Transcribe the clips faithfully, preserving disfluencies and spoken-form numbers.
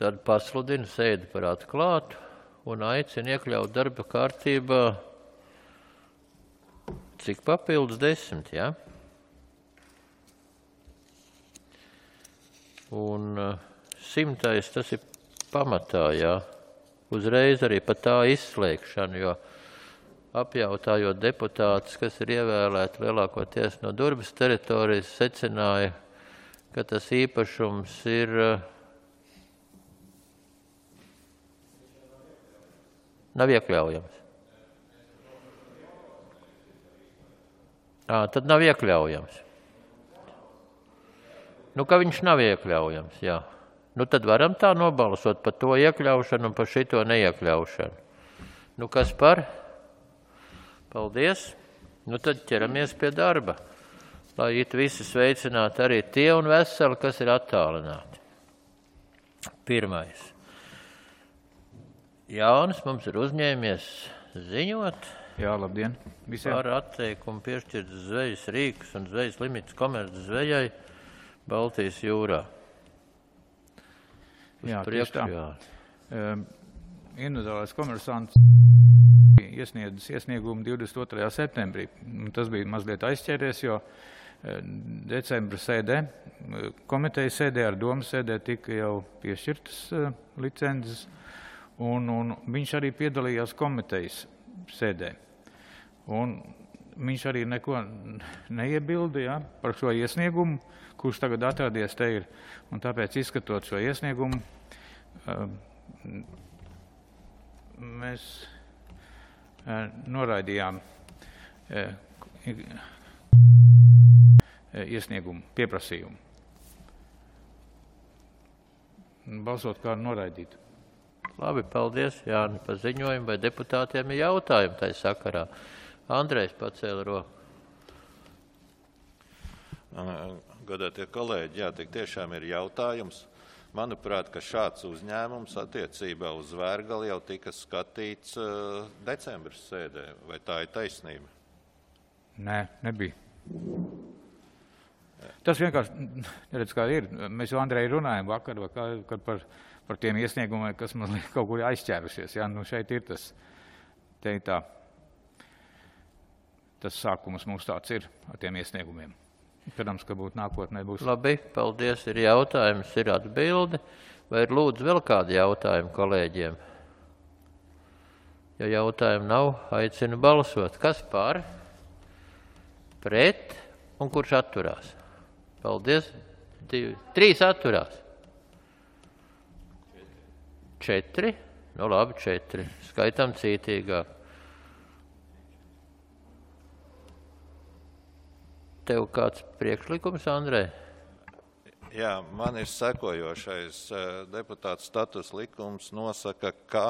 tad pasludinu sēdi par atklātu un aicinu iekļaut darba kārtībā cik papildus desmit, jā? Ja? Un simtais tas ir pamatā, jā. Uzreiz arī par tā izslēgšanu, jo apjautājot deputātus, kas ir ievēlēti lielākoties no Durbas teritorijas, secināja, ka tas īpašums ir nav iekļaujams. Ā, tad nav iekļaujams. Nu, ka viņš nav iekļaujams, jā. Nu, tad varam tā nobalsot par to iekļaušanu un par šito neiekļaušanu. Nu, kas par? Paldies. Nu, tad ķeramies pie darba. Lai it visi sveicināti arī tie un veseli, kas ir attālināti. Pirmais. Jānis mums ir uzņēmies ziņot. Jā, labdien visiem. Par atteikumu piešķirt zvejas rīkus un zvejas limits komerc zvejai Baltijas jūrā. Uz jā, priekšu, tieši tā. Jā. Um, Individuālais komersants iesniedzis iesniegumu divdesmit otrajā septembrī. Tas bija mazliet aizķēries, jo decembra sēdē, komitejas sēdē ar domas sēdē tika jau piešķirtas uh, licences, un, un viņš arī piedalījās komitejas sēdē. Un viņš arī neko neiebilda, ja, par šo iesniegumu, kurš tagad atradies te ir. Un tāpēc, izskatot šo iesniegumu, mēs noraidījām iesniegumu, pieprasījumu. Balsot kā noraidīt. Labi, paldies, Jāni, par ziņojumu, vai deputātiem ir jautājumi tai sakarā. Andrejs pacēla roku. Godātie kolēģi, jā, tik tiešām ir jautājums. Manuprāt, ka šāds uzņēmums attiecībā uz Vērgali jau tika skatīts uh, decembris sēdē. Vai tā ir taisnība? Nē, nebija. Jā. Tas vienkārši, neredz, kā ir. Mēs jau Andreju runājam vakar, kad par, par tiem iesniegumiem, kas mazliet kaut kur aizķērušies. Jā, nu šeit ir tas, te tā, tas sākums mums tāds ir ar tiem iesniegumiem. Cerams, ka būtu nākotnē būs. Labi, paldies, ir jautājums, ir atbildi. Vai ir lūdzu vēl kādi jautājumi kolēģiem? Ja jautājumu nav, aicinu balsot. Kas par? Pret? Un kurš atturās? Paldies. Divi. Trīs atturās. Četri? Nu labi, četri. Skaitam cītīgāk. Tev kāds priekšlikums, Andrej? Jā, man ir sekojošais. Deputāta status likums nosaka, ka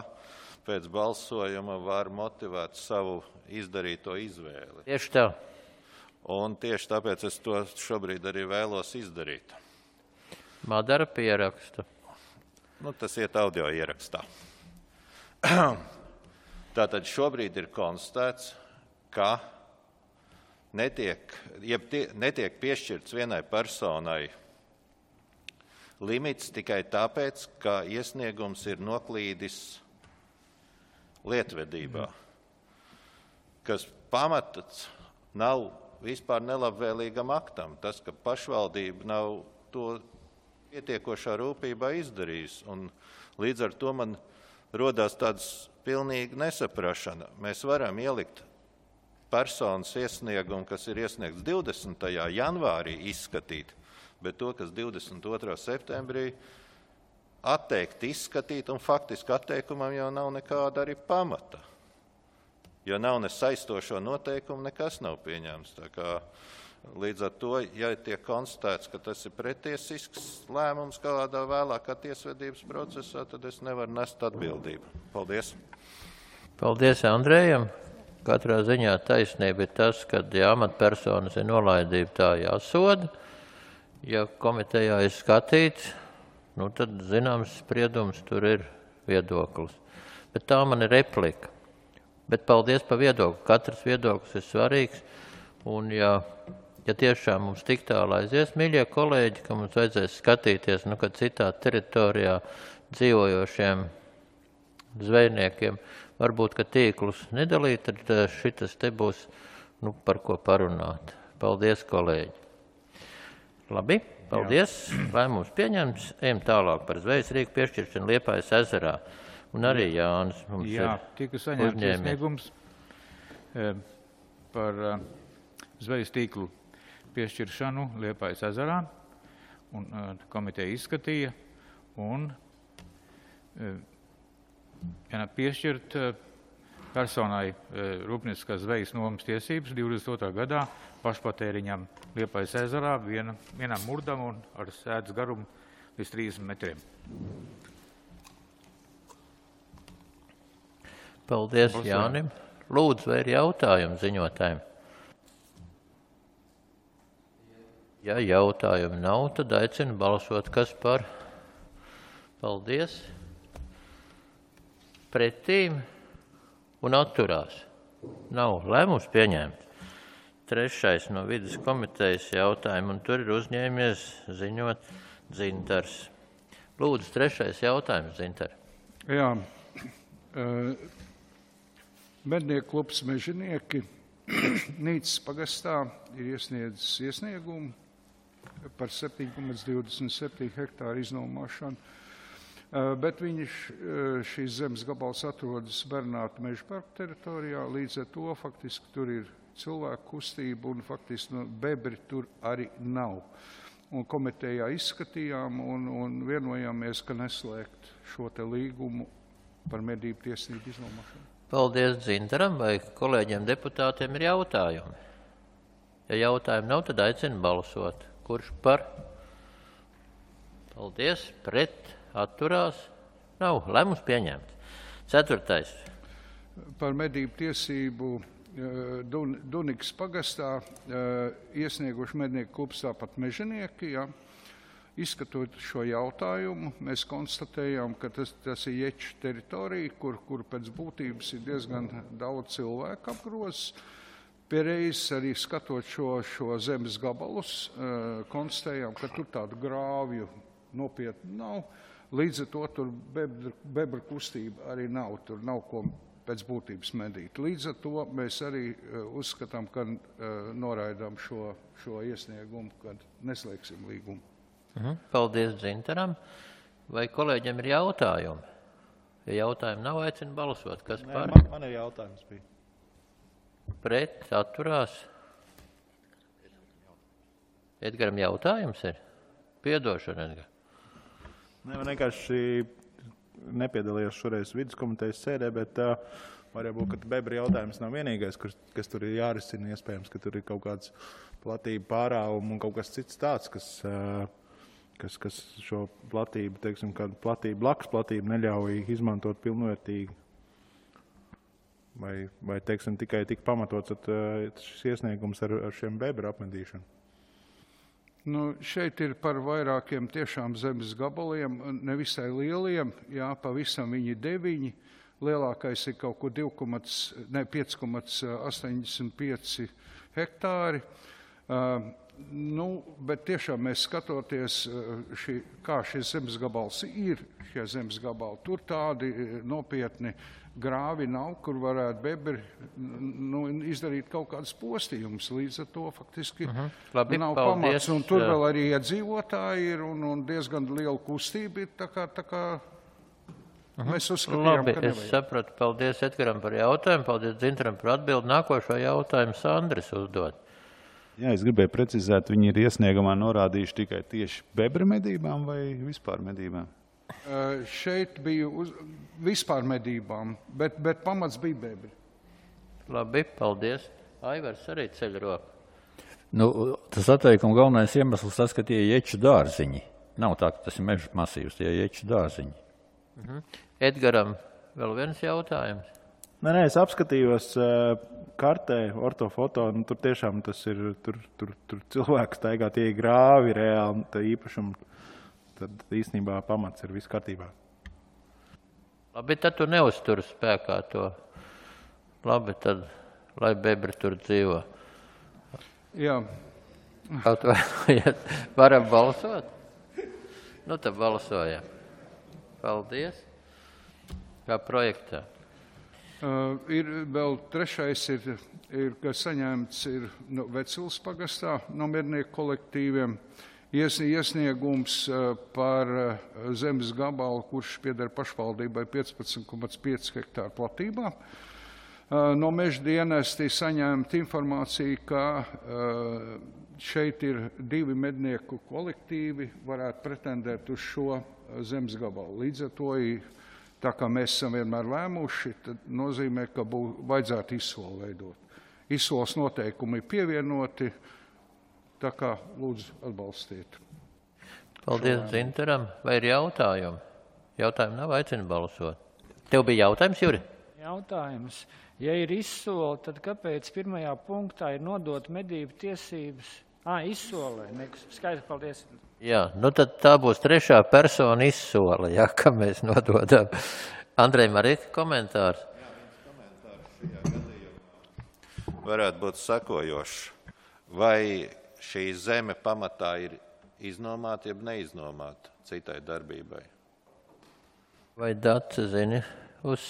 pēc balsojuma var motivēt savu izdarīto izvēli. Tieši tā. Un tieši tāpēc es to šobrīd arī vēlos izdarīt. Madara pierakstu. Nu, tas iet audio ierakstā. Tātad šobrīd ir konstatēts, ka Netiek, jeb tie, netiek piešķirts vienai personai limits tikai tāpēc, ka iesniegums ir noklīdis lietvedībā, kas pamats nav vispār nelabvēlīgam aktam. Tas, ka pašvaldība nav to pietiekošā rūpībā izdarījis, un līdz ar to man rodās tāds pilnīgi nesaprašana. Mēs varam ielikt personas iesniegumu, kas ir iesniegts divdesmitajā janvārī izskatīt, bet to, kas divdesmit otrā septembrī atteikt izskatīt, un faktiski atteikumam jau nav nekāda arī pamata. Jo nav ne saistošo noteikumu, nekas nav pieņēmts. Tā kā līdz ar to, ja tiek konstatēts, ka tas ir pretiesisks lēmums kādā vēlākā tiesvedības procesā, tad es nevaru nest atbildību. Paldies. Paldies Andrejam. Katrā ziņā taisnība ir tas, ka ja amatpersonas ir nolaidība, tā jāsoda. Ja komitejā ir skatīts, nu tad zināms spriedums tur ir viedoklis. Bet tā man ir replika. Bet paldies par viedokli. Katrs viedoklis ir svarīgs. Un ja ja tiešām mums tik tālu aizies, mīļie kolēģi, ka mums vajadzēs skatīties, nu, kad citā teritorijā dzīvojošiem zvejniekiem, varbūt, ka tīklus nedalīt, tad šitas te būs, nu, par ko parunāt. Paldies, kolēģi. Labi, paldies. Lēmums pieņemts. Ejam tālāk par zvejas rīku piešķiršanu Liepājas ezerā. Un arī Jānis mums Jā, ir tika saņemts uzņēmies. iesniegums e, par e, zvejas tīklu piešķiršanu Liepājas ezerā. Un e, komiteja izskatīja un e, ja piešķirt e, personai e, rūpnieciskās zvejas nomas tiesības divdesmit otrā gadā pašpatēriņam Liepājas ezerā viena, vienam murdam un ar sēdz garumu līdz trīsdesmit metriem. Paldies, Balsojam. Jānim. Lūdzu, vai ir jautājumi ziņotājiem? Ja jautājumu nav, tad aicinu balsot, kas par. Paldies. Pretīm un atturās. Nav lēmums pieņemts. Trešais no vidas komitejas jautājumu, un tur ir uzņēmies ziņot Dzintars. Lūdzu, trešais jautājums, Dzintar. Jā. Mednieku klubs Mežinieki Nīcas pagastā ir iesniedzis iesniegumu par septiņi komats divdesmit septiņi hektāru iznomāšanu, bet viņš šīs zemes gabals atrodas Bernāta meža parka teritorijā, līdz ar to faktiski tur ir cilvēku kustība un faktiski no bebri tur arī nav. Un komitejā izskatījām un, un vienojāmies, ka neslēgt šo te līgumu par medību tiesību iznomāšanu. Paldies Dzintaram, vai kolēģiem deputātiem ir jautājumi? Ja jautājumi nav, tad aicinu balsot. Kurš par? Paldies. Pret? Atturās? Nav. Lēmums pieņemts. Ceturtais. Par medību tiesību Dun, Dunikas pagastā iesnieguši mednieku klubs tāpat Mežinieki. Ja. Izskatot šo jautājumu, mēs konstatējām, ka tas, tas ir ječu teritorija, kur, kur pēc būtības ir diezgan daudz cilvēku apgrozes. Pierreiz arī skatot šo, šo zemes gabalus, konstatējām, ka tur tādu grāvju nopietni nav. Līdz ar to tur bebra, bebra kustība arī nav, tur nav ko pēc būtības medīt. Līdz ar to mēs arī uzskatām, ka noraidām šo, šo iesniegumu, kad neslēgsim līgumu. Paldies Dzintaram. Vai kolēģiem ir jautājumi? Ja jautājumi nav, aicinu balsot. Kas Nē, par? man, man ir jautājums bija. Pret? Atturās? Edgaram jautājums ir? Piedošana, Edgar. Nē, man vienkārši nepiedalījos šoreiz viduskomitejas sēdē, bet uh, var jau būt, ka bebra jautājums nav vienīgais, kas, kas tur ir jārisina. Iespējams, ka tur ir kaut kāds platība pārāvuma un kaut kas cits tāds, kas, uh, kas, kas šo platību, teiksim, kādu platību, blakus platību neļauj izmantot pilnvērtīgi. Vai, vai teiksim, tikai tik pamatots at, uh, šis iesniegums ar, ar šiem bebra apmedīšanu? Nu, šeit ir par vairākiem tiešām zemes gabaliem, nevisai lieliem, jā, pavisam viņi deviņi. Lielākais ir kaut kur pieci komats astoņdesmit pieci hektāri. Uh, nu, bet tiešām mēs skatoties, šī, kā šis zemes gabals ir, šie zemes gabali, tur tādi nopietni grāvi nav, kur varētu bebri nu, izdarīt kaut kādas postījumus. Līdz ar to faktiski uh-huh. Labi, nav paldies. pamats. Un tur vēl arī iedzīvotāji ir un, un diezgan liela kustība ir. Tā kā, tā kā uh-huh. mēs uzskatījām, Labi, ka es nevajag. sapratu. Paldies Edgaram par jautājumu. Paldies Dzintaram par atbildi. Nākošo jautājumu Sandris uzdod. Jā, es gribēju precizēt, viņi ir iesniegumā norādījuši tikai tieši bebra medībām vai vispār medībām? Uh, šeit bija uz, vispār medībām, bet, bet pamats bija bebri. Labi, paldies. Aivars arī ceļ roku. Nu, tas atteikuma galvenais iemesls tas, ka tie ir ječu dārziņi. Nav tā, ka tas ir meža masīvs, tie ir ječu dārziņi. Mhm. Edgaram vēl viens jautājums. Nē, nē, es apskatījos uh, kartē, ortofoto, nu, tur tiešām tas ir, tur, tur, tur cilvēks staigā, tie ir grāvi reāli, tā īpašumi. Tad īstenībā pamats ir viss kārtībā. Labi, tad tu neuzturi spēkā to. Labi, tad lai bebri tur dzīvo. Jā, Atvainojiet, varam balsot? Nu, tad balsojam. Paldies. Kā projektā? Uh, ir vēl trešais, ir, ir ka saņemts ir no Vecils pagastā no mednieku kolektīviem ies, iesniegums uh, par uh, zemes gabalu, kurš pieder pašvaldībai piecpadsmit komats pieci hektāru platībā. Uh, no meža dienesti saņemt informāciju, ka uh, šeit ir divi mednieku kolektīvi, varētu pretendēt uz šo zemes gabalu. Līdz ar to, tā kā mēs esam vienmēr lēmuši, tad nozīmē, ka bū, vajadzētu izsoli veidot. Izsoles noteikumi ir pievienoti, tā kā lūdzu atbalstiet. Paldies Zintaram. Vai ir jautājumi? Jautājumi nav, aicinu balsot. Tev bija jautājums, Juri? Jautājums. Ja ir izsole, tad kāpēc pirmajā punktā ir nodot medību tiesības? Ā, izsolē. Skaidrs, paldies. Jā, nu tad tā būs trešā persona izsole, jā, ka mēs nododam. Andrej, arī komentārs? Jā, viens komentārs šajā gadījumā varētu būt sakojošs. Vai šī zeme pamatā ir iznomāta, jeb neiznomāta citai darbībai? Vai Dace zini, uz,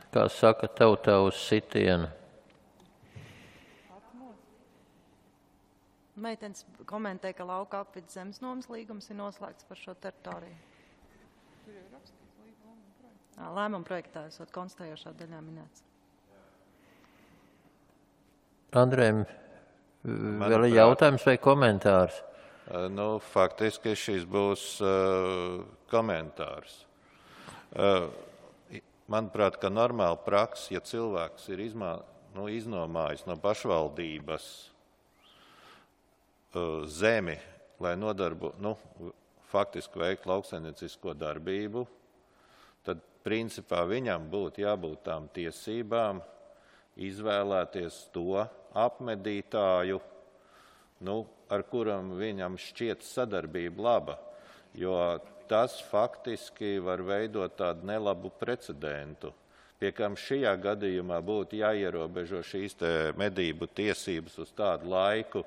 kā saka tautā, uz sitienu? Meitenes komentē, ka lauka apvidas zemes nomas līgums ir noslēgts par šo teritoriju. Lēmuma projektā esot konstatējošā daļā minēts. Andrejam, vēl ir jautājums vai komentārs? Nu, faktiski šis būs uh, komentārs. Uh, manuprāt, ka normāla praksa, ja cilvēks ir izmā, nu, iznomājis no pašvaldības zemi, lai nodarbu, nu, faktiski veikt lauksaimniecisko darbību, tad principā viņam būtu jābūt tām tiesībām izvēlēties to apmedītāju, nu, ar kuram viņam šķiet sadarbība laba, jo tas faktiski var veidot tādu nelabu precedentu, pie kam šajā gadījumā būtu jāierobežo šīs te medību tiesības uz tādu laiku,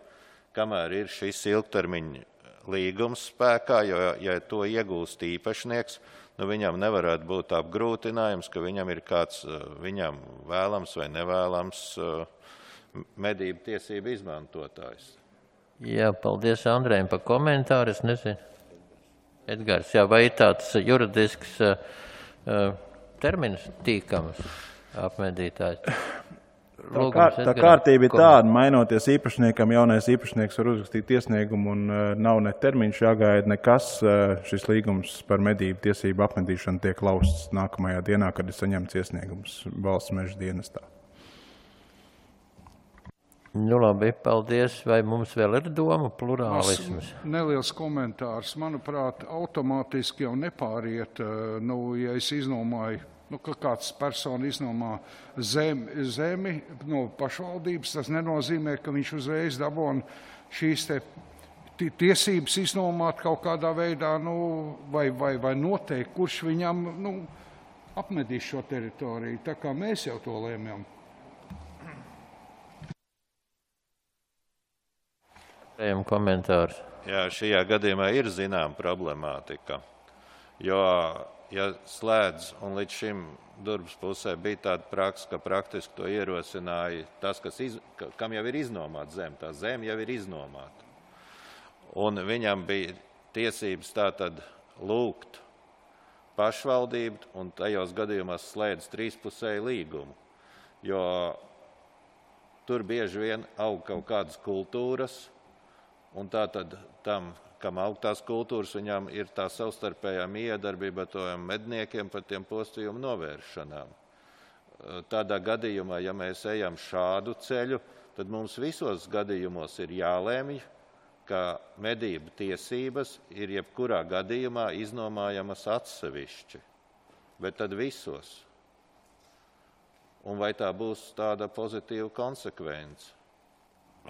kamēr ir šis ilgtermiņa līgums spēkā, jo, ja to iegūst īpašnieks, nu viņam nevarētu būt apgrūtinājums, ka viņam ir kāds viņam vēlams vai nevēlams medību tiesību izmantotājs. Jā, paldies Andrejam par komentāru, es nezinu. Edgars, jā, vai ir tāds juridisks uh, termins tīkams apmedītājs? Tā, kār, tā kārtība ir tāda, mainoties īpašniekam, jaunais īpašnieks var uzrakstīt iesniegumu un uh, nav ne termiņš jāgaida nekas. Uh, šis līgums par medību tiesību apmedīšanu tiek lausts nākamajā dienā, kad ir saņemts iesniegums valsts meža dienestā. Nu labi, paldies. Vai mums vēl ir doma plurālisms? Neliels komentārs. Manuprāt, automātiski jau nepāriet, nu, ja es iznomāju, nu, ka kāds persona iznomā zemi, zemi no pašvaldības, tas nenozīmē, ka viņš uzreiz dabūna šīs te tiesības iznomāt kaut kādā veidā, nu, vai, vai, vai noteikt, kurš viņam, nu, apmedīs šo teritoriju. Tā kā mēs jau to lēmjam. Komentārs. Jā, šajā gadījumā ir zinām problemātika, jo, ja slēdz, un līdz šim Durbas pusē bija tāda praksa, ka praktiski to ierosināja tas, kas iz, kam jau ir iznomāta zeme, tā zeme jau ir iznomāta. Un viņam bija tiesības tātad lūgt pašvaldību, un tajos gadījumos slēdz trīspusēju līgumu, jo tur bieži vien aug kaut kādas kultūras, un tātad tam, kam aug tās kultūras, viņam ir tā savstarpējā miedarbība ar tojiem medniekiem par tiem postījumu novēršanām. Tādā gadījumā, ja mēs ejam šādu ceļu, tad mums visos gadījumos ir jālēmj, ka medību tiesības ir jebkurā gadījumā iznomājamas atsevišķi, bet tad visos. Un vai tā būs tāda pozitīva konsekvence?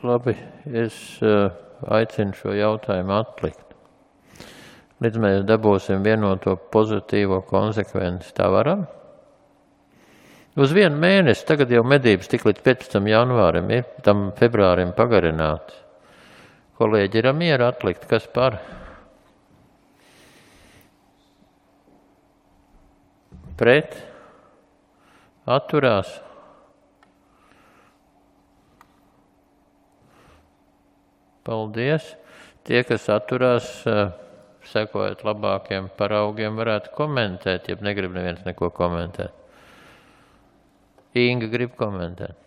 Labi, es uh, aicinu šo jautājumu atlikt. Līdz mēs dabūsim vienoto pozitīvo konsekvenci. Tā varam? Uz vienu mēnesi, tagad jau medības tik līdz piecpadsmitam janvārim ir, tam februārim pagarināts. Kolēģi ir miera atlikt, kas par? Pret? Atturās? Paldies. Tie, kas atturās, sekojot labākiem paraugiem, varētu komentēt, ja negrib neviens neko komentēt. Inga grib komentēt.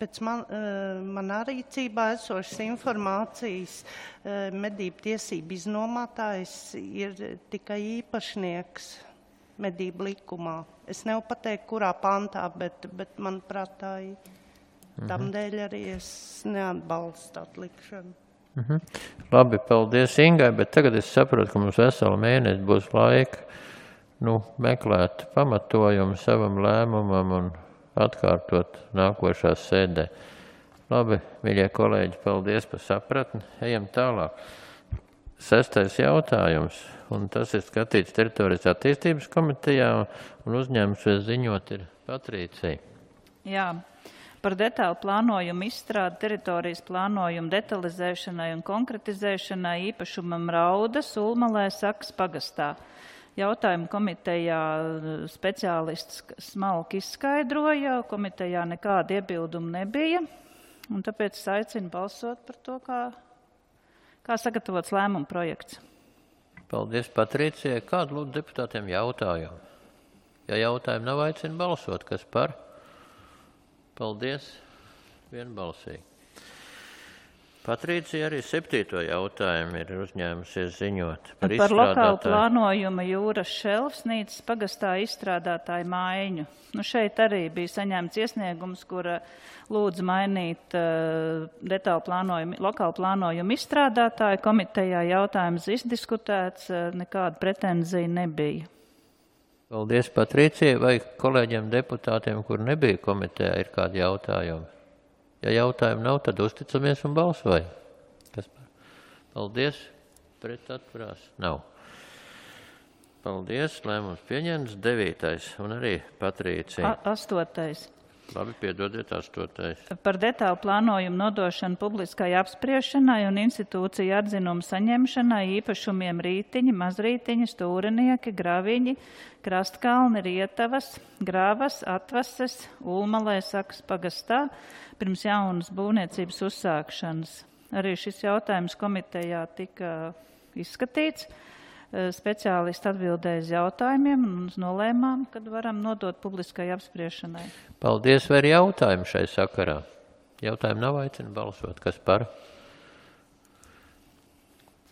Pēc man, manā rīcībā esošas informācijas medību tiesību iznomātājs ir tikai īpašnieks medību likumā. Es nevaru pateikt, kurā pantā, bet, bet manuprāt, tā ir. Tamdēļ arī es neatbalstu atlikšanu. Mhm. Labi, paldies Ingai, bet tagad es saprotu, ka mums veselu mēnesi būs laika nu, meklēt pamatojumu savam lēmumam un atkārtot nākošās sēdē. Labi, mīļie kolēģi, paldies par sapratni. Ejam tālāk. Sestais jautājums, un tas ir skatīts teritorijas attīstības komitejā, un uzņēmums ziņot ir Patricija. Jā. Par detālu plānojumu izstrādi teritorijas plānojumu detalizēšanai un konkretizēšanai īpašumam Raudas, Ulmalē, Sakas pagastā. Jautājumu komitejā speciālists smalki izskaidroja, komitejā nekāda iebildumu nebija, un tāpēc es aicinu balsot par to, kā, kā sagatavots lēmuma projekts. Paldies, Patricijai. Kādu lūdzu deputātiem jautājumu? Ja jautājumu nav, aicinu balsot, kas par? Paldies, vienbalsīgi. Patricija arī septīto jautājumu ir uzņēmusies ziņot par, par lokālu plānojumu jūras šelfsnīcas pagastā izstrādātāju mājiņu. Nu, šeit arī bija saņemts iesniegums, kur lūdzu mainīt uh, detālu plānojumu, lokālu plānojumu izstrādātāju. Komitejā jautājums izdiskutēts, uh, nekāda pretenzija nebija. Paldies, Patricija. Vai kolēģiem deputātiem, kur nebija komitejā, ir kādi jautājumi? Ja jautājumu nav, tad uzticamies un balsojam. Kas par? Paldies. Pret atturās? Nav. Paldies. Lēmums pieņemts. Devītais un arī Patricija. A astotais. Labi, piedodiet, astotais. Par detālu plānojumu nodošanu publiskai apspriešanai un institūciju atzinumu saņemšanai īpašumiem Rītiņi, Mazrītiņi, Stūrinieki, Graviņi, Krastkalni, Rietavas, Grāvas, Atvases, Ulmalē, Sakas pagastā pirms jaunas būvniecības uzsākšanas. Arī šis jautājums komitejā tika izskatīts. Speciālisti atbildēja uz jautājumiem un nolēmām, kad varam nodot publiskai apspriešanai. Paldies, vai ir jautājumi šai sakarā? Jautājumi nav, aicinu balsot. Kas par?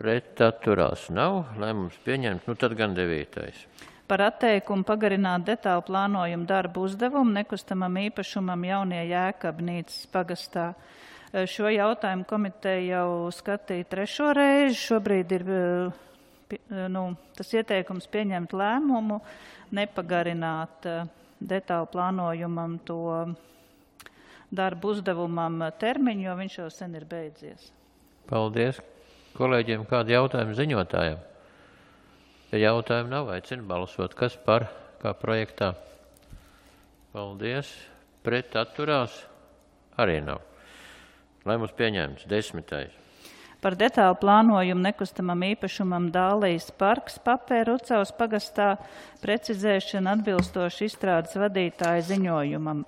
Pret atturās nav. Lēmums pieņemts. Nu tad gan devītais. Par atteikumu pagarināt detālu plānojumu darbu uzdevumu nekustamam īpašumam Jaunie Jēkabnīcas pagastā. Šo jautājumu komiteja jau skatīja trešo reizi. Šobrīd ir nu, tas ieteikums pieņemt lēmumu, nepagarināt detālu plānojumam to darbu uzdevumam termiņu, jo viņš jau sen ir beidzies. Paldies. Kolēģiem kādi jautājumi ziņotājiem? Ja jautājumi nav, aicinu balsot. Kas par, kā projektā? Paldies. Pret atturās? Arī nav. Lēmums pieņemts. Desmitais. Par detālu plānojumu nekustamam īpašumam Dālijas parks Papēra Ucavas pagastā precizēšana atbilstoši izstrādes vadītāja ziņojumam.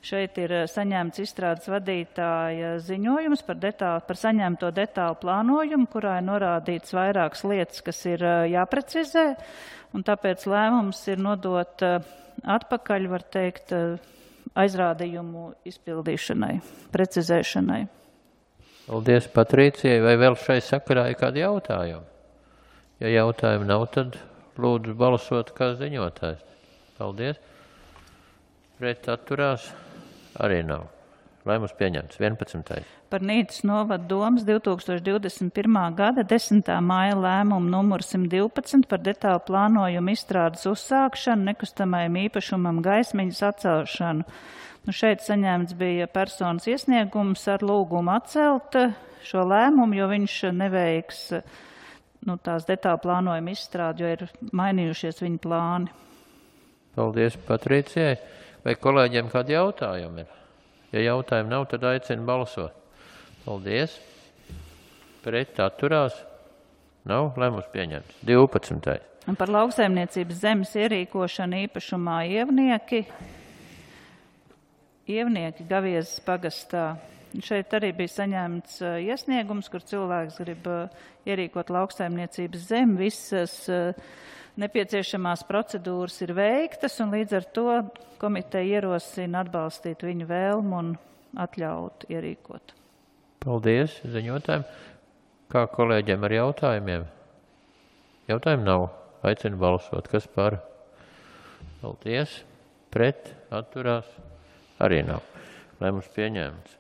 Šeit ir saņemts izstrādes vadītāja ziņojums par, detālu, par saņemto detālu plānojumu, kurā ir norādīts vairākas lietas, kas ir jāprecizē, un tāpēc lēmums ir nodot atpakaļ, var teikt, aizrādījumu izpildīšanai, precizēšanai. Paldies, Patricijai. Vai vēl šai sakarā ir kādi jautājumi? Ja jautājumi nav, tad lūdzu balsot kā ziņotājs. Paldies. Pret atturās arī nav. Lēmums pieņemts. vienpadsmitais. Par Nīcas novada domas divi tūkstoši divdesmit pirmā gada desmitā māja lēmumu numuru simt divpadsmit par detālu plānojumu izstrādes uzsākšanu nekustamajam īpašumam gaismiņas atcelšanu. Nu, šeit saņemts bija personas iesniegums ar lūgumu atcelt šo lēmumu, jo viņš neveiks nu, tās detālu plānojuma izstrādi, jo ir mainījušies viņa plāni. Paldies, Patricijai. Vai kolēģiem kādi jautājumi ir? Ja jautājumi nav, tad aicinu balsot. Paldies. Pret atturās. Nav lēmums pieņemts. divpadsmitais. Un par lauksaimniecības zemes ierīkošanu īpašumā ievnieki. Ievnieki Gaviezas pagastā. Šeit arī bija saņemts uh, iesniegums, kur cilvēks grib uh, ierīkot lauksaimniecības zemi. Visas uh, nepieciešamās procedūras ir veiktas, un līdz ar to komiteja ierosina atbalstīt viņu vēlmu un atļaut ierīkot. Paldies ziņotājiem. Kā kolēģiem ar jautājumiem? Jautājumu nav. Aicinu balsot. Kas par? Paldies. Pret atturās. Arī nav. Lēmums pieņemts.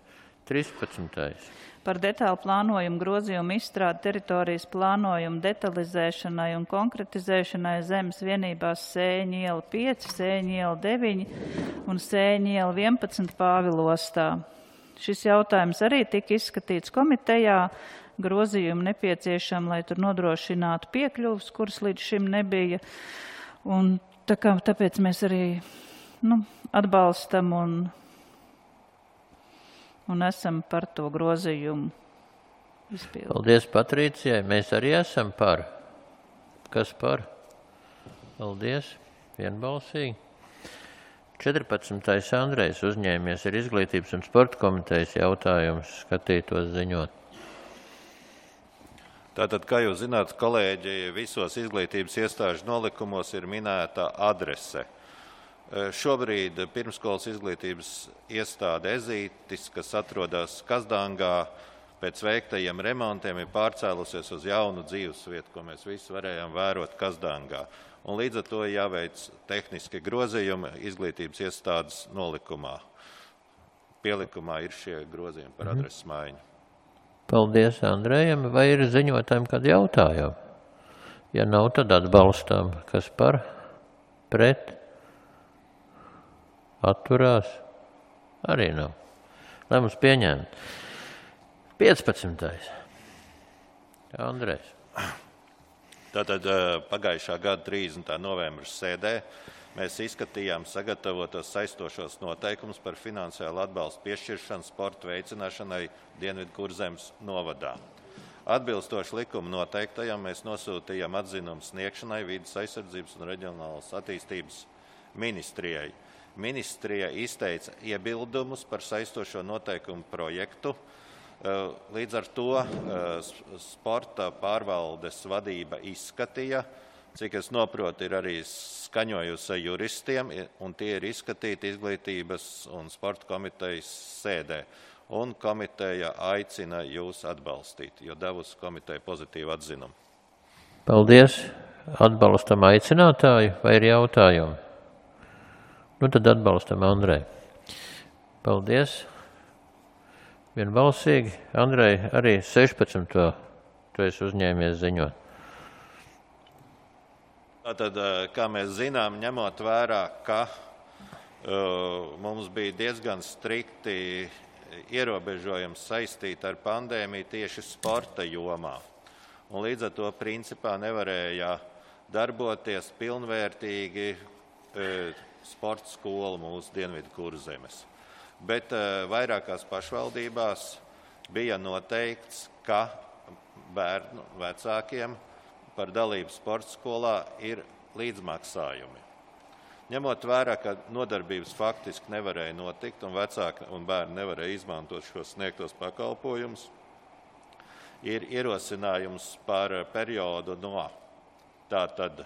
trīspadsmitais. Par detālu plānojumu grozījumu izstrādi teritorijas plānojumu detalizēšanai un konkretizēšanai zemes vienībās Sēņu iela pieci, Sēņu iela deviņi un Sēņu iela vienpadsmit Pāvilostā. Šis jautājums arī tika izskatīts komitejā. Grozījumi nepieciešami, lai tur nodrošinātu piekļuvus, kuras līdz šim nebija. Un tā kā, tāpēc mēs arī nu, atbalstam un un esam par to grozījumu izpildu. Paldies Patricijai. Mēs arī esam par. Kas par? Paldies. Vienbalsīgi. četrpadsmitais. Andrejs uzņēmies ir izglītības un sporta komitejas jautājums skatītos ziņot. Tātad, kā jūs zināt, kolēģi, visos izglītības iestāžu nolikumos ir minēta adrese. Šobrīd pirmskolas izglītības iestāde Ezītis, kas atrodas Kazdangā, pēc veiktajiem remontiem ir pārcēlusies uz jaunu dzīvesvietu, ko mēs visi varējām vērot Kazdangā. Un līdz ar to jāveic tehniski grozījumi izglītības iestādes nolikumā. Pielikumā ir šie grozījumi par adreses maiņu. Paldies Andrejam. Vai ir ziņotājiem kādi jautājumi? Ja nav, tad atbalstām. Kas par? Pret? Atturās? Arī nav. Lēmums pieņemt. piecpadsmitais. Andrejs. Tātad pagājušā gada trīsdesmitā novembra sēdē mēs izskatījām sagatavotos saistošos noteikumus par finansiālu atbalstu piešķiršanu sporta veicināšanai Dienvidkurzemes novadā. Atbilstoši likuma noteiktajam mēs nosūtījām atzinumu sniegšanai Vides aizsardzības un reģionālas attīstības ministrijai. Ministrija izteica iebildumus par saistošo noteikumu projektu. Līdz ar to sporta pārvaldes vadība izskatīja, cik es noprotu, ir arī skaņojusi juristiem, un tie ir izskatīti izglītības un sporta komitejas sēdē. Un komiteja aicina jūs atbalstīt, jo devusi komiteja pozitīvu atzinumu. Paldies. Atbalstam aicinātāju vai ir jautājumi? Nu tad atbalstam Andrei. Paldies. Vienbalsīgi. Andrei, arī sešpadsmito tu esi uzņēmies ziņot. Tātad, kā mēs zinām, ņemot vērā, ka uh, mums bija diezgan strikti ierobežojums saistīti ar pandēmiju tieši sporta jomā. Un līdz ar to principā nevarēja darboties pilnvērtīgi uh, sporta skola mūsu Dienvidkurzemes. Bet uh, vairākās pašvaldībās bija noteikts, ka bērnu vecākiem par dalību sporta skolā ir līdzmaksājumi. Ņemot vērā, ka nodarbības faktiski nevarēja notikt un vecāki un bērni nevarēja izmantot šos sniegtos pakalpojumus, ir ierosinājums par periodu no tātad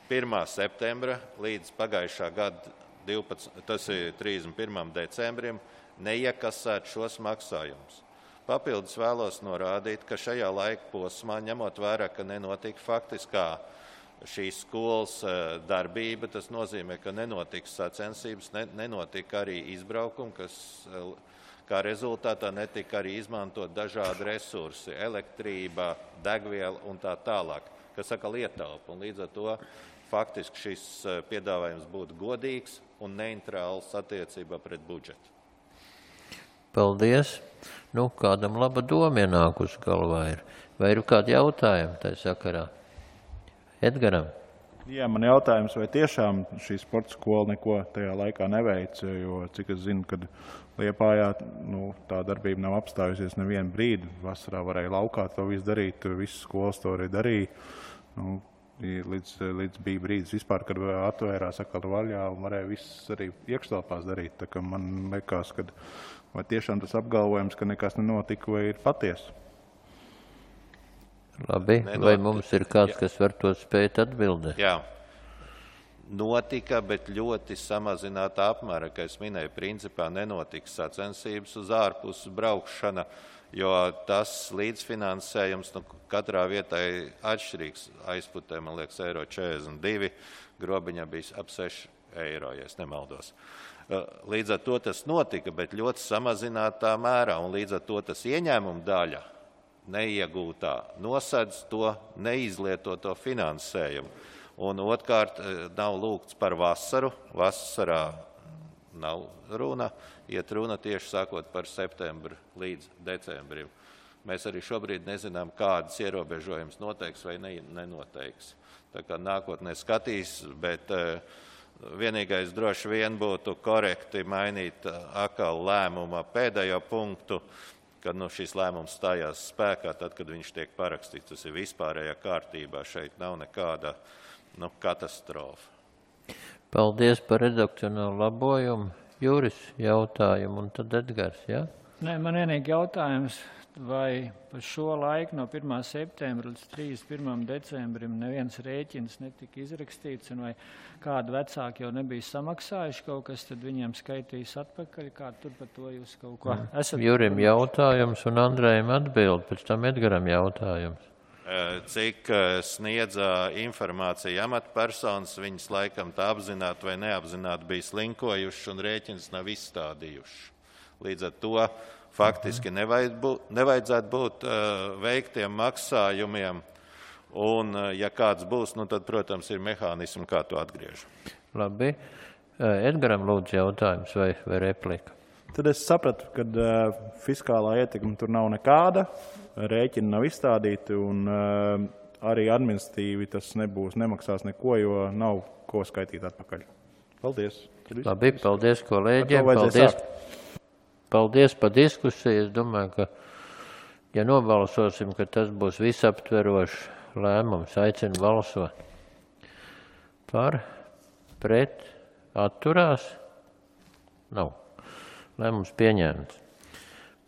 pirmā septembra līdz pagājušā gada divpadsmitajam tas ir trīsdesmit pirmajam decembrim neiekasēt šos maksājumus. Papildus vēlos norādīt, ka šajā laika posmā, ņemot vērā, ka nenotika faktiskā šīs skolas darbība, tas nozīmē, ka nenotika sacensības, ne, nenotika arī izbraukumi, kas kā rezultātā netika arī izmantot dažādi resursi, elektrība, degviela un tā tālāk, kas saka ietaupa. Un līdz ar to faktiski šis piedāvājums būtu godīgs un neitrāls attiecībā pret budžetu. Paldies. Nu, kādam laba doma ienākusi galvā ir. Vai ir kādi jautājumi tai sakarā? Edgaram? Jā, man jautājums, vai tiešām šī sporta skola neko tajā laikā neveica, jo cik es zinu, kad Liepājā nu, tā darbība nav apstājusies nevienu brīdi. Vasarā varēja laukā to visu darīt, visas skolas to arī darīja. Nu, līdz, līdz bija brīdis vispār, kad atvērās atkal vaļā un varēja viss arī iekštelpās darīt. Tā kā man liekas, ka vai tiešām tas apgalvojums, ka nekas nenotika, vai ir patiesa. Labi, Nenot... vai mums ir kāds, Jā. kas var to spēt atbildēt? Jā. Notika, bet ļoti samazinātā apmēra, kā es minēju, principā nenotika sacensības uz ārpuses braukšana, jo tas līdzfinansējums nu, katrā vietā ir atšķirīgs. Aizputē, man liekas, eiro četrdesmit divi, grobiņā bija ap seši eiro, ja es nemaldos. Līdz ar to tas notika, bet ļoti samazinātā mērā, un līdz ar to tas ieņēmuma daļa neiegūtā nosedz to neizlietoto finansējumu. Un otrkārt nav lūgts par vasaru. Vasarā nav runa, iet runa tieši sākot par septembru līdz decembrim. Mēs arī šobrīd nezinām, kādas ierobežojumus noteiks vai ne, nenoteiks. Tā kā nākotnē skatīs, bet vienīgais droši vien būtu korekti mainīt atkal lēmuma pēdējo punktu, kad nu, šis lēmums stājās spēkā, tad, kad viņš tiek parakstīts. Tas ir vispārējā kārtībā, šeit nav nekāda nu, katastrofa. Paldies par redakcionālu labojumu. Juris jautājumu un tad Edgars, jā? Ja? Nē, man vienīgi jautājums, vai par šo laiku no pirmā septembra līdz trīsdesmit pirmajam decembrim neviens rēķins netika izrakstīts, un vai kādi vecāki jau nebija samaksājuši kaut kas, tad viņiem skaitīs atpakaļ, kā tur par to jūs kaut ko esat? Jurim jautājums un Andrejam atbild, pēc tam Edgaram jautājums. Cik sniedza informācija amatpersonas, viņas laikam tā apzināti vai neapzināti bija slinkojuši un rēķins nav izstādījuši. Līdz ar to faktiski nevajadzētu būt veiktiem maksājumiem, un ja kāds būs, nu tad, protams, ir mehānismi, kā to atgriež. Labi. Edgaram lūdzu jautājums vai, vai replika? Tad es sapratu, ka uh, fiskālā ietekme tur nav nekāda, rēķini nav izstādīti un uh, arī administratīvi tas nebūs, nemaksās neko, jo nav ko skaitīt atpakaļ. Paldies. Labi, paldies kolēģiem. Paldies, paldies par diskusiju. Es domāju, ka, ja nobalsosim, ka tas būs visaptverošs lēmums, aicinu balsot par, pret, atturās. Nav. Lēmums pieņemts.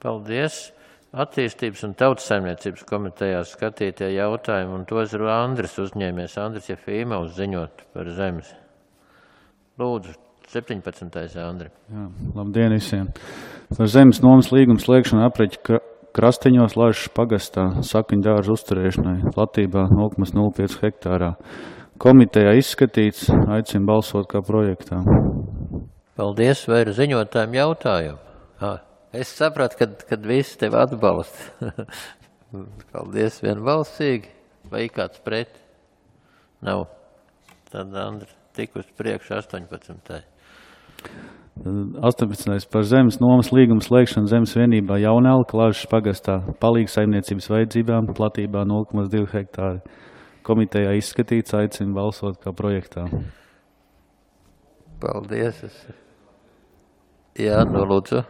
Paldies. Attīstības un tautsaimniecības komitejā skatītie jautājumi, un tos ir Andris uzņēmies. Andris Jefīmovs ziņot par zemes. Lūdzu, septiņpadsmitais Andri. Jā, labdien visiem. Par zemes nomas līgumu slēgšanu apreķi Krasteņos Laišas pagastā Sakņu dārza uzturēšanai platībā nulle komats nulle pieci hektārā. Komitejā izskatīts, aicinu balsot kā projektā. Paldies, vai ir ziņotājiem jautājumu? Ah, es sapratu, kad, kad visi tevi atbalsta. Paldies vienbalsīgi. Vai kāds pret? Nav. Tad, Andri, tik uz priekšu astoņpadsmitais. astoņpadsmitais par zemes nomas līgumu slēgšanu zemes vienībā Jaunelka Laišas pagastā palīgas saimniecības vajadzībām platībā nulle komats divi hektāri. Komitejā izskatīts, aicinu balsot kā projektā. Paldies. Jā, nu lūdzu.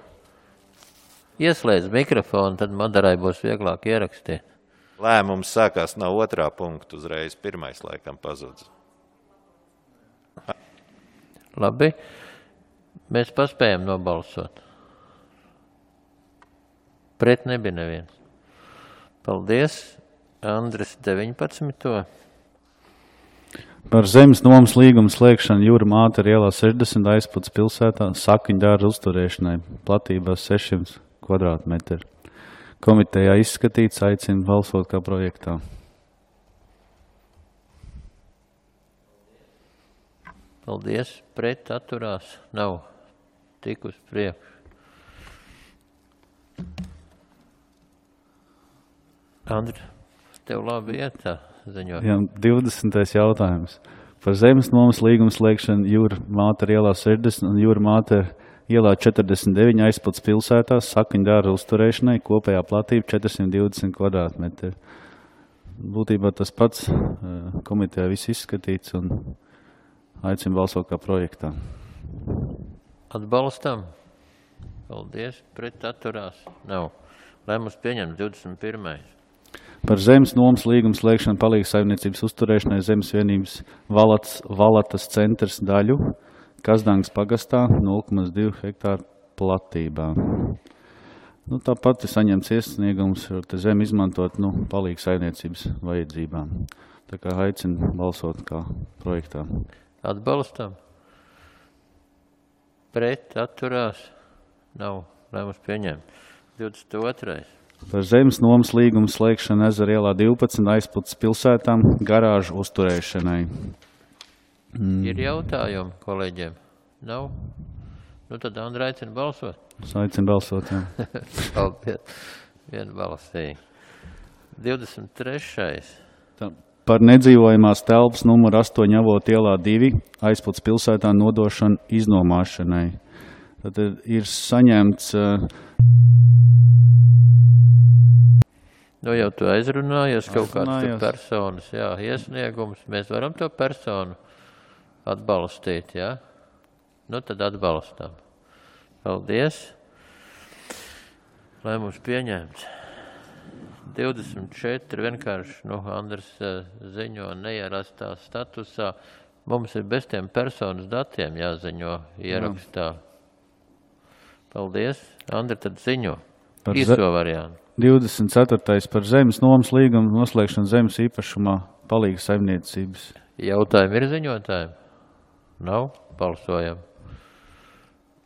Ieslēdz mikrofonu, tad Madarai būs vieglāk ierakstīt. Lēmums sākās no otrā punkta, uzreiz pirmais laikam pazudz. Labi. Mēs paspējam nobalsot. Pret nebija neviens. Paldies. Andris deviņpadsmito. Par zemes nomas līgumu slēgšanu Jūra Mātera ielā sešdesmit aizpats pilsētā Sakņu dārza uzturēšanai platībā sešsimt kvadrātmetri. Komitejā izskatīts, aicinu balsot kā projektā. Paldies. Pret atturās nav. Tik uz priekšu. Andri, tev labi iet tā ziņot. Jā, divdesmitais jautājums. Par zemes nomas līgumu slēgšanu Jūra Mātera ielā sešdesmit un Jūra Mātera ielā četrdesmit deviņi aizpats pilsētā Sakņu dārza uzturēšanai kopējā platība četrsimt divdesmit kvadrātmetri. būtībā tas pats komitejā viss izskatīts un aicinu balsot kā projektā. Atbalstam? Paldies. Pret atturās? Nav. Lēmums pieņemts divdesmit pirmais. Par zemes nomas līgumu slēgšanu palīgas saimniecības uzturēšanai zemes vienības Valatas, Valatas centrs daļu Kazdangas pagastā nulle komats divi hektāru platībā. Nu, tāpat ir saņemts iesniegums, var te zemi izmantot nu, palīgas saimniecības vajadzībām. Tā kā aicinu balsot kā projektā. Atbalstam? Pret atturās? Nav. Lēmums pieņemts. divdesmit otrais. Par zemes nomas līgumu slēgšanu Ezera ielā divpadsmit aizpūtas pilsētām garāžu uzturēšanai. Mm. Ir jautājumi kolēģiem? Nav? Nu tad Andra aicina balsot. Es aicinu balsot, jā. Paldies. Vienbalsīgi. divdesmit trešais. Tā, par nedzīvojamās telpas numuru astoņi Avot ielā divi aizpūtas pilsētā nodošanu iznomāšanai. Tad ir saņemts... Nu jau tu aizrunājies kaut kāds personas, jā, iesniegums. Mēs varam to personu atbalstīt, jā? Nu tad atbalstām. Paldies. Lēmums pieņemts. divdesmit četri vienkārši, nu, Andrs ziņo neierastā statusā. Mums ir bez tiem personas datiem jāziņo ierakstā. Paldies. Andri, tad ziņo. Īso variantu. divdesmit ceturtais par zemes nomas līgumu noslēgšanu zemes īpašumā palīgas saimniecības. Jautājumi ir ziņotājiem? Nav? Balsojam.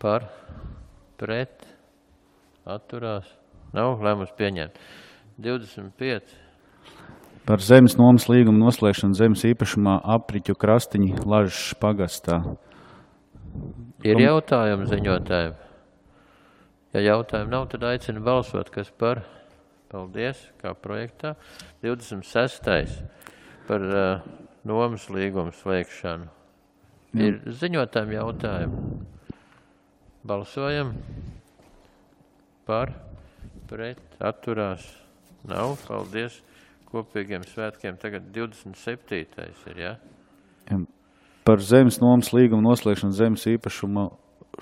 Par, pret, atturās. Nav? Lēmums pieņemt. divdesmit pieci. Par zemes nomas līgumu noslēgšanu zemes īpašumā apriķu krastiņi Lažas pagastā. Ir jautājumi ziņotājiem? Ja jautājumu nav, tad aicinu balsot, kas par. Paldies, kā projektā. divdesmit sestais par uh, nomas līgumu slēgšanu. Ir ziņotājiem jautājumi. Balsojam. Par, pret, atturās. Nav, paldies. Kopīgiem svētkiem tagad divdesmit septītais ir, jā? Ja? Par zemes nomas līgumu noslēgšanu zemes īpašuma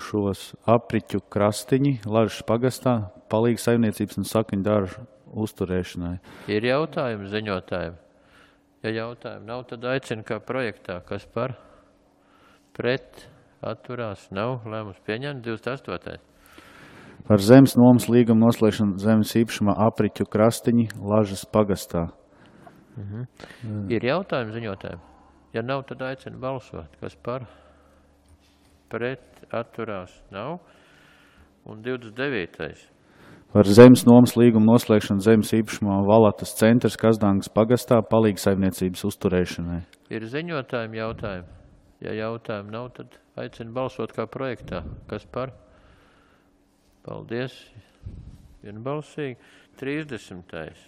šos apriķu krastiņi Lažas pagastā palīgas saimniecības un sakņu dāržu uzturēšanai. Ir jautājumi ziņotājiem? Ja jautājumi nav, tad aicinu kā projektā. Kas par? Pret, atturās, nav. Lēmums pieņemt. divdesmit astotais. Par zemes nomas līgumu noslēgšanu zemes īpašumā apriķu krastiņi Lažas pagastā. Mhm. Mm. Ir jautājumi ziņotājiem? Ja nav, tad aicinu balsot. Kas par? Pret, atturās, nav. Un divdesmit devītais. Par zemes nomas līgumu noslēgšanu zemes īpašumā Valatas centrs Kazdangas pagastā palīgas saimniecības uzturēšanai. Ir ziņotājiem jautājumi? Ja jautājumi nav, tad aicinu balsot kā projektā. Kas par? Paldies. Vienbalsīgi. trīsdesmitais.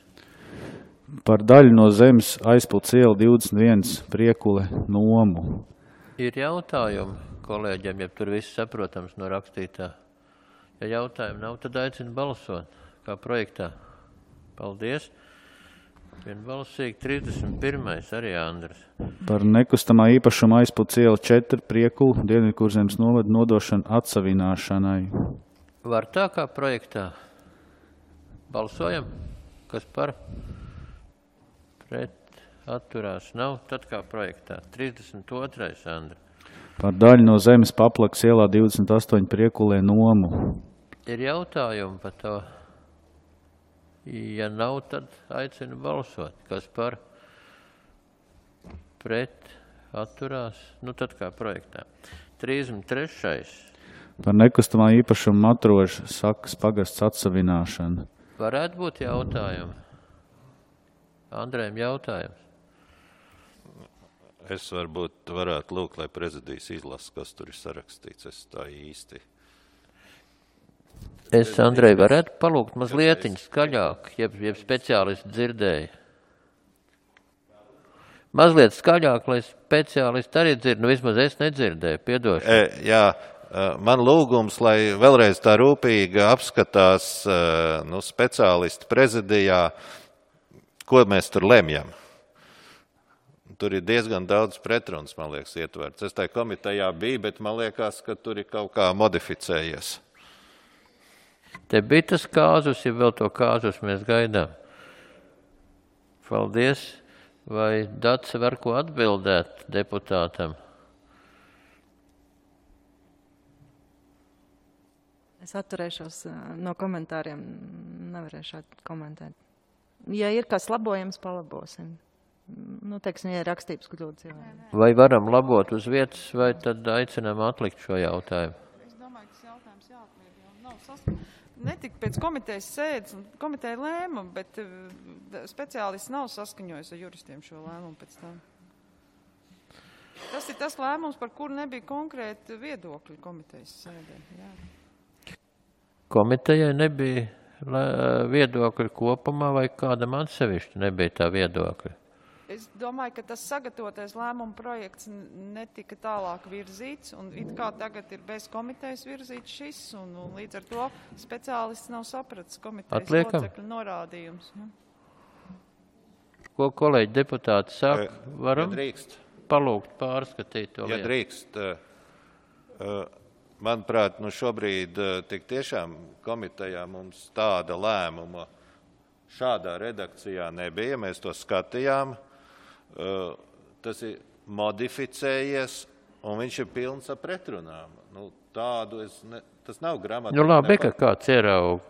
Par daļu no zemes aizpūtas iela divdesmit viens Priekule nomu. Ir jautājumi kolēģiem, ja tur viss saprotams no rakstītā. Ja jautājumi nav, tad aicinu balsot kā projektā. Paldies. Vienbalsīgi. trīsdesmit pirmais arī Andris. Par nekustamā īpašuma aizpūtas iela četri Priekulu Dienvidkurzemes novada nodošanu atsavināšanai. Var tā kā projektā? Balsojam? Kas par? Pret, atturās, nav. Tad kā projektā? trīsdesmit otrais Andri. Par daļu no zemes Paplakas ielā divdesmit astoņi Priekulē nomu. Ir jautājumi par to? Ja nav, tad aicinu balsot. Kas par? Pret, atturās, nu tad kā projektā. trīsdesmit trešais. Par nekustamā īpašuma Matroža sakas pagasts atsavināšanu. Varētu būt jautājumi. Andrējam jautājums. Es varbūt varētu lūgt, lai prezidijs izlasa, kas tur ir sarakstīts. Es tā īsti. Es, Andrej, varētu palūgt mazlietiņ skaļāk, jeb, jeb speciālisti dzirdēja. Mazliet skaļāk, lai speciālisti arī dzird, nu vismaz es nedzirdēju, piedošu. E, jā, man lūgums, lai vēlreiz tā rūpīgi apskatās nu, speciālisti prezidijā, ko mēs tur lemjam? Tur ir diezgan daudz pretruns, man liekas, ietverts. Es tajā komitejā biju, bet man liekas, ka tur ir kaut kā modificējies. Te bija tas kāzus, ja vēl to kāzus mēs gaidām. Paldies. Vai Dace var ko atbildēt deputātam? Es atturēšos no komentāriem, nevarēšu komentēt. Ja ir kas labojams, palabosim. Nu, teiksim, ja ir rakstības kļūdas. Jā. Vai varam labot uz vietas, vai tad aicinām atlikt šo jautājumu? Es domāju, ka tas jautājums jāatliek, jo nav saskaņots. Netika pēc komitejas sēdes, komiteja lēma, bet speciālists nav saskaņojis ar juristiem šo lēmumu pēc tam. Tas ir tas lēmums, par kuru nebija konkrēti viedokļi komitejas sēdē. Jā. Komitejai nebija viedokļi kopumā vai kādam atsevišķi nebija tā viedokļi? Es domāju, ka tas sagatavotais lēmuma projekts netika tālāk virzīts, un it kā tagad ir bez komitejas virzīts šis, un, un līdz ar to speciālists nav sapratis komitejas Atliekam. locekļu norādījums. Ja? Ko kolēģi deputāti saka? Varam ja drīkst, palūgt pārskatīt to ja lietu? drīkst, manuprāt, nu šobrīd tik tiešām komitejā mums tāda lēmuma šādā redakcijā nebija, mēs to skatījām. Tas ir modificējies, un viņš ir pilns ar pretrunām. Nu, tādu es ne, tas nav gramatika. Nu labi, ka kāds ieraug.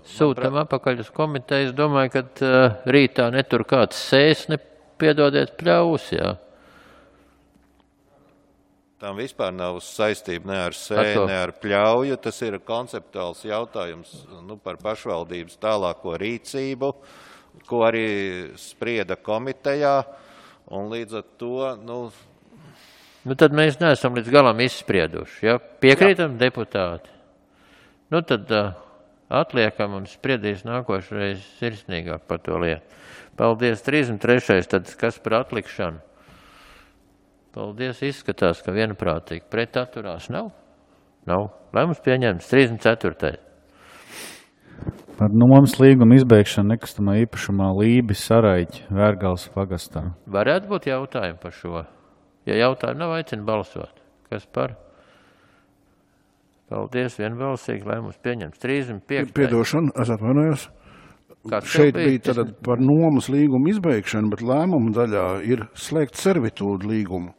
Sūtam apakaļ uz komiteju. Es domāju, ka uh, rītā netur kāds sēs, ne piedodiet pļaus, jā. Tam vispār nav saistība ne ar sēju, ne ar pļauju. Tas ir konceptuāls jautājums nu, par pašvaldības tālāko rīcību, ko arī sprieda komitejā. Un līdz ar to, nu... Nu tad mēs neesam līdz galam izsprieduši, ja? Piekrītam Jā. Deputāti? Nu tad uh, atliekam un spriedīs nākošreiz sirsnīgāk par to lietu. Paldies. trīsdesmit trešais tad kas par atlikšanu? Paldies, izskatās, ka vienprātīgi pret atturās nav? Nav. Lēmums pieņemts. trīsdesmit ceturtais Par nomas līgumu izbeigšanu nekustamā īpašumā Lībi Saraiķi Vērgals pagastā. Varētu būt jautājumi par šo. Ja jautājumi nav, aicina balsot. Kas par? Paldies, vienbalsīgi, lēmums pieņemts. trīsdesmit piektais Piedošana, es atvainojos. Kāds Šeit bija? bija tad par nomas līgumu izbeigšanu, bet lēmuma daļā ir slēgt servitūdu līgumu.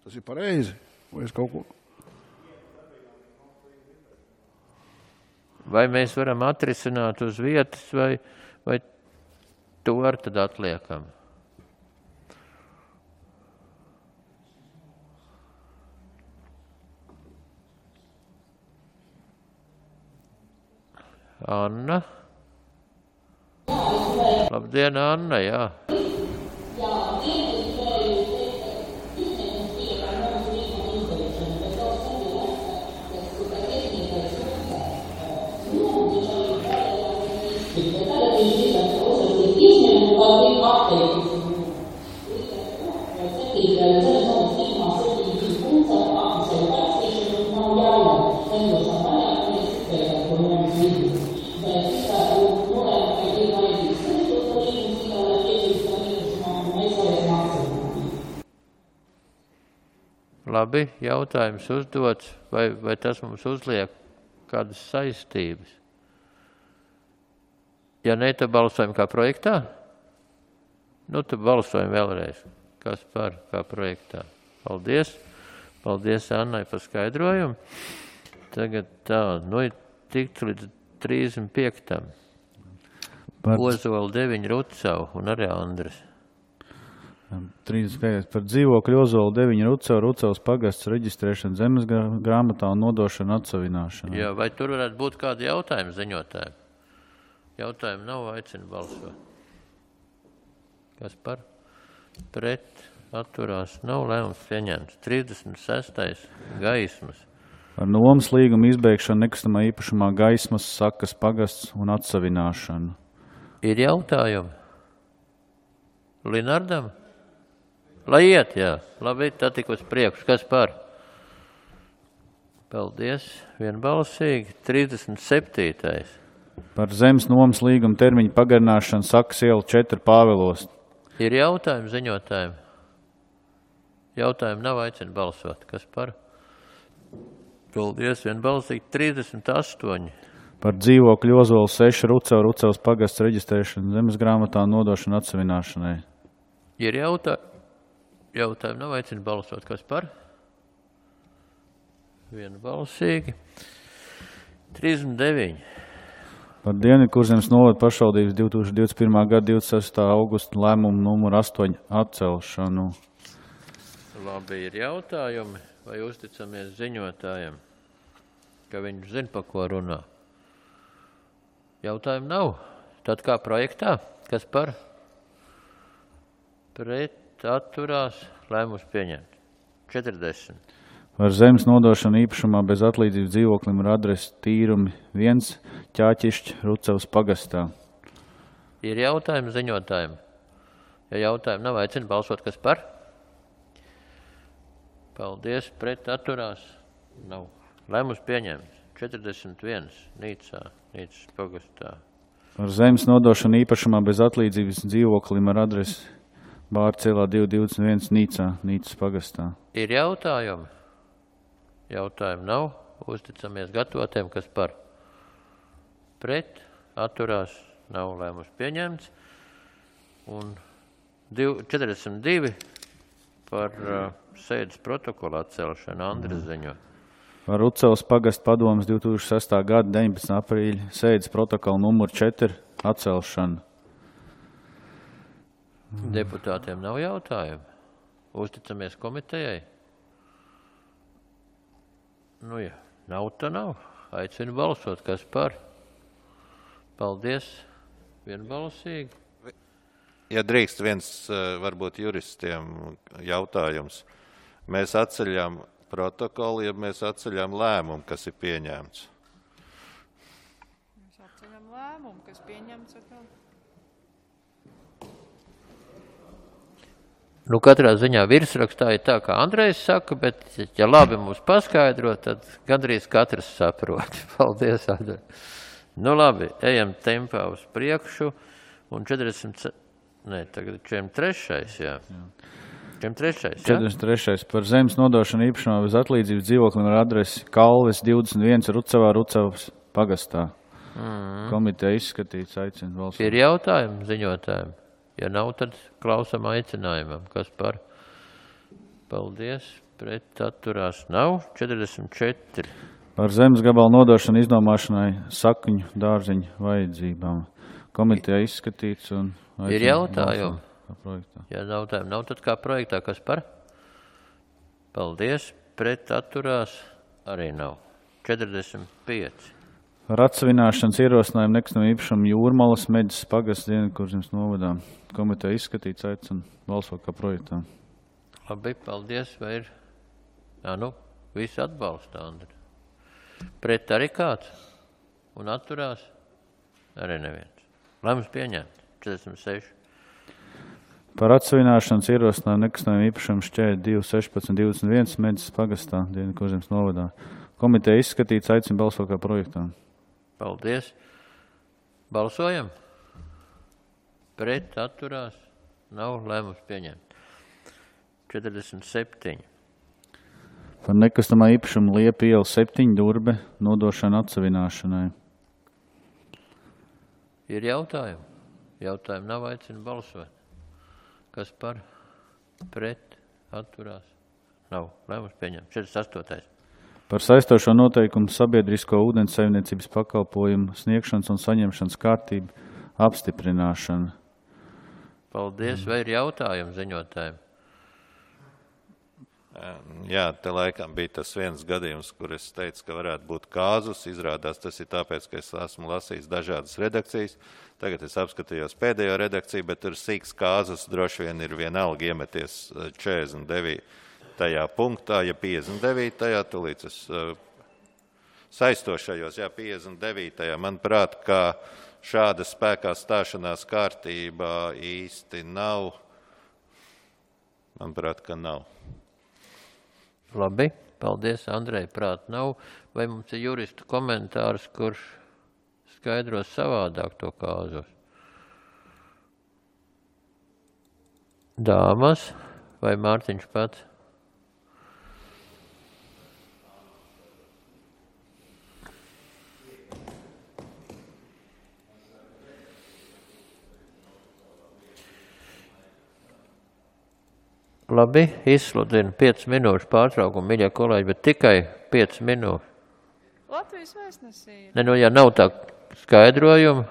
Tas ir pareizi? Vai es kaut ko... Vai mēs varam atrisināt uz vietas, vai, vai to ar tad atliekam? Anna? Labdien, Anna, jā. Labi, jautājums uzdots, vai, vai tas mums uzliek kādas saistības? Ja ne, tad balsojam kā projektā? Nu, tad balsojam vēlreiz. Kas par kā projektā? Paldies. Paldies Annai par skaidrojumu. Tagad tā, nu ir tikt līdz trīsdesmit piektam Par... Ozola deviņi Rucau un arī Andres. trīsdesmit piektais Par dzīvokļu Ozola deviņi Rucau, Rucaus pagasts reģistrēšanu zemes grāmatā un nodošanu atsavināšanu. Jā, vai tur varētu būt kādi jautājumi ziņotājiem? Jautājumi nav, aicina balsot. Kas par? Pret, atturās, nav lēmums pieņemts. trīsdesmit sestais Gaismas. Par nomas līgumu izbeigšanu nekustamā īpašumā Gaismas sakas pagasts un atsavināšanu. Ir jautājumi? Linardam? Lai iet, jā. Labi, tad tik uz priekšu. Kas par? Paldies. Vienbalsīgi. trīsdesmit septītais Par zemes nomas līguma termiņu pagarināšanu Sakas iela četri Pāvilos. Ir jautājumi ziņotājiem? Jautājumi nav, aicina balsot. Kas par? Paldies, vienbalsīgi trīsdesmit astoņi. Par dzīvokļu Ozolu seši Rucava, Rucavas pagasts reģistrēšanu zemes grāmatā nodošanu atsavināšanai. Ir jautājumi? Jautājumi nav, aicina balsot. Kas par? Vienbalsīgi. trīsdesmit deviņi. Par Dienvidkurzemes novada pašvaldības divi tūkstoši divdesmit pirmā gada divdesmit sestā augusta lēmumu numuru astoņi atcelšanu. Labi, ir jautājumi, vai uzticamies ziņotājiem, ka viņš zina, pa ko runā? Jautājumu nav. Tad kā projektā? Kas par? Pret atturās lēmums pieņemt. četrdesmit. Par zemes nodošanu īpašumā bez atlīdzības dzīvoklim ar adresi Tīrumi viens Ķāķišķi Rucavas pagastā. Ir jautājumi ziņotājiem? Ja jautājumi nav, aicina balsot, kas par? Paldies, pret atturās nav. Lēmums pieņemts. četrdesmit viens Nīcā, Nīcas pagastā. Par zemes nodošanu īpašumā bez atlīdzības dzīvoklim ar adresi Bārcielā divi divdesmit viens Nīcā, Nīcas pagastā. Ir jautājumi? Jautājumu nav. Uzticamies gatavotiem, kas par? Pret atturās nav, lēmums pieņemts. Un četrdesmit divi par uh, sēdes protokolu atcelšanu. Andris ziņo. Par Rucavas pagastu padomes divi tūkstoši sestā gada deviņpadsmitā aprīļa sēdes protokolu numuru četri atcelšanu. Deputātiem nav jautājumu. Uzticamies komitejai. Nu jā, nav tā nav. Aicinu balsot, kas par? Paldies, vienbalsīgi. Ja drīkst viens varbūt juristiem jautājums. Mēs atceļam protokolu, ja mēs atceļam lēmumu, kas ir pieņemts. Mēs atceļam lēmumu, kas pieņemts atkal. Nu, katrā ziņā virsrakstā ir tā, kā Andrejs saka, bet, ja labi mums paskaidro, tad gandrīz katrs saprot. Paldies, Andrej. Nu, labi, ejam tempā uz priekšu. Un četrdesmit, ne, tagad četrdesmit trešais, jā. četrdesmit trešais, jā? četrdesmit trešais par zemes nodošanu īpašumā bez atlīdzības dzīvoklim ar adresi Kalves divdesmit viens Rucavā, Rucavas pagastā. Mm. Komiteja izskatīts, aicina balsot. Ir jautājumi ziņotājiem? Ja nav, tad klausam aicinājumam. Kas par? Paldies. Pret atturās nav. četrdesmit četri. Par zemes gabalu nodošanu iznomāšanai sakņu dārziņu vajadzībām. Komiteja izskatīts un ir jautājumi? Ja jautājumi nav, tad kā projektā? Kas par? Paldies. Pret atturās arī nav. četrdesmit pieci. Ar atsavināšanas ierosinājumu nekustamā īpašuma Jūrmalas Meģes pagasts Dienvidkurzemes novadā. Komiteja izskatīts, aicina balsot kā projektā. Labi, paldies. Vai ir? Jā, nu, visi atbalsta, Andri. Pret arī kāds? Un atturās? Arī neviens. Lēmums pieņemt. četrdesmit seši. Par atsavināšanas ierosinājumu nekustamā īpašuma šķēri divi sešpadsmit divdesmit viens Meģes pagastā Dienvidkurzemes novadā. Komiteja izskatīts, aicina balsot kā projektā. Paldies. Balsojam. Pret atturās nav, lēmums pieņemt. četrdesmit septiņi. Par nekustamā īpašuma Liepa iela septiņi Durbe nodošanu atsavināšanai. Ir jautājumi? Jautājumi nav, aicina balsot. Kas par? Pret atturās nav, lēmums pieņemt. četrdesmit astotais. Par saistošo noteikumu sabiedrisko ūdens saimniecības pakalpojumu sniegšanas un saņemšanas kārtību apstiprināšanu. Paldies. Vai ir jautājumi ziņotājiem? Jā, te laikam bija tas viens gadījums, kur es teicu, ka varētu būt kāzus. Izrādās tas ir tāpēc, ka es esmu lasījis dažādas redakcijas. Tagad es apskatījos pēdējo redakciju, bet tur sīks kāzus droši vien ir vienalga iemeties četrdesmit deviņi. Tajā punktā, ja piecdesmit devītajā, tūlīt es uh, saistošajos, jā, piecdesmit devītajā, manuprāt, ka šāda spēkā stāšanās kārtība īsti nav. Manuprāt, ka nav. Labi, paldies, Andrej, prāt nav. Vai mums ir juristu komentārs, kurš skaidros savādāk to kāzos. Dāmas vai Mārtiņš pats? Labi, izsludinu piecas minūšu pārtraukumu, mīļie kolēģi, bet tikai piecas minūtes. Latvijas vēstnesī ir. Ne, nu, ja nav tā skaidrojuma,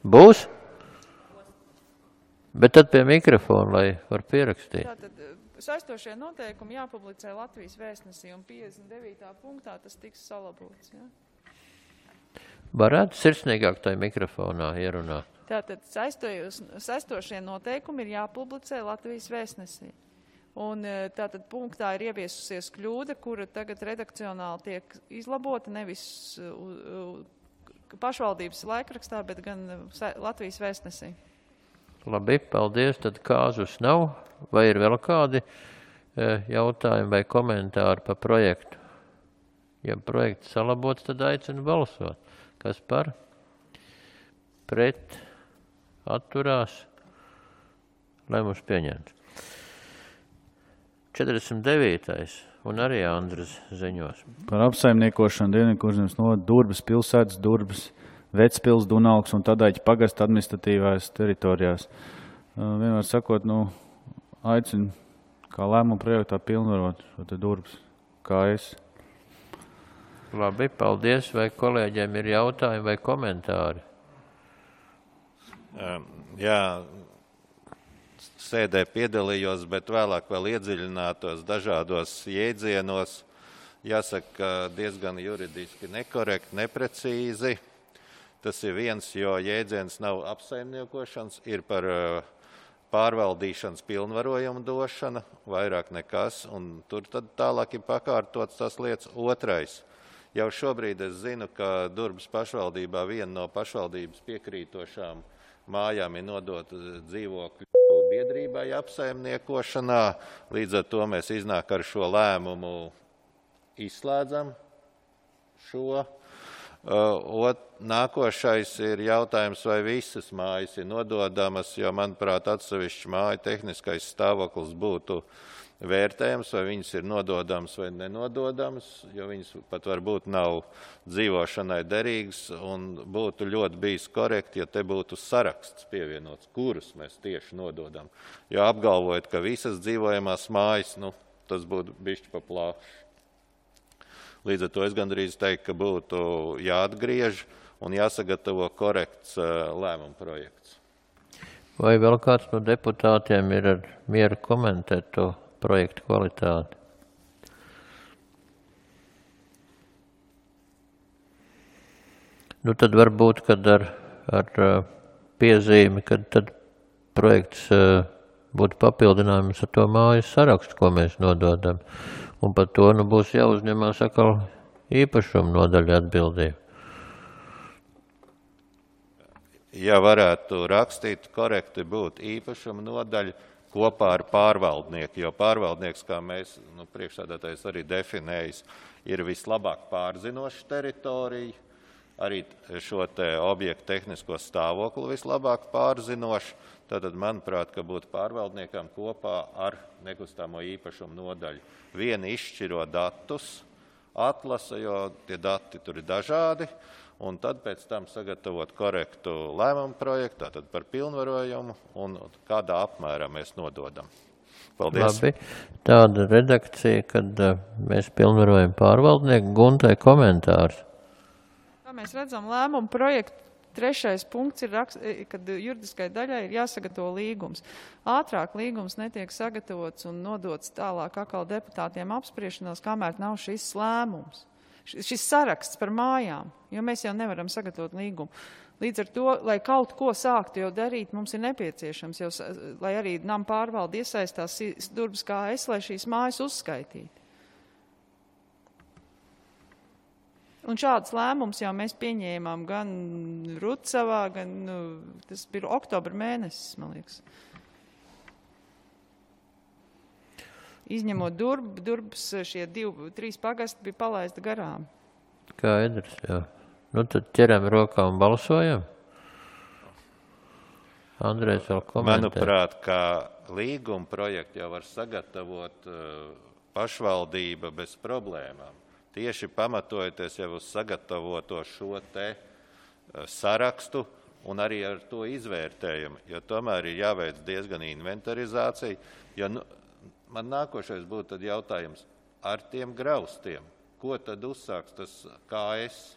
būs? Bet tad pie mikrofona, lai var pierakstīt. Tātad saistošie noteikumi jāpublicē Latvijas vēstnesī, un piecdesmit devītā punktā tas tiks salabots. Ja? Varētu sirsnīgāk tai mikrofonā ierunāt. Tātad saistošie noteikumi ir jāpublicē Latvijas vēstnesī. Un tātad punktā ir ieviesusies kļūda, kura tagad redakcionāli tiek izlabota nevis pašvaldības laikrakstā, bet gan Latvijas vēstnesī. Labi, paldies. Tad kāzus nav. Vai ir vēl kādi jautājumi vai komentāri par projektu? Ja projekts salabots, tad aicinu balsot. Kas par? Pret? Atturās? Lēmums pieņemts. četrdesmit devītais un arī Andras ziņos. Par apsaimniekošanu Dienvidu Kurzemes novada Durbes pilsētas, Durbes, Vecpils, Dunaugs un Tadaiķa pagasta administratīvās teritorijās. Vienmēr sakot, nu, aicinu kā lēmumu projektā pilnvarot šo te Durbes kā es. Labi, paldies. Vai kolēģiem ir jautājumi vai komentāri? Jā, sēdē piedalījos, bet vēlāk vēl iedziļinātos dažādos jēdzienos. Jāsaka, diezgan juridiski nekorekti, neprecīzi. Tas ir viens, jo jēdziens nav apsaimniekošanas, ir par pārvaldīšanas pilnvarojumu došana, vairāk nekas, un tur tad tālāk ir pakārtots tas lietas. Otrais. Jau šobrīd es zinu, ka Durbes pašvaldībā viena no pašvaldības piekrītošām mājām ir nodota dzīvokļu biedrībai apsaimniekošanā. Līdz ar to mēs iznāk ar šo lēmumu izslēdzam šo. Ot, nākošais ir jautājums, vai visas mājas ir nododamas, jo, manuprāt, atsevišķi māja tehniskais stāvoklis būtu vērtējums, vai viņas ir nododamas vai nenododamas, jo viņas pat varbūt nav dzīvošanai derīgas, un būtu ļoti bijis korekti, ja te būtu saraksts pievienots, kurus mēs tieši nododam. Jo apgalvojot, ka visas dzīvojamās mājas, nu, tas būtu bišķi pa plāšu. Līdz ar to es gandrīz teiktu, ka būtu jāatgriež un jāsagatavo korekts lēmuma projekts. Vai vēl kāds no deputātiem ir ar mieru komentēt to projektu kvalitāti? Nu tad varbūt, kad ar, ar piezīmi, kad tad projekts būtu papildinājums ar to mājas sarakstu, ko mēs nododam. Un par to nu būs jāuzņemās atkal īpašuma nodaļa atbildība. Ja varētu rakstīt, korekti būtu īpašuma nodaļa kopā ar pārvaldnieku, jo pārvaldnieks, kā mēs, nu, priekšsēdētājs arī definējis, ir vislabāk pārzinoša teritorija, arī šo te objektu tehnisko stāvokli vislabāk pārzinoša. Tātad, manuprāt, ka būtu pārvaldniekam kopā ar nekustamo īpašumu nodaļu. Vieni izšķiro datus, atlasa, jo tie dati tur ir dažādi, un tad pēc tam sagatavot korektu lēmumu projektu, tātad par pilnvarojumu un kādā apmērā mēs nododam. Paldies. Labi, tāda redakcija, kad mēs pilnvarojam pārvaldnieku. Guntai komentārs. Kā mēs redzam, lēmumu projektu trešais punkts ir, kad juridiskai daļai ir jāsagatavo līgums. Ātrāk līgums netiek sagatavots un nodots tālāk atkal deputātiem apspriešanās, kamēr nav šis lēmums. Šis saraksts par mājām, jo mēs jau nevaram sagatavot līgumu. Līdz ar to, lai kaut ko sāktu jau darīt, mums ir nepieciešams, jau, lai arī nama pārvalde iesaistās Durbes kā es, lai šīs mājas uzskaitītu. Un šāds lēmums jau mēs pieņēmām gan Rucavā, gan, nu, tas bija oktobra mēnesis, man liekas. Izņemot Durbu, Durbas šie divi, trīs pagasti bija palaista garām. Skaidrs, jā. Nu, tad ķeram rokā un balsojam. Andrejs vēl komentē. Manuprāt, kā līguma projektu jau var sagatavot uh, pašvaldība bez problēmām. Tieši pamatojoties jau uz sagatavoto šo te uh, sarakstu un arī ar to izvērtējumu, jo tomēr ir jāveic diezgan inventarizācija. Jo, nu, man nākošais būtu tad jautājums ar tiem graustiem. Ko tad uzsāks tas K S?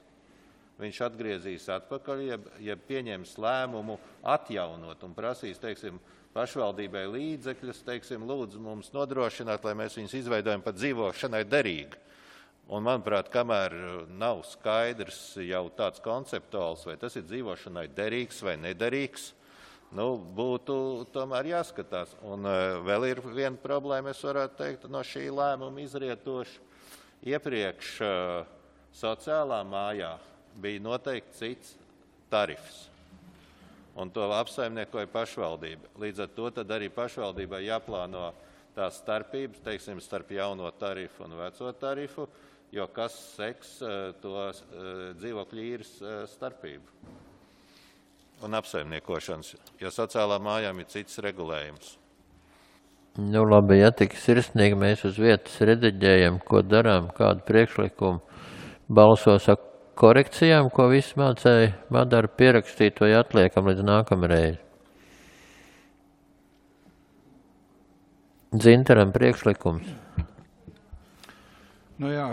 Viņš atgriezīs atpakaļ, ja, ja pieņems lēmumu atjaunot un prasīs, teiksim, pašvaldībai līdzekļus, teiksim, lūdzu mums nodrošināt, lai mēs viņus izveidojam pat dzīvošanai derīgi. Un, manuprāt, kamēr nav skaidrs jau tāds konceptuāls, vai tas ir dzīvošanai derīgs vai nederīgs, nu, būtu tomēr jāskatās. Un uh, vēl ir viena problēma, es varētu teikt, no šī lēmuma izrietoši. Iepriekš uh, sociālā mājā bija noteikti cits tarifs, un to apsaimniekoja pašvaldība. Līdz ar to tad arī pašvaldībai jāplāno tās starpības, teiksim, starp jauno tarifu un veco tarifu, jo kas seks to dzīvokļu īres starpību un apsaimniekošanas, jo sociālā mājām ir cits regulējums. Nu labi, ja tik sirsnīgi mēs uz vietas rediģējam, ko darām, kādu priekšlikumu balsos ar korekcijām, ko visi mācēja Madara pierakstīt, vai atliekam līdz nākamreiz. Dzintaram priekšlikums. Nu jā,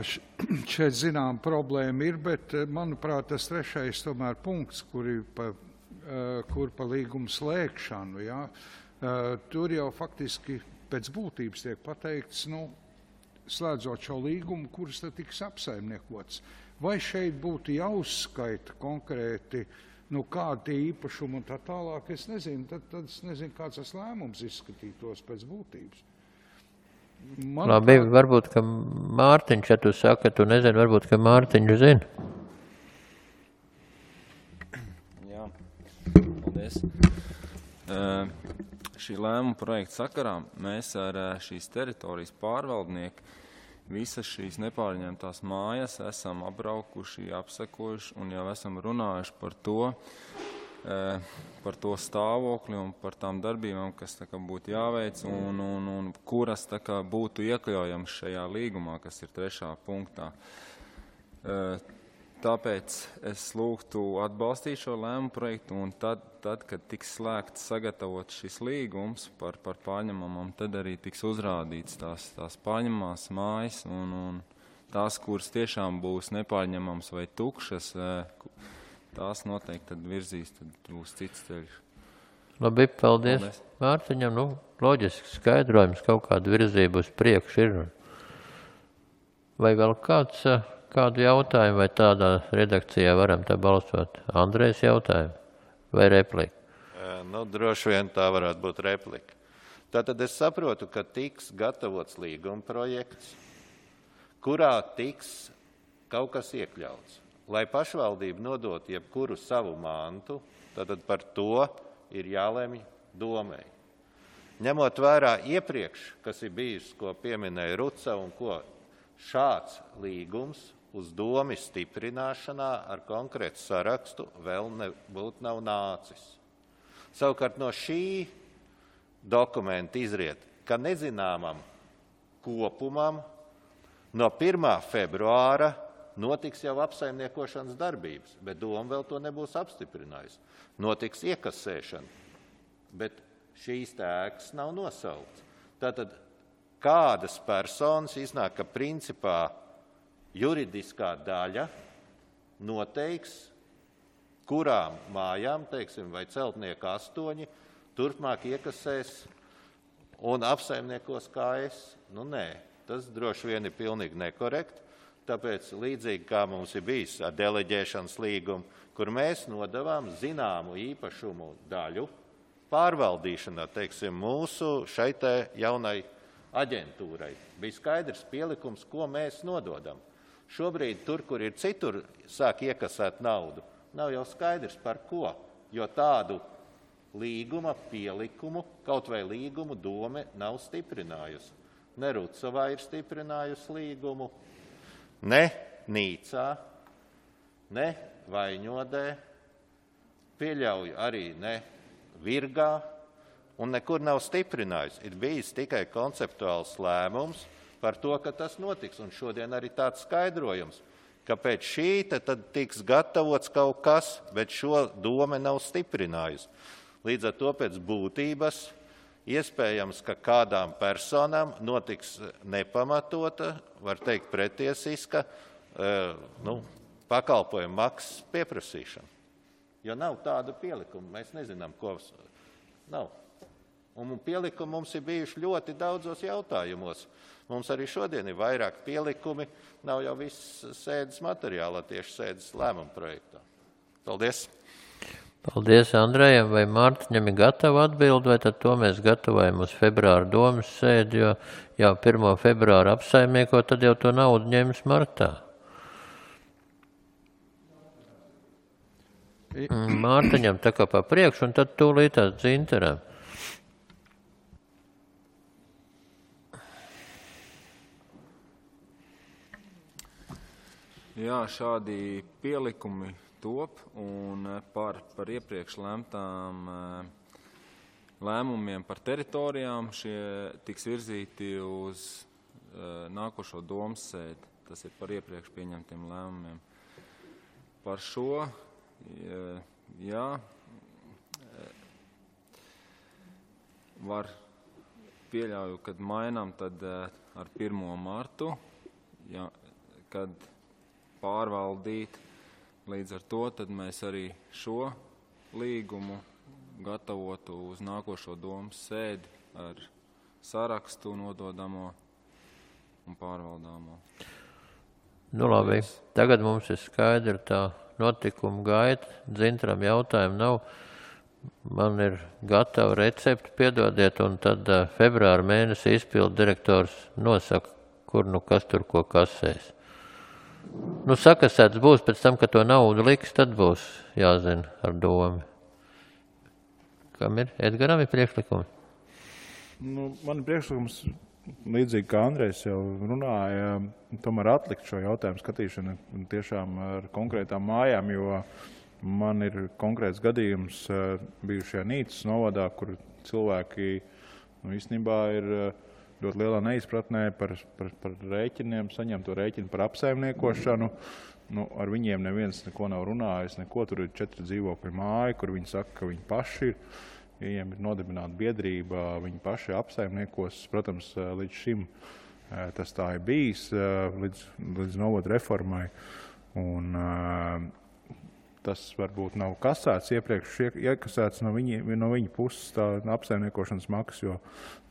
šeit zinām problēma ir, bet, manuprāt, tas trešais tomēr punkts, kur ir pa, kur pa līgumu slēgšanu, jā, tur jau faktiski pēc būtības tiek pateikts, nu, slēdzot šo līgumu, kuras tad tiks apsaimniekots. Vai šeit būtu jāuzskaita konkrēti, nu, kādi tie īpašumi un tā tālāk, es nezinu, tad, tad es nezinu, kāds tas lēmums izskatītos pēc būtības. Man Labi, kā... varbūt, ka Mārtiņš, ja tu saka, tu nezini, varbūt, ka Mārtiņš zina. Jā, paldies. Uh, šī lēmuma projekta sakarā mēs ar uh, šīs teritorijas pārvaldnieku visas šīs nepārņemtās mājas esam apbraukuši, apsekojuši un jau esam runājuši par to, par to stāvokli un par tām darbībām, kas tā kā būtu jāveic un, un, un kuras tā kā būtu iekļaujams šajā līgumā, kas ir trešā punktā. Tāpēc es lūgtu atbalstīt šo lēmumu projektu un tad, tad kad tiks slēgts sagatavot šis līgums par, par pārņemamām, tad arī tiks uzrādīts tās, tās pārņemamās mājas un, un tās, kuras tiešām būs nepārņemams vai tukšas, tās noteikti tad virzīs, tad būs cits ceļš. Labi, paldies. paldies. Mārtiņam, nu, loģiski skaidrojums, kaut kāda virzība uz priekšu ir. Vai vēl kāds... Kādu jautājumu vai tādā redakcijā varam tā balsot? Andrejs jautājumu vai replika? Nu, droši vien tā varētu būt replika. Tātad es saprotu, ka tiks gatavots līguma projekts, kurā tiks kaut kas iekļauts. Lai pašvaldība nodot jebkuru savu mantu, tātad par to ir jālemj domai. Ņemot vērā iepriekš, kas ir bijis, ko pieminēja Ruca un ko šāds līgums uz domi stiprināšanā ar konkrētu sarakstu vēl nebūtu nav nācis. Savukārt no šī dokumenta izriet, ka nezināmam kopumam no pirmā februāra notiks jau apsaimniekošanas darbības, bet doma vēl to nebūs apstiprinājusi. Notiks iekasēšana, bet šīs ēkas nav nosaukts. Tātad kādas personas iznāk, ka principā juridiskā daļa noteiks, kurām mājām, teiksim, vai celtnieku astoņi, turpmāk iekasēs un apsaimniekos kā es. Nu, nē, tas droši vien ir pilnīgi nekorekti, tāpēc līdzīgi kā mums ir bijis ar deleģēšanas līgumu, kur mēs nodavām zināmu īpašumu daļu pārvaldīšanā, teiksim, mūsu šai te jaunai aģentūrai. Bija skaidrs pielikums, ko mēs nododam. Šobrīd tur, kur ir citur, sāk iekasēt naudu, nav jau skaidrs par ko, jo tādu līguma pielikumu, kaut vai līgumu dome nav stiprinājusi. Ne Rucavā ir stiprinājusi līgumu, ne Nīcā, ne Vaiņodē, pieļauju arī ne Virgā, un nekur nav stiprinājusi. Ir bijis tikai konceptuāls lēmums par to, ka tas notiks, un šodien arī tāds skaidrojums, ka pēc šī tad tiks gatavots kaut kas, bet šo dome nav stiprinājusi. Līdz ar to pēc būtības iespējams, ka kādām personām notiks nepamatota, var teikt pretiesiska, nu, pakalpojuma maksas pieprasīšana. Jo nav tāda pielikuma, mēs nezinām, ko nav. Un pielikumi mums ir bijuši ļoti daudzos jautājumos. Mums arī šodien ir vairāk pielikumi, nav jau viss sēdes materiālā, tieši sēdes lēmuma projektā. Paldies! Paldies Andrejam, vai Mārtiņam ir gatava atbild, vai tad to mēs gatavojam uz februāra domas sēdi, jo jau pirmo februāru apsaimnieko, tad jau to naudu ņems martā. Mārtiņam tā kā pa priekšu, un tad tūlītās Dzintaram. Jā, šādi pielikumi top, un par, par iepriekš lemtām lēmumiem par teritorijām šie tiks virzīti uz nākošo domas sēdi. Tas ir par iepriekš pieņemtiem lēmumiem. Par šo, jā, var pieļauju, kad mainām tad ar pirmo martu, jā, kad pārvaldīt. Līdz ar to tad mēs arī šo līgumu gatavotu uz nākošo domas sēdi ar sarakstu nododamo un pārvaldāmo. Nu labi, tagad mums ir skaidra tā notikuma gaita. Dzintaram jautājumu nav. Man ir gatava recepti, piedodiet, un tad uh, februāra mēnesī izpildu direktors nosaka, kur nu kas tur ko kasēs. Nu, sakasēts būs pēc tam, kad to naudu liks, tad būs jāzina ar domu. Kam ir? Edgaram ir priekšlikumi? Nu, man ir priekšlikums, līdzīgi kā Andrejs jau runāja, tomēr atlikt šo jautājumu skatīšanu tiešām ar konkrētām mājām, jo man ir konkrēts gadījums bijušajā Nīcas novadā, kur cilvēki nu, īstenībā ir ļoti lielā neizpratnē par, par, par rēķiniem, saņem to rēķinu par apsaimniekošanu. Nu, ar viņiem neviens neko nav runājis, neko. Tur ir četri dzīvokļu māja, kur viņi saka, ka viņi paši ir. Viņiem ir nodibināta biedrība, viņi paši apsaimniekos. Protams, līdz šim tas tā ir bijis, līdz, līdz novada reformai. Un, tas varbūt nav kasēts, iepriekš iekasēts no viņa, no viņa puses tā apsaimniekošanas maksas, jo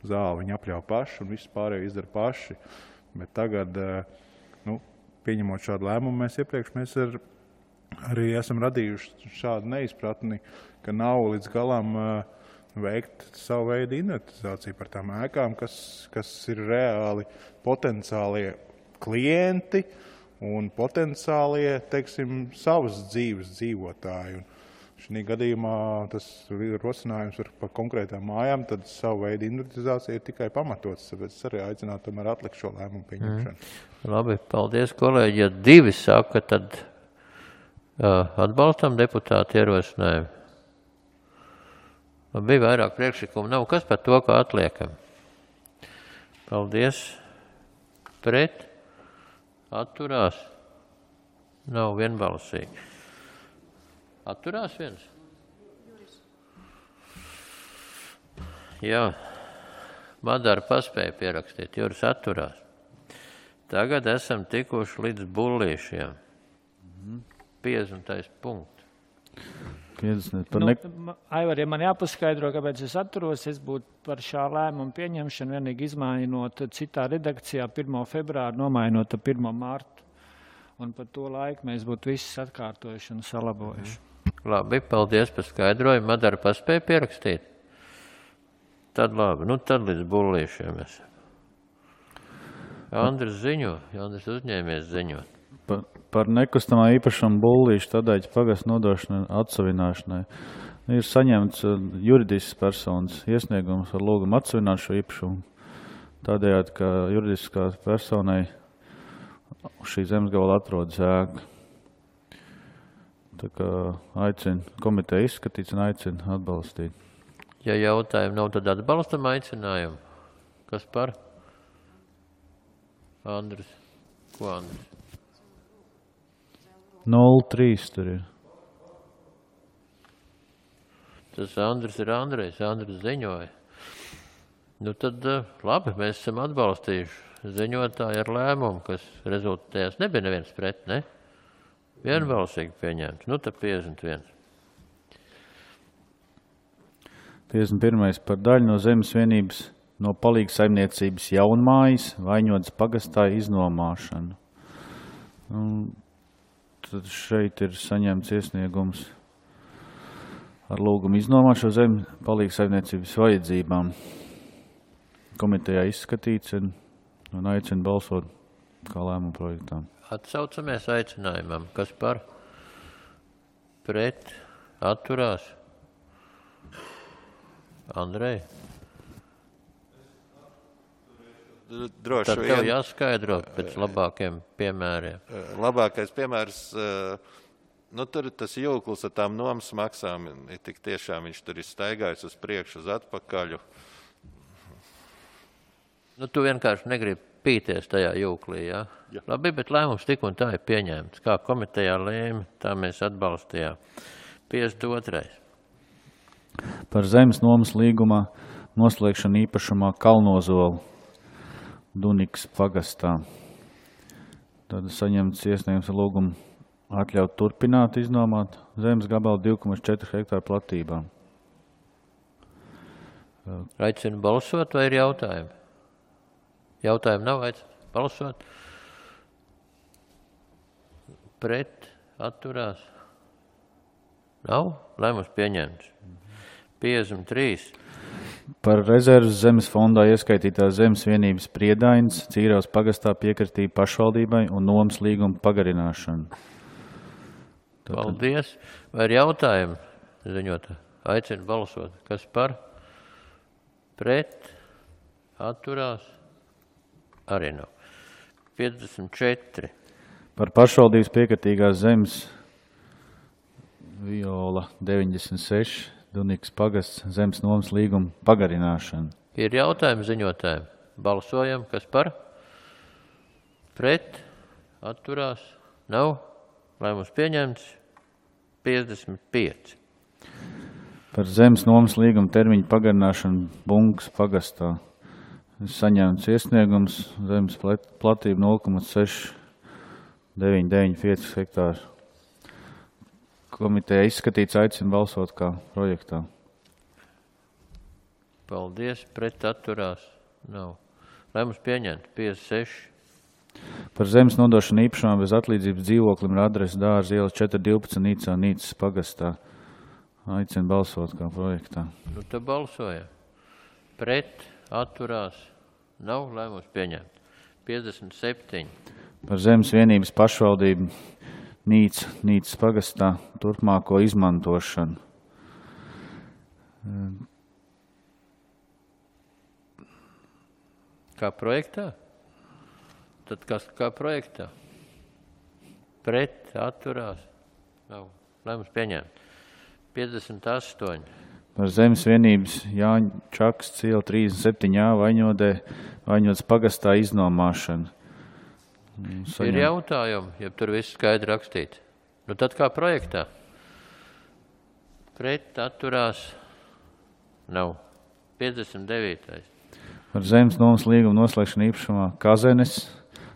zāli viņi apļauj paši un visu pārējo izdara paši. Bet tagad, nu, pieņemot šādu lēmumu, mēs iepriekš mēs ar, arī esam radījuši šādu neizpratni, ka nav līdz galam veikt savu veidu inventarizāciju par tām ēkām, kas, kas ir reāli potenciālie klienti, un potenciālie, teiksim, savas dzīves dzīvotāji. Un šī gadījumā tas rosinājums par konkrētām mājām, tad savu veidu inventarizācija ir tikai pamatots, tāpēc es arī aicinātu tomēr atlikt šo lēmumu pieņemšanu. Mm. Labi, paldies, kolēģi. Ja divi saka, tad uh, atbalstam deputātu ierosinājumu. Bija vairāk priekšlikumu, nav kas par to, kā atliekam. Paldies. Pret. Atturās. Nav vienbalsīgi. Atturās viens? Jā. Madara paspēja pierakstīt. Juris atturās. Tagad esam tikuši līdz bullīšiem. piecdesmitais punkts. Nu, Aivar, ja man jāpaskaidro, kāpēc es atturos, es būtu par šā lēmumu pieņemšanu vienīgi izmainot citā redakcijā pirmo februāru, nomainot pirmo martu. Un par to laiku mēs būtu visus atkārtojuši un salabojuši. Labi, paldies par skaidrojumu. Madara paspēja pierakstīt? Tad labi, nu tad līdz bullīšiem esam. Andris ziņo, Andris uzņēmies ziņot. Par, par nekustamā īpašuma bullīšu tādēļ pagas nodošanai atsavināšanai. Ir saņemts juridisks personas iesniegums ar lūgumu atsavināt šo īpašumu. Tādējādi, ka juridiskā personai šī zemes gabala atrodas ēka. Tā kā aicinu komiteju izskatīt un aicinu atbalstīt. Ja jautājumu nav, tad atbalstam aicinājumu. Kas par? Andris. Ko Andris? nulle trīs tur ir. Tas Andris ir Andrejs. Andris ziņoja. Nu tad labi, mēs esam atbalstījuši ziņotāju ar lēmumu, kas rezultējās. Nebija neviens pret, ne? Vienbalsīgi pieņemts. Nu tad piecdesmit viens. piecdesmit pirmais par daļu no zemes vienības no palīga saimniecības jaunmājas Vaņodas pagastā iznomāšanu. Un tad šeit ir saņemts iesniegums ar lūgumu iznomāt šo zemi palīga saimniecības vajadzībām. Komitejā izskatīts un, un aicina balsot kā lēmumu projektām. Atsaucamies aicinājumam. Kas par? Pret? Atturās? Andrej? Droši Tad tev vien. jāskaidro pēc labākiem piemēriem. Labākais piemērs, nu tur ir tas jūklis ar tām nomas maksām, ir tik tiešām viņš tur ir staigājis uz priekšu, uz atpakaļu. Nu, tu vienkārši negribi pīties tajā jūklī, jā? Jā. Labi, bet lēmums tik un tā ir pieņemts. Kā komitejā lēma, tā mēs atbalstījām. piecdesmit otrais. Par zemes nomas līgumā noslēgšanu īpašumā Kalnozolu Dunikas pagastā. Tad saņemts iesniegums ar lūgumu atļaut turpināt iznomāt zemes gabalu divi komats četri hektāru platībā. Aicinu balsot vai ir jautājumi? Jautājumi nav, aicinu balsot. Pret, atturās. Nav? Lēmums pieņemts. piecdesmit trīs. Par rezerves zemes fondā ieskaitītās zemes vienības Priedainis Cīravas pagastā piekritība pašvaldībai un nomas līguma pagarināšanu. Tātad... Paldies. Vai ir jautājumi? Ziņot, aicinu balsot. Kas par? Pret, atturās. Arī nav. piecdesmit četri. Par pašvaldības piekritīgās zemes Viola deviņdesmit seši Dunikas pagasts zemes nomas līguma pagarināšana. Ir jautājumi ziņotājiem. Balsojam. Kas par? Pret, atturās. Nav. Lēmums pieņemts. piecdesmit pieci. Par zemes nomas līguma termiņu pagarināšanu Bunkas pagastā. Saņemts iesniegums zemes platība nulle komats seši deviņi deviņi pieci hektāri. Komiteja izskatīts, aicina balsot kā projektā. Paldies. Pret, atturās. Nav. Lēmums pieņemts. piecdesmit seši. Par zemes nodošanu īpašumā bez atlīdzības dzīvoklim ar adresi Dārza ielas četri divpadsmit Nīcā Nīcas pagastā. Aicina balsot kā projektā. Nu, tad balsojam. Pret, atturās. Nav. Lēmums pieņemts. piecdesmit septiņi. Par zemes vienības pašvaldību Nīca Nīcas pagastā turpmāko izmantošanu. Kā projektā? Tad kas kā projektā? Pret, atturās. Nav. Lēmums pieņemt. piecdesmit astoņi. Par zemes vienības Jāņa Čaksts iela trīsdesmit septiņi A Vaņodē, Vaņodas pagastā iznomāšana. Saņem... Ir jautājumi, ja tur viss skaidri rakstīts. Nu tad kā projektā? Pret, atturās. Nav. piecdesmit devītais. Par zemes nomas līguma noslēgšanu īpašumā Kazenes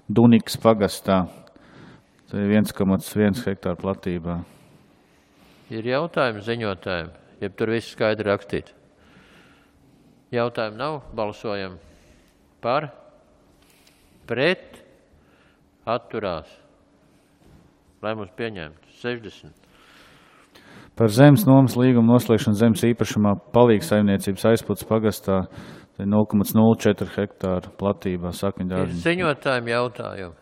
Dunikas pagastā. Tā ir viens komats viens hektāru platībā. Ir jautājumi ziņotājiem, ja tur viss skaidri rakstīts. Jautājumu nav, balsojam par, pret, atturās. Lēmums pieņemts. sešdesmit. Par zemes nomas līguma noslēgšanu zemes īpašumā palīga saimniecības aizpūtas pagastā nulle komats nulle četri hektāru platībā Ir Sakņdārziņa. ziņotājiem jautājumi.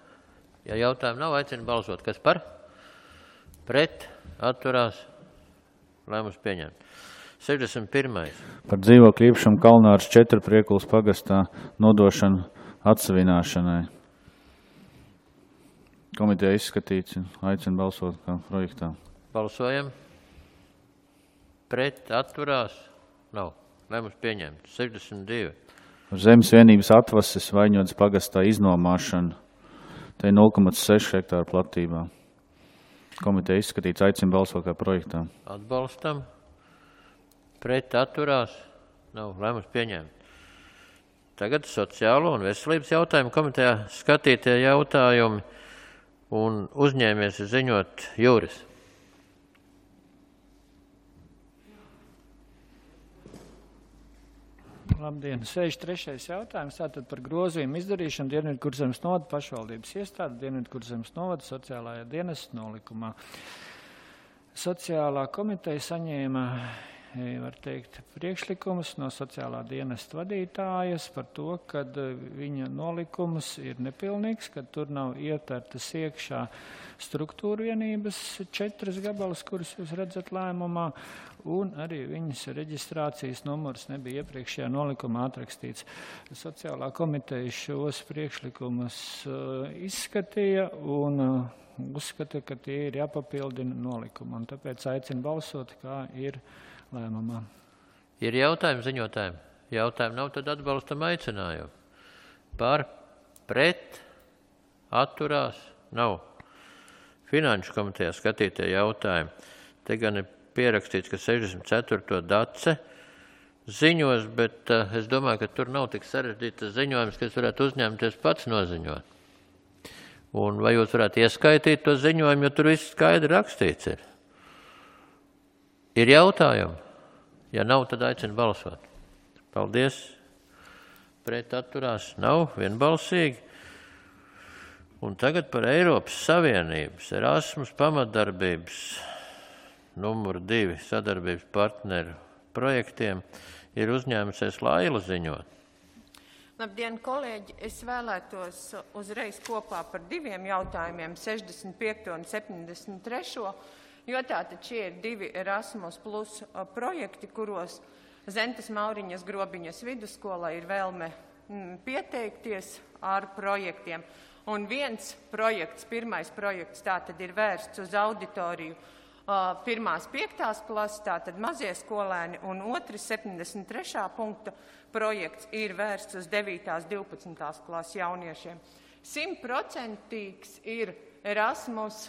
Ja jautājumu nav, aicinu balsot. Kas par? Pret, atturās. Lēmums pieņemt. sešdesmit pirmais. Par dzīvokļu īpašumu Kalnārs četri Priekulas pagastā nodošanu atsavināšanai. Komiteja izskatīts un aicina balsot kā projektā. Balsojam. Pret, atturās. Nav. Lēmums pieņemts. sešdesmit divi. Zemes vienības atvases Vaņodas pagastā iznomāšana. Te ir nulle komats seši hektāru platībā. Komiteja izskatīts, aicina balsot kā projektā. Atbalstam. Pret, atturās. Nav. Lēmums pieņemts. Tagad sociālo un veselības jautājumu komitejā skatītie jautājumi un uzņēmies ziņot Jūris. Labdien, sešdesmit trešais jautājums. Tātad par grozījumu izdarīšanu Dienvidkurzemes novada pašvaldības iestāde Dienvidkurzemes novada sociālajā dienesta nolikumā. Sociālā komiteja saņēma, var teikt, priekšlikumus no sociālā dienesta vadītājas par to, ka viņa nolikums ir nepilnīgs, ka tur nav ietvertas iekšā struktūra vienības četras gabalas, kuras jūs redzat lēmumā, un arī viņas reģistrācijas numurs nebija iepriekšējā nolikumā atrakstīts. Sociālā komiteja šos priekšlikumus izskatīja un uzskata, ka tie ir jāpapildina nolikuma, un tāpēc aicina balsot, kā ir lēmumā. Ir jautājumi ziņotājiem? Jautājumi nav, tad atbalstam aicinājumu. Par, pret, atturās, nav. Finanšu komitejā skatītie jautājumi. Te gan ir pierakstīts, ka sešdesmit ceturto dace ziņos, bet uh, es domāju, ka tur nav tik sarežģītas ziņojums, ka es varētu uzņemties pats noziņot. Un vai jūs varētu ieskaitīt to ziņojumu, jo tur viss skaidri rakstīts ir? Ir jautājumi? Ja nav, tad aicinu balsot. Paldies. Pret atturās nav, vienbalsīgi. Un tagad par Eiropas Savienības Erasmus pamatdarbības numur divi sadarbības partneru projektiem ir uzņēmusies Laila ziņot. Labdien, kolēģi! Es vēlētos uzreiz kopā par diviem jautājumiem, sešdesmit piekto un septiņdesmit trešo, jo tātad šie ir divi Erasmus plus projekti, kuros Zentas Mauriņas Grobiņas vidusskolā ir vēlme pieteikties ar projektiem. Un viens projekts, pirmais projekts, tātad ir vērsts uz auditoriju pirmās piektās klases, tātad mazie skolēni, un otrs septiņdesmit trešā punkta projekts ir vērsts uz devītās, divpadsmitās klases jauniešiem. Simtprocentīgs ir Erasmus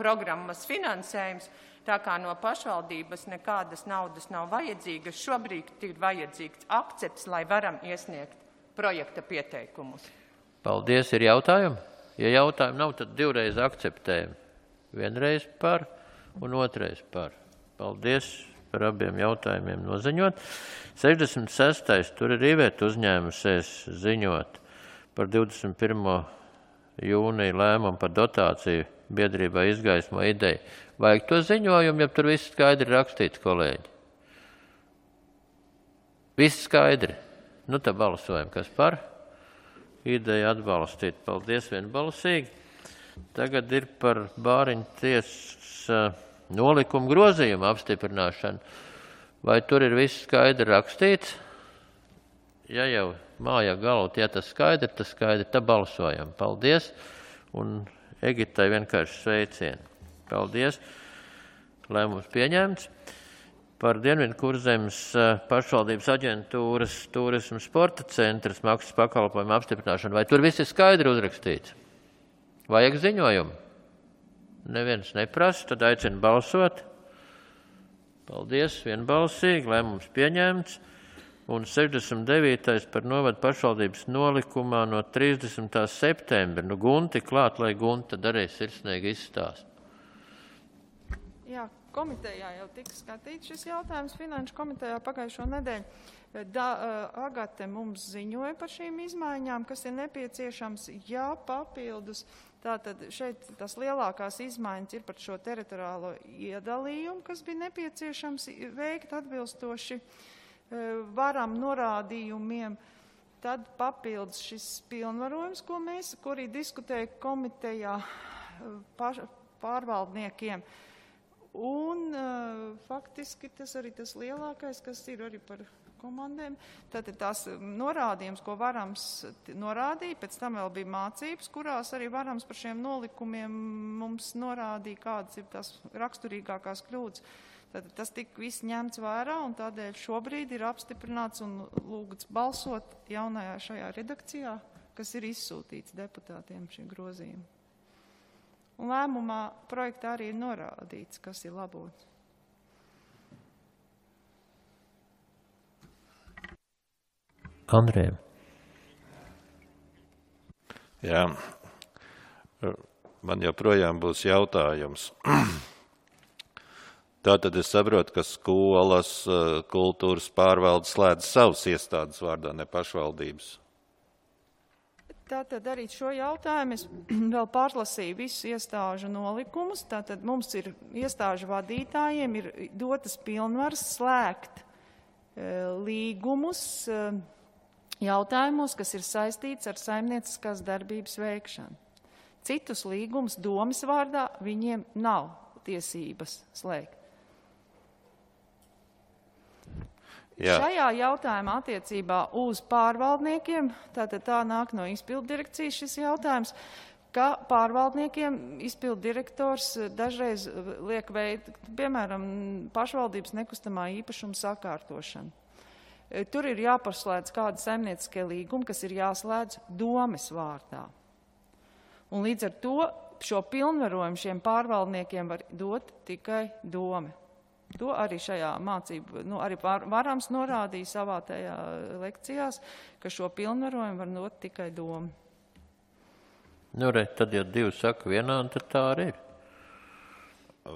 programmas finansējums, tā kā no pašvaldības nekādas naudas nav vajadzīgas. Šobrīd ir vajadzīgs akcepts, lai varam iesniegt projekta pieteikumus. Paldies, ir jautājumi? Ja jautājumi nav, tad divreiz akceptējam. Vienreiz par un otrais par. Paldies par abiem jautājumiem noziņot. sešdesmit sestais tur ir Iveta uzņēmusies ziņot par divdesmit pirmo jūnija lēmumu par dotāciju biedrībā Izgaismo ideja. Vajag to ziņojumu, ja tur viss skaidri rakstīts, kolēģi? Viss skaidri. Nu, tad balsojam. Kas par? Ideja atbalstīt. Paldies, vienbalsīgi. Tagad ir par Bāriņu tiesas nolikumu grozījumu apstiprināšanu. Vai tur ir viss skaidri rakstīts? Ja jau mājā galvot, ja tas skaidri, tas skaidri, tad balsojam. Paldies. Un Egitai vienkārši sveicieni. Paldies. Lēmums pieņemts. Par Dienvidkurzemes pašvaldības aģentūras turismu sporta centras maksas pakalpojumu apstiprināšanu. Vai tur viss ir skaidri uzrakstīts? Vajag ziņojumu? Neviens neprasa, tad aicinu balsot. Paldies, vienbalsīgi, lēmums pieņemts. Un sešdesmit devītais par novadu pašvaldības nolikumā no trīsdesmitā septembra. Nu, Gunti klāt, lai Gunta arī sirsnīgi izstāst. Jā, komitejā jau tika skatīts šis jautājums finanšu komitejā pagājušo nedēļu. Da, Agate mums ziņoja par šīm izmaiņām, kas ir nepieciešams, ja papildus. Tātad šeit tas lielākās izmaiņas ir par šo teritoriālo iedalījumu, kas bija nepieciešams veikt atbilstoši varam norādījumiem. Tad papildus šis pilnvarojums, ko mēs, kuri diskutēja komitejā paš, pārvaldniekiem. Un uh, faktiski tas arī tas lielākais, kas ir arī par komandēm. Tātad tās norādījums, ko Varams norādīja, pēc tam vēl bija mācības, kurās arī Varams par šiem nolikumiem mums norādīja, kādas ir tās raksturīgākās kļūdas. Tātad tas tika viss ņemts vērā, un tādēļ šobrīd ir apstiprināts un lūgts balsot jaunajā šajā redakcijā, kas ir izsūtīts deputātiem šie grozījumi. Un lēmumā projektā arī ir norādīts, kas ir labots. Andrejam. Jā, man joprojām būs jautājums. Tātad es saprotu, ka skolas, kultūras pārvaldes slēdz savas iestādes vārdā, ne pašvaldības. Tātad arī šo jautājumu es vēl pārlasīju visus iestāžu nolikumus. Tātad mums ir iestāžu vadītājiem ir dotas pilnvaras slēgt e, līgumus e, jautājumos, kas ir saistīts ar saimnieciskās darbības veikšanu. Citus līgumus domes vārdā viņiem nav tiesības slēgt. Jā. Šajā jautājumā attiecībā uz pārvaldniekiem, tātad tā nāk no izpildu direkcijas šis jautājums, ka pārvaldniekiem izpildu direktors dažreiz liek veikt, piemēram, pašvaldības nekustamā īpašuma sakārtošanu. Tur ir jāpaslēdz kādi saimnieciskie līgumi, kas ir jāslēdz domes vārdā. Un līdz ar to šo pilnvarojumu šiem pārvaldniekiem var dot tikai dome. To arī šajā mācību, nu, arī Varams norādīja savā tajā lekcijās, ka šo pilnvarojumu var dot tikai doma. Nu, re, tad, ja divi saka vienā, tad tā arī ir.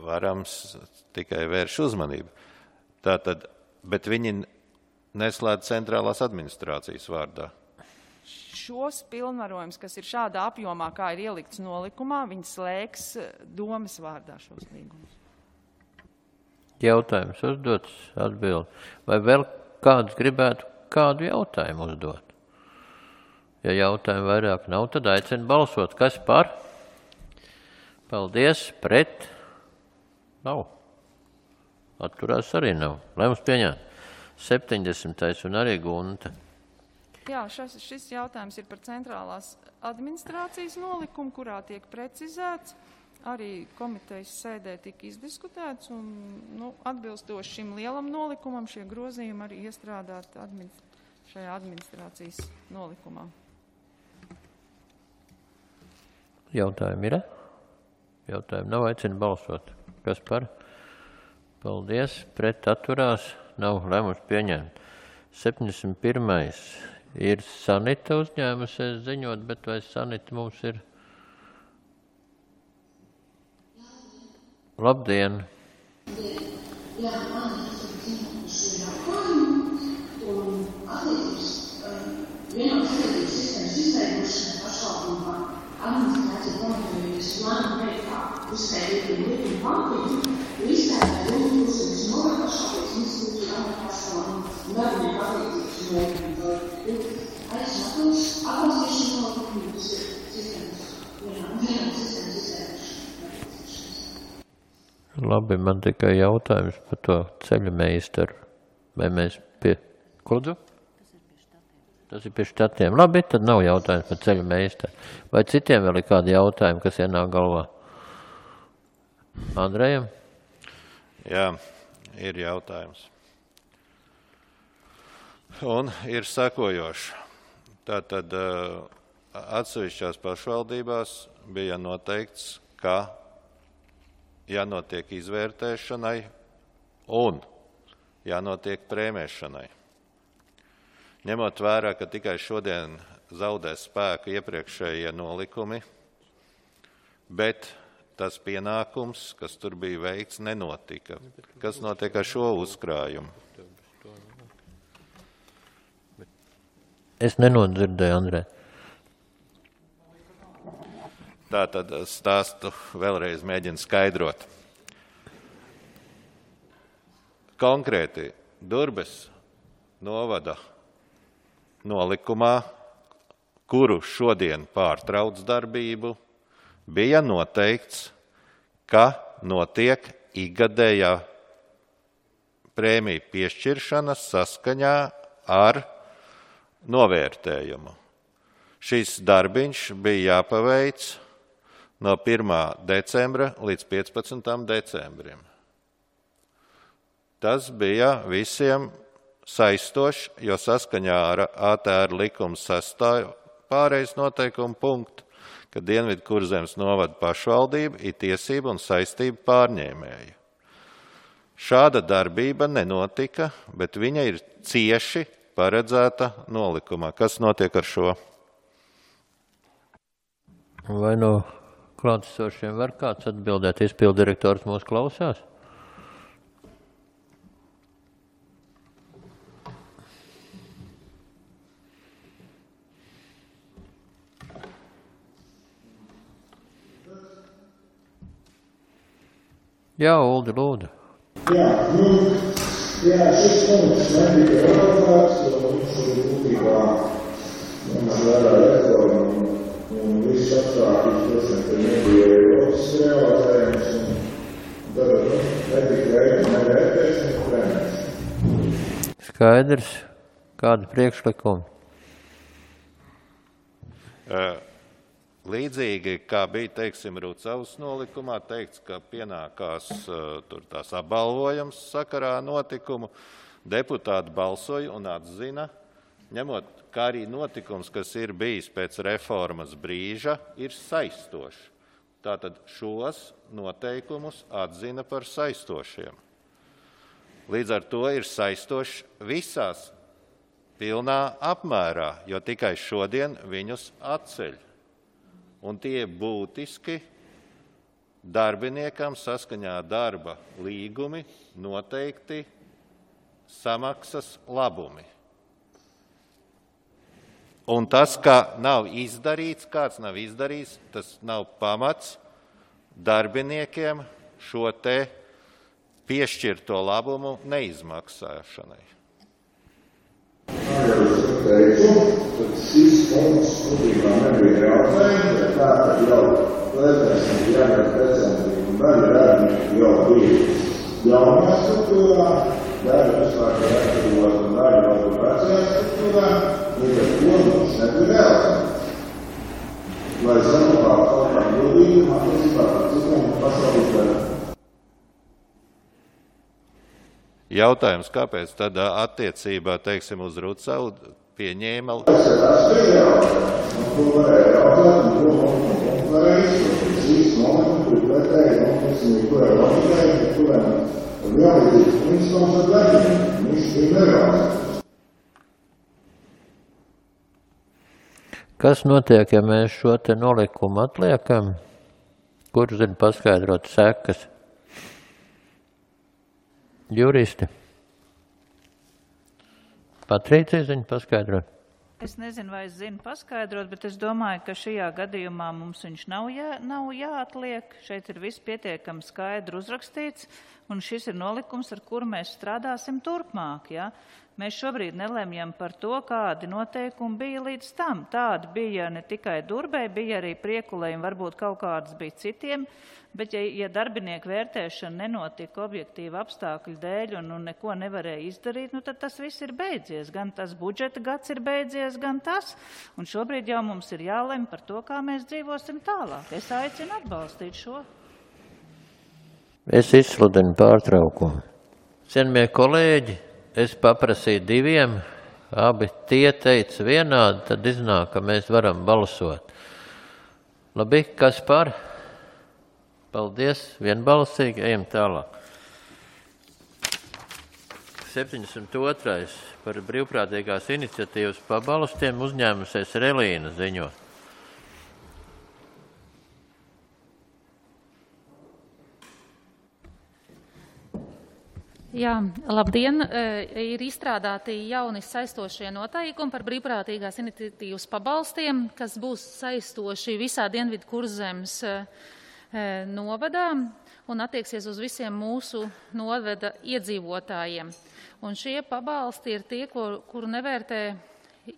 Varams tikai vērš uzmanību. Tātad, bet viņi neslēdz centrālās administrācijas vārdā. Šos pilnvarojums, kas ir šādā apjomā, kā ir ielikts nolikumā, viņi slēgs domes vārdā šos līgumus. Jautājums uzdots, atbild. Vai vēl kāds gribētu kādu jautājumu uzdot? Ja jautājumu vairāk nav, tad aicinu balsot. Kas par? Paldies. Pret? Nav. Atturās arī nav. Lai mums pieņem. septiņdesmitais un arī Gunta. Jā, šis, šis jautājums ir par centrālās administrācijas nolikumu, kurā tiek precizēts. Arī komitejas sēdē tika izdiskutēts un nu, atbilstoši šim lielam nolikumam šie grozījumi arī iestrādāt administ šajā administrācijas nolikumā. Jautājumi ir? Jautājumi nav, aicinu balsot. Kas par? Paldies. Pret atturās nav lēmums pieņemt. septiņdesmit pirmais ir Sanita uzņēmusies ziņot, bet vai Sanita mums ir? Labdien! Jā, man ir šī jautājumi un attiecības vienotās sabiedrības sistēmas izveidošana pašvaldībā administrācija komitējas plānu projektā uzskaitīt likuma pantiem, jo izstrādāt domu uzsveras novērtā šāpēc institūcija pašvaldību un darbinieku attiecības novērtā. Aizsākums atbalstīšana nolikuma būs sistēmas vienotās sistēmas izveidošana. Labi, man tikai jautājums par to ceļu meistaru. Vai mēs pie... Kudzu? Tas ir pie štatiem. Labi, tad nav jautājums par ceļu meistaru. Vai citiem vēl ir kādi jautājumi, kas ienāk galvā? Andrejam? Jā, ir jautājums. Un ir sekojoši. Tātad atsevišķās pašvaldībās bija noteikts, ka jānotiek izvērtēšanai un jānotiek prēmēšanai. Ņemot vērā, ka tikai šodien zaudēs spēku iepriekšējie nolikumi, bet tas pienākums, kas tur bija veikts, nenotika. Kas notiek ar šo uzkrājumu? Es nenodzirdēju, Andrē. Tātad stāstu vēlreiz mēģinu skaidrot. Konkrēti Durbes novada nolikumā, kuru šodien pārtrauc darbību, bija noteikts, ka notiek ikgadējā prēmiju piešķiršanas saskaņā ar novērtējumu. Šis darbiņš bija jāpaveic no pirmā decembra līdz piecpadsmitam decembrim. Tas bija visiem saistošs, jo saskaņā ar A T R likuma sastāju pārējais noteikumu punktu, ka Dienvidu Kurzemes novada pašvaldība ir tiesība un saistība pārņēmēja. Šāda darbība nenotika, bet viņa ir cieši paredzēta nolikumā. Kas notiek ar šo? Vai no klātesošiem var kāds atbildēt? Izpildirektors mūs klausās? Jā, Uldi, lūdzu. Jā, nu, jā, šis punkts nebija organizēts, jo mums ir būtībā mums vērā reforma un viss apstākļus, protams, ka nebija Eiropas realizējums un tad nebija veikta nevērtēšana trenēs. Skaidrs, kāda priekšlikuma? Uh, Līdzīgi, kā bija, teiksim, Rucavas nolikumā, teikts, ka pienākās uh, tur tās apbalvojums sakarā notikumu, deputāti balsoja un atzina, ņemot, kā arī notikums, kas ir bijis pēc reformas brīža, ir saistošs. Tātad šos noteikumus atzina par saistošiem. Līdz ar to ir saistošs visās pilnā apmērā, jo tikai šodien viņus atceļ. Un tie būtiski darbiniekam saskaņā darba līgumi noteikti samaksas labumi. Un tas, ka nav izdarīts, kāds nav izdarījis, tas nav pamats darbiniekiem šo te piešķirto labumu neizmaksāšanai. Teicu, tad šis punkts būtībā nebija jautājums, bet tā tad jau pēdējais janvāra decembrī un daļa darbinieki jau bija jaunajā struktūrā, daļa vispār jāatbrīvot un daļa vēl bija vecajā struktūrā, līdz ar to mums nebija realizēts. Lai saglabātu kaut kā godīgumā, tas vispār par citiem pasaulītājiem. Jautājums, kāpēc tad attiecībā, teiksim, uz Rucavu pieņēma... Tas ir atspēj jautājums, un to varēja jautāt, un to mums varēja izskatīt. Šīs momentu, kur pretēji, un tas ir, kurai loģikai, kurai vienlīdzīgs principums ar darbiem, viņš bija nerealizēts. Kas notiek, ja mēs šo te nolikumu atliekam? Kur zina paskaidrot sekas? Juristi. Patricija zina paskaidrot. Es nezinu, vai es zinu paskaidrot, bet es domāju, ka šajā gadījumā mums viņš nav, jā, nav jāatliek. Šeit ir viss pietiekami skaidri uzrakstīts, un šis ir nolikums, ar kuru mēs strādāsim turpmāk. Ja? Mēs šobrīd nelemjam par to, kādi noteikumi bija līdz tam. Tādi bija ne tikai Durbei, bija arī Priekulei, un varbūt kaut kādas bija citiem. Bet, ja, ja darbinieku vērtēšana nenotika objektīva apstākļu dēļ un, un neko nevarēja izdarīt, nu tad tas viss ir beidzies. Gan tas budžeta gads ir beidzies, gan tas. Un šobrīd jau mums ir jālem par to, kā mēs dzīvosim tālāk. Es aicinu atbalstīt šo. Es izsludinu pārtraukumu. Cienījamie kolēģi, es paprasīju diviem, abi tie teica vienādi, tad iznāk, ka mēs varam balsot. Labi, kas par? Paldies, vienbalsīgi, ejam tālāk. septiņdesmit otrais par brīvprātīgās iniciatīvas pabalstiem uzņēmusies Relīna ziņo. Jā, labdien! Ir izstrādāti jauni saistošie noteikumi par brīvprātīgās iniciatīvas pabalstiem, kas būs saistoši visā Dienvidu Kurzemes novadā un attieksies uz visiem mūsu novada iedzīvotājiem. Un šie pabalsti ir tie, kur, kuru nevērtē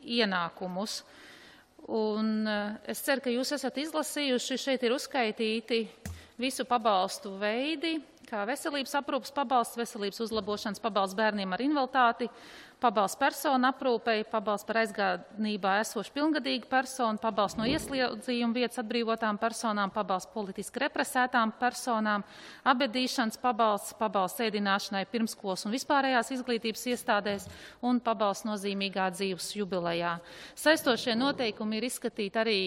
ienākumus. Un es ceru, ka jūs esat izlasījuši, šeit ir uzskaitīti visu pabalstu veidi, kā veselības aprūpas pabalsts, veselības uzlabošanas pabalsts bērniem ar invaliditāti, pabalsts personu aprūpei, pabalsts par aizgādnībā esošu pilngadīgu personu, pabalsts no ieslodzījuma vietas atbrīvotām personām, pabalsts politiski represētām personām, abedīšanas pabalsts, pabalsts ēdināšanai pirmskolas un vispārējās izglītības iestādēs un pabalsts nozīmīgā dzīves jubilejā. Saistošie noteikumi ir izskatīti arī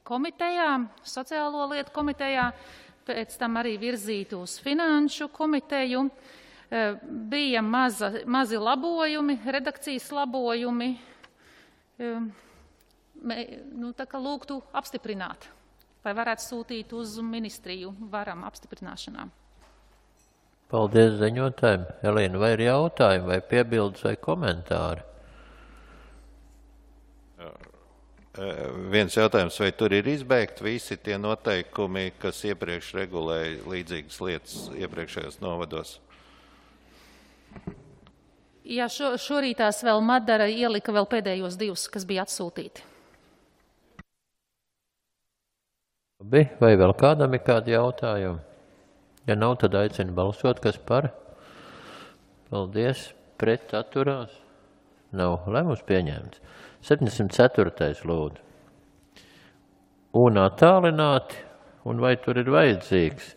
komitejā, sociālo lietu komitejā, pēc tam arī virzīti uz finanšu komiteju. Bija maza, mazi labojumi, redakcijas labojumi, nu, tā kā lūgtu apstiprināt, vai varētu sūtīt uz ministriju varam apstiprināšanām. Paldies ziņotājiem. Elīna, vai ir jautājumi, vai piebildes, vai komentāri? Viens jautājums, vai tur ir izbeigti visi tie noteikumi, kas iepriekš regulēja līdzīgas lietas iepriekšējos novados? Jā, šo, šorītās vēl Madara ielika vēl pēdējos divus, kas bija atsūtīti. Vai vēl kādam ir kādi jautājumi? Ja nav, tad aicinu balsot, kas par? Paldies. Pret atturās? Nav. Lēmums pieņemts. septiņdesmit ceturtais lūdzu. Un attālināti, un vai tur ir vajadzīgs?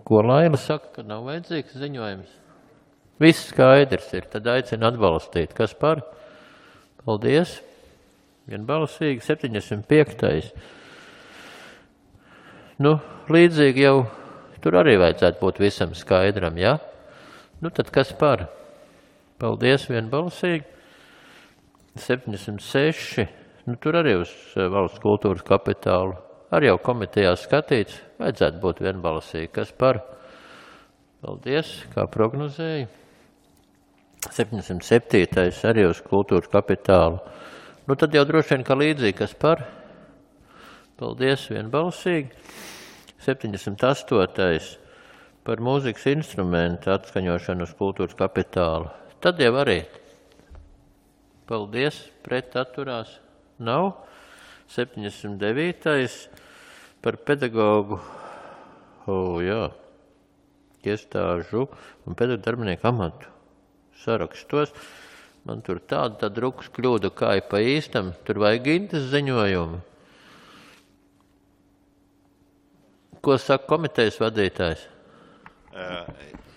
Ko Laila saka, ka nav vajadzīgs ziņojums? Viss skaidrs ir, tad aicinu atbalstīt. Kas par? Paldies. Vienbalsīgi. septiņdesmit piektais. Nu, līdzīgi jau tur arī vajadzētu būt visam skaidram, ja? Nu, tad kas par? Paldies, vienbalsīgi. septiņdesmit seši. Nu, tur arī uz valsts kultūras kapitālu. Arī jau komitejā skatīts. Vajadzētu būt vienbalsīgi. Kas par? Paldies, kā prognozēja. septiņdesmit septītais. Arī uz kultūras kapitālu. Nu, tad jau droši vien, ka līdzīgi. Kas par? Paldies, vienbalsīgi. septiņdesmit astotais. Par mūzikas instrumentu atskaņošanu uz kultūras kapitālu. Tad jau arī. Paldies, pret atturās nav. septiņdesmit devītais. Par pedagogu, o, jā, iestāžu un pedagogu darbinieku amatu sarakstos. Man tur tāda tā drukas kļūda, kā ir pa īstam. Tur vajag Gintas ziņojumu. Ko saka komitejas vadītājs?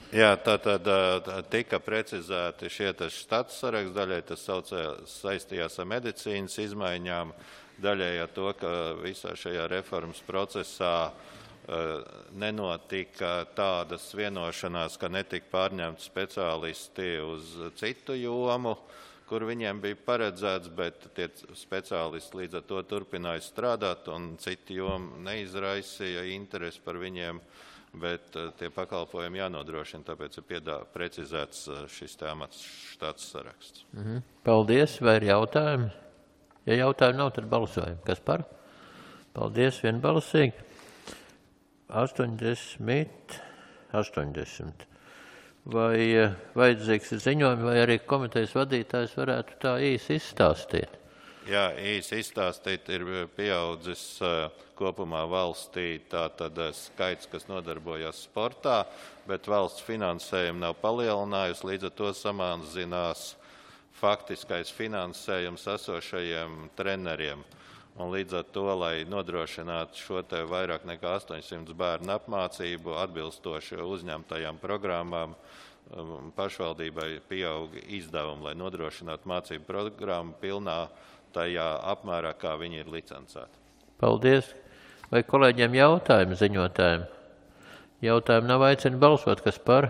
Jā, tā tad tika precizēti šie štats saraksts, daļai tas saistījās ar medicīnas izmaiņām, daļai ar to, ka visā šajā reformas procesā nenotika tādas vienošanās, ka netika pārņemti speciālisti uz citu jomu, kur viņiem bija paredzēts, bet tie speciālisti līdz ar to turpināja strādāt un citi jomi neizraisīja interesi par viņiem. Bet tie pakalpojumi jānodrošina, tāpēc ir piedā, precizēts šis tēmats štāts saraksts. Mhm. Paldies, vai ir jautājumi? Ja jautājumi nav, tad balsojam. Kas par? Paldies, vienbalsīgi. astoņdesmit, astoņdesmit. Vai vajadzīgs ziņojumi, vai arī komitejas vadītājs varētu tā īsi izstāstīt? Jā, īsi izstāstīt ir pieaudzis kopumā valstī tātad skaits, kas nodarbojas sportā, bet valsts finansējumu nav palielinājusi, līdz ar to samazinās faktiskais finansējums esošajiem treneriem. Un līdz ar to, lai nodrošinātu šo te vairāk nekā astoņsimt bērnu apmācību atbilstoši uzņemtajām programmām, pašvaldībai pieaug izdevumi, lai nodrošinātu mācību programmu pilnā tajā apmērā, kā viņi ir licencēti. Paldies. Vai kolēģiem jautājumi ziņotājiem? Jautājumi nav, aicina balsot, kas par?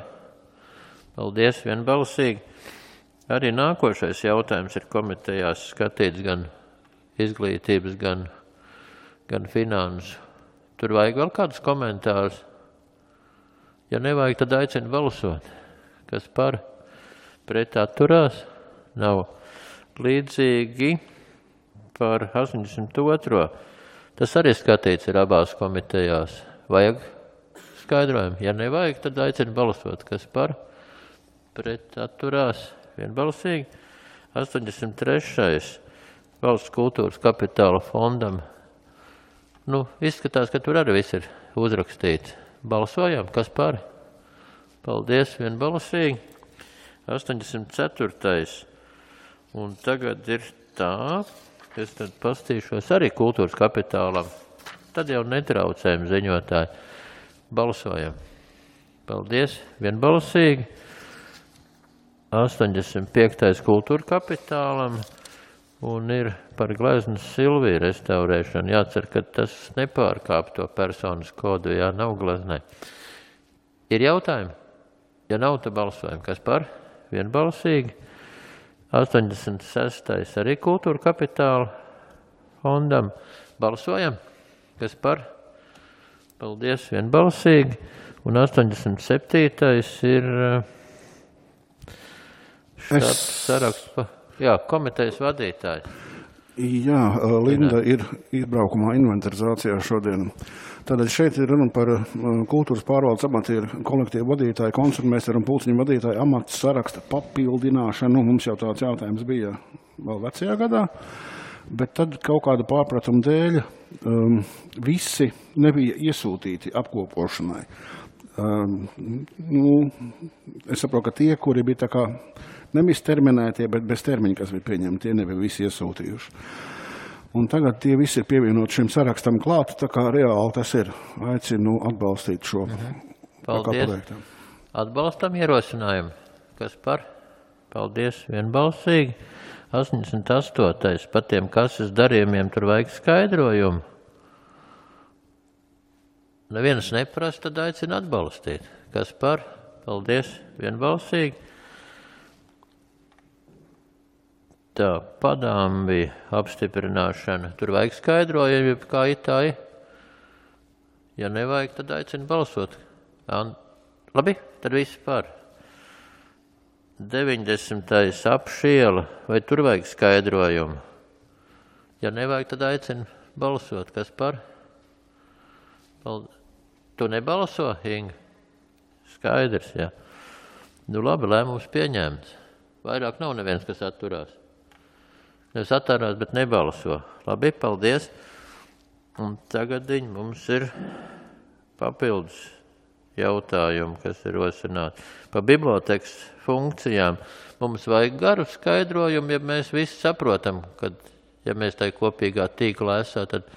Paldies, vienbalsīgi. Arī nākošais jautājums ir komitejās skatīts gan izglītības, gan, gan finansu. Tur vajag vēl kādus komentārus? Ja nevajag, tad aicina balsot. Kas par? Pret atturās? Nav. Līdzīgi par astoņdesmit otro. Tas arī skatīts ir abās komitejās. Vajag skaidrojumu. Ja nevajag, tad aicina balsot. Kas par? Pret atturās? Vienbalsīgi. astoņdesmit trešais. Valsts kultūras kapitāla fondam Nu, izskatās, ka tur arī viss ir uzrakstīts. Balsojam, kas par? Paldies, vienbalsīgi. astoņdesmit ceturtais. Un tagad ir tā, es tad pastīšos arī kultūras kapitālam. Tad jau netraucējam ziņotāji. Balsojam. Paldies, vienbalsīgi. astoņdesmit piektais kultūra kapitālam. Un ir par gleznas Silviju restaurēšanu. Jācer, ka tas nepārkāp to personas kodu, jā, nav gleznai. Ir jautājumi? Ja nav, tad balsojam. Kas par? Vienbalsīgi. astoņdesmit sestais arī kultūra kapitāla fondam. Balsojam. Kas par? Paldies, vienbalsīgi. Un astoņdesmit septītais ir šāds es... saraksts pa... Jā, komitejas vadītājs. Jā, Linda ir izbraukumā inventarizācijā šodien. Tātad šeit ir runa par kultūras pārvaldes amatieru kolektīvu vadītāju, koncertmeistaru un pulciņu vadītāju amatu saraksta papildināšanu. Mums jau tāds jautājums bija vēl vecajā gadā, bet tad kaut kāda pārpratuma dēļ um, visi nebija iesūtīti apkopošanai. Um, nu, es saprotu, ka tie, kuri bija tā kā nevis terminētie, bet bez termiņa, kas bija pieņemti, tie nebija visi iesūtījuši. Un tagad tie visi ir pievienot šim sarakstam klāt, tā kā reāli tas ir. Aicinu atbalstīt šo Paldies. Atbalstam ierosinājumu. Kas par? Paldies, vienbalsīgi. astoņdesmit astotais. Par tiem kases darījumiem tur vajag skaidrojumu. Neviens neprasa, tad aicina atbalstīt. Kas par? Paldies, vienbalsīgi. Tā, padāmbi apstiprināšana. Tur vajag skaidrojumu, kā itāji. Ja nevajag, tad aicina balsot. Labi, tad viss par. deviņdesmitais apšiela. Vai tur vajag skaidrojumu? Ja nevajag, tad aicina balsot. Kas par? Paldies. Tu nebalso, Inga? Skaidrs, jā. Nu labi, lēmums pieņemts. Vairāk nav neviens, kas atturās. Nevis atturās, bet nebalso. Labi, paldies. Un tagadiņ mums ir papildus jautājumi, kas ir rosināti. Par bibliotēkas funkcijām mums vajag garu skaidrojumu, ja mēs visi saprotam, ka, ja mēs tai kopīgā tīklā esam, tad,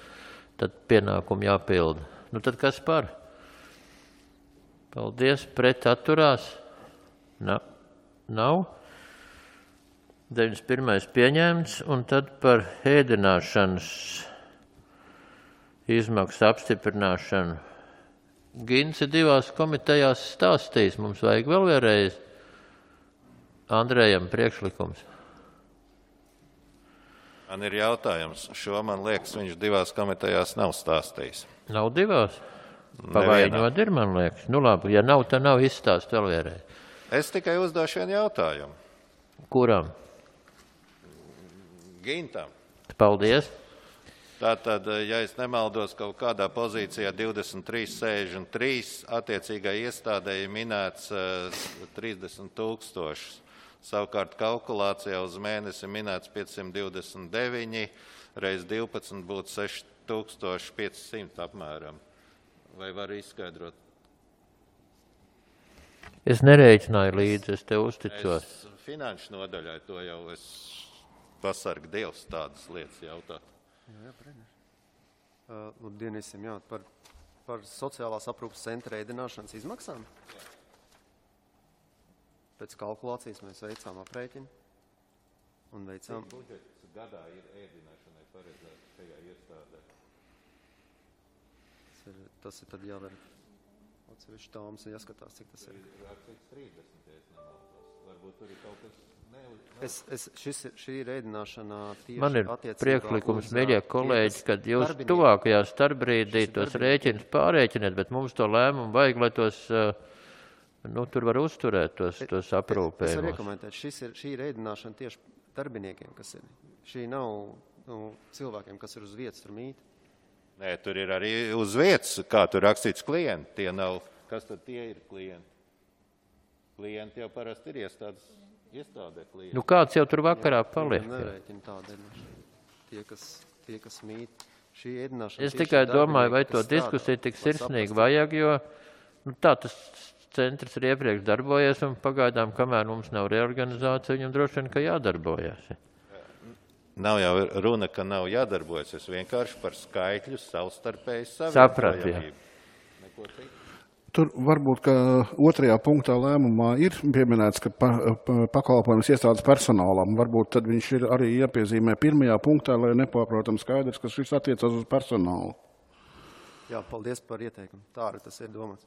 tad pienākumu jāpilda. Nu tad kas par? Paldies, pret atturās? Na, nav. deviņdesmit pirmais pieņemts, un tad par ēdināšanas izmaksu apstiprināšanu. Gins ir divās komitejās stāstījis, mums vajag vēl vienreiz Andrejam priekšlikums. Man ir jautājums, šo man liekas, viņš divās komitejās nav stāstījis. Nav divās? Pavainot ir, man liekas. Nu labi, ja nav, tad nav izstāst vēl vienreiz. Es tikai uzdošu vienu jautājumu. Kuram? Gintam. Paldies. Tātad, ja es nemaldos, kaut kādā pozīcijā divdesmit trīs sešdesmit trīs attiecīgai iestādēji minēts trīsdesmit tūkstošus. Savukārt kalkulācijā uz mēnesi minēts piecsimt divdesmit deviņi, reiz divpadsmit būtu seši tūkstoši pieci simti apmēram. Vai var izskaidrot? Es nereiķināju līdzi, es tev uzticos. Es finanšu nodaļai to jau es pasargu Dievs tādas lietas jautāt. Jā, jā, prēdēšu. Uh, Labdien visiem, jā, par, par sociālās aprūpas centra ēdināšanas izmaksām. Jā. Pēc kalkulācijas mēs veicām aprēķinu un veicām... Cik budžets gadā ir ēdināšanai paredzēts šajā iestādē? Tas ir, tas ir tad jāver atsevišķi tāms un jāskatās, cik tas ir. Cik trīsdesmit, ja es nemaldos. Varbūt tur ir kaut kas... Es, es, šis, šī ir ēdināšana tieši Man ir priekšlikums, mīļie kolēģi, kad jūs tuvākajā starpbrīdī tos rēķinus pārēķiniet, bet mums to lēmumu vajag, lai tos, nu, tur var uzturēt tos, tos aprūpējumus. Es varu iekomentēt, šis ir, šī ir ēdināšana tieši darbiniekiem, kas ir. Šī nav nu, cilvēkiem, kas ir uz vietas tur mīt. Nē, tur ir arī uz vietas, kā tur rakstīts klienti. Tie nav, kas tad tie ir klienti? Klienti jau parasti ir iestādes. Iestādē klienti. Nu kāds jau tur vakarā paliek? Nereiķina tāda ēdināšana. Tie, kas, tie, kas mīt. šī ēdināšanas Es tikai domāju, vai to kas strādā, diskusiju tik var sirsnīgi saprast. vajag, jo nu, tā tas centrs ir iepriekš darbojies, un pagaidām, kamēr mums nav reorganizācija, viņam droši vien, ka jādarbojas. Nav jau runa, ka nav jādarbojas. Es vienkārši par skaitļu savstarpēji Sapratu, jā. savietojamību. Tur varbūt, ka otrajā punktā lēmumā ir pieminēts, ka pa, pa, pakalpojums iestādes personālam. Varbūt tad viņš ir arī jāpiezīmē pirmajā punktā, lai nepārprotam skaidrs, ka šis attiecas uz personālu. Jā, paldies par ieteikumu. Tā arī tas ir domāts.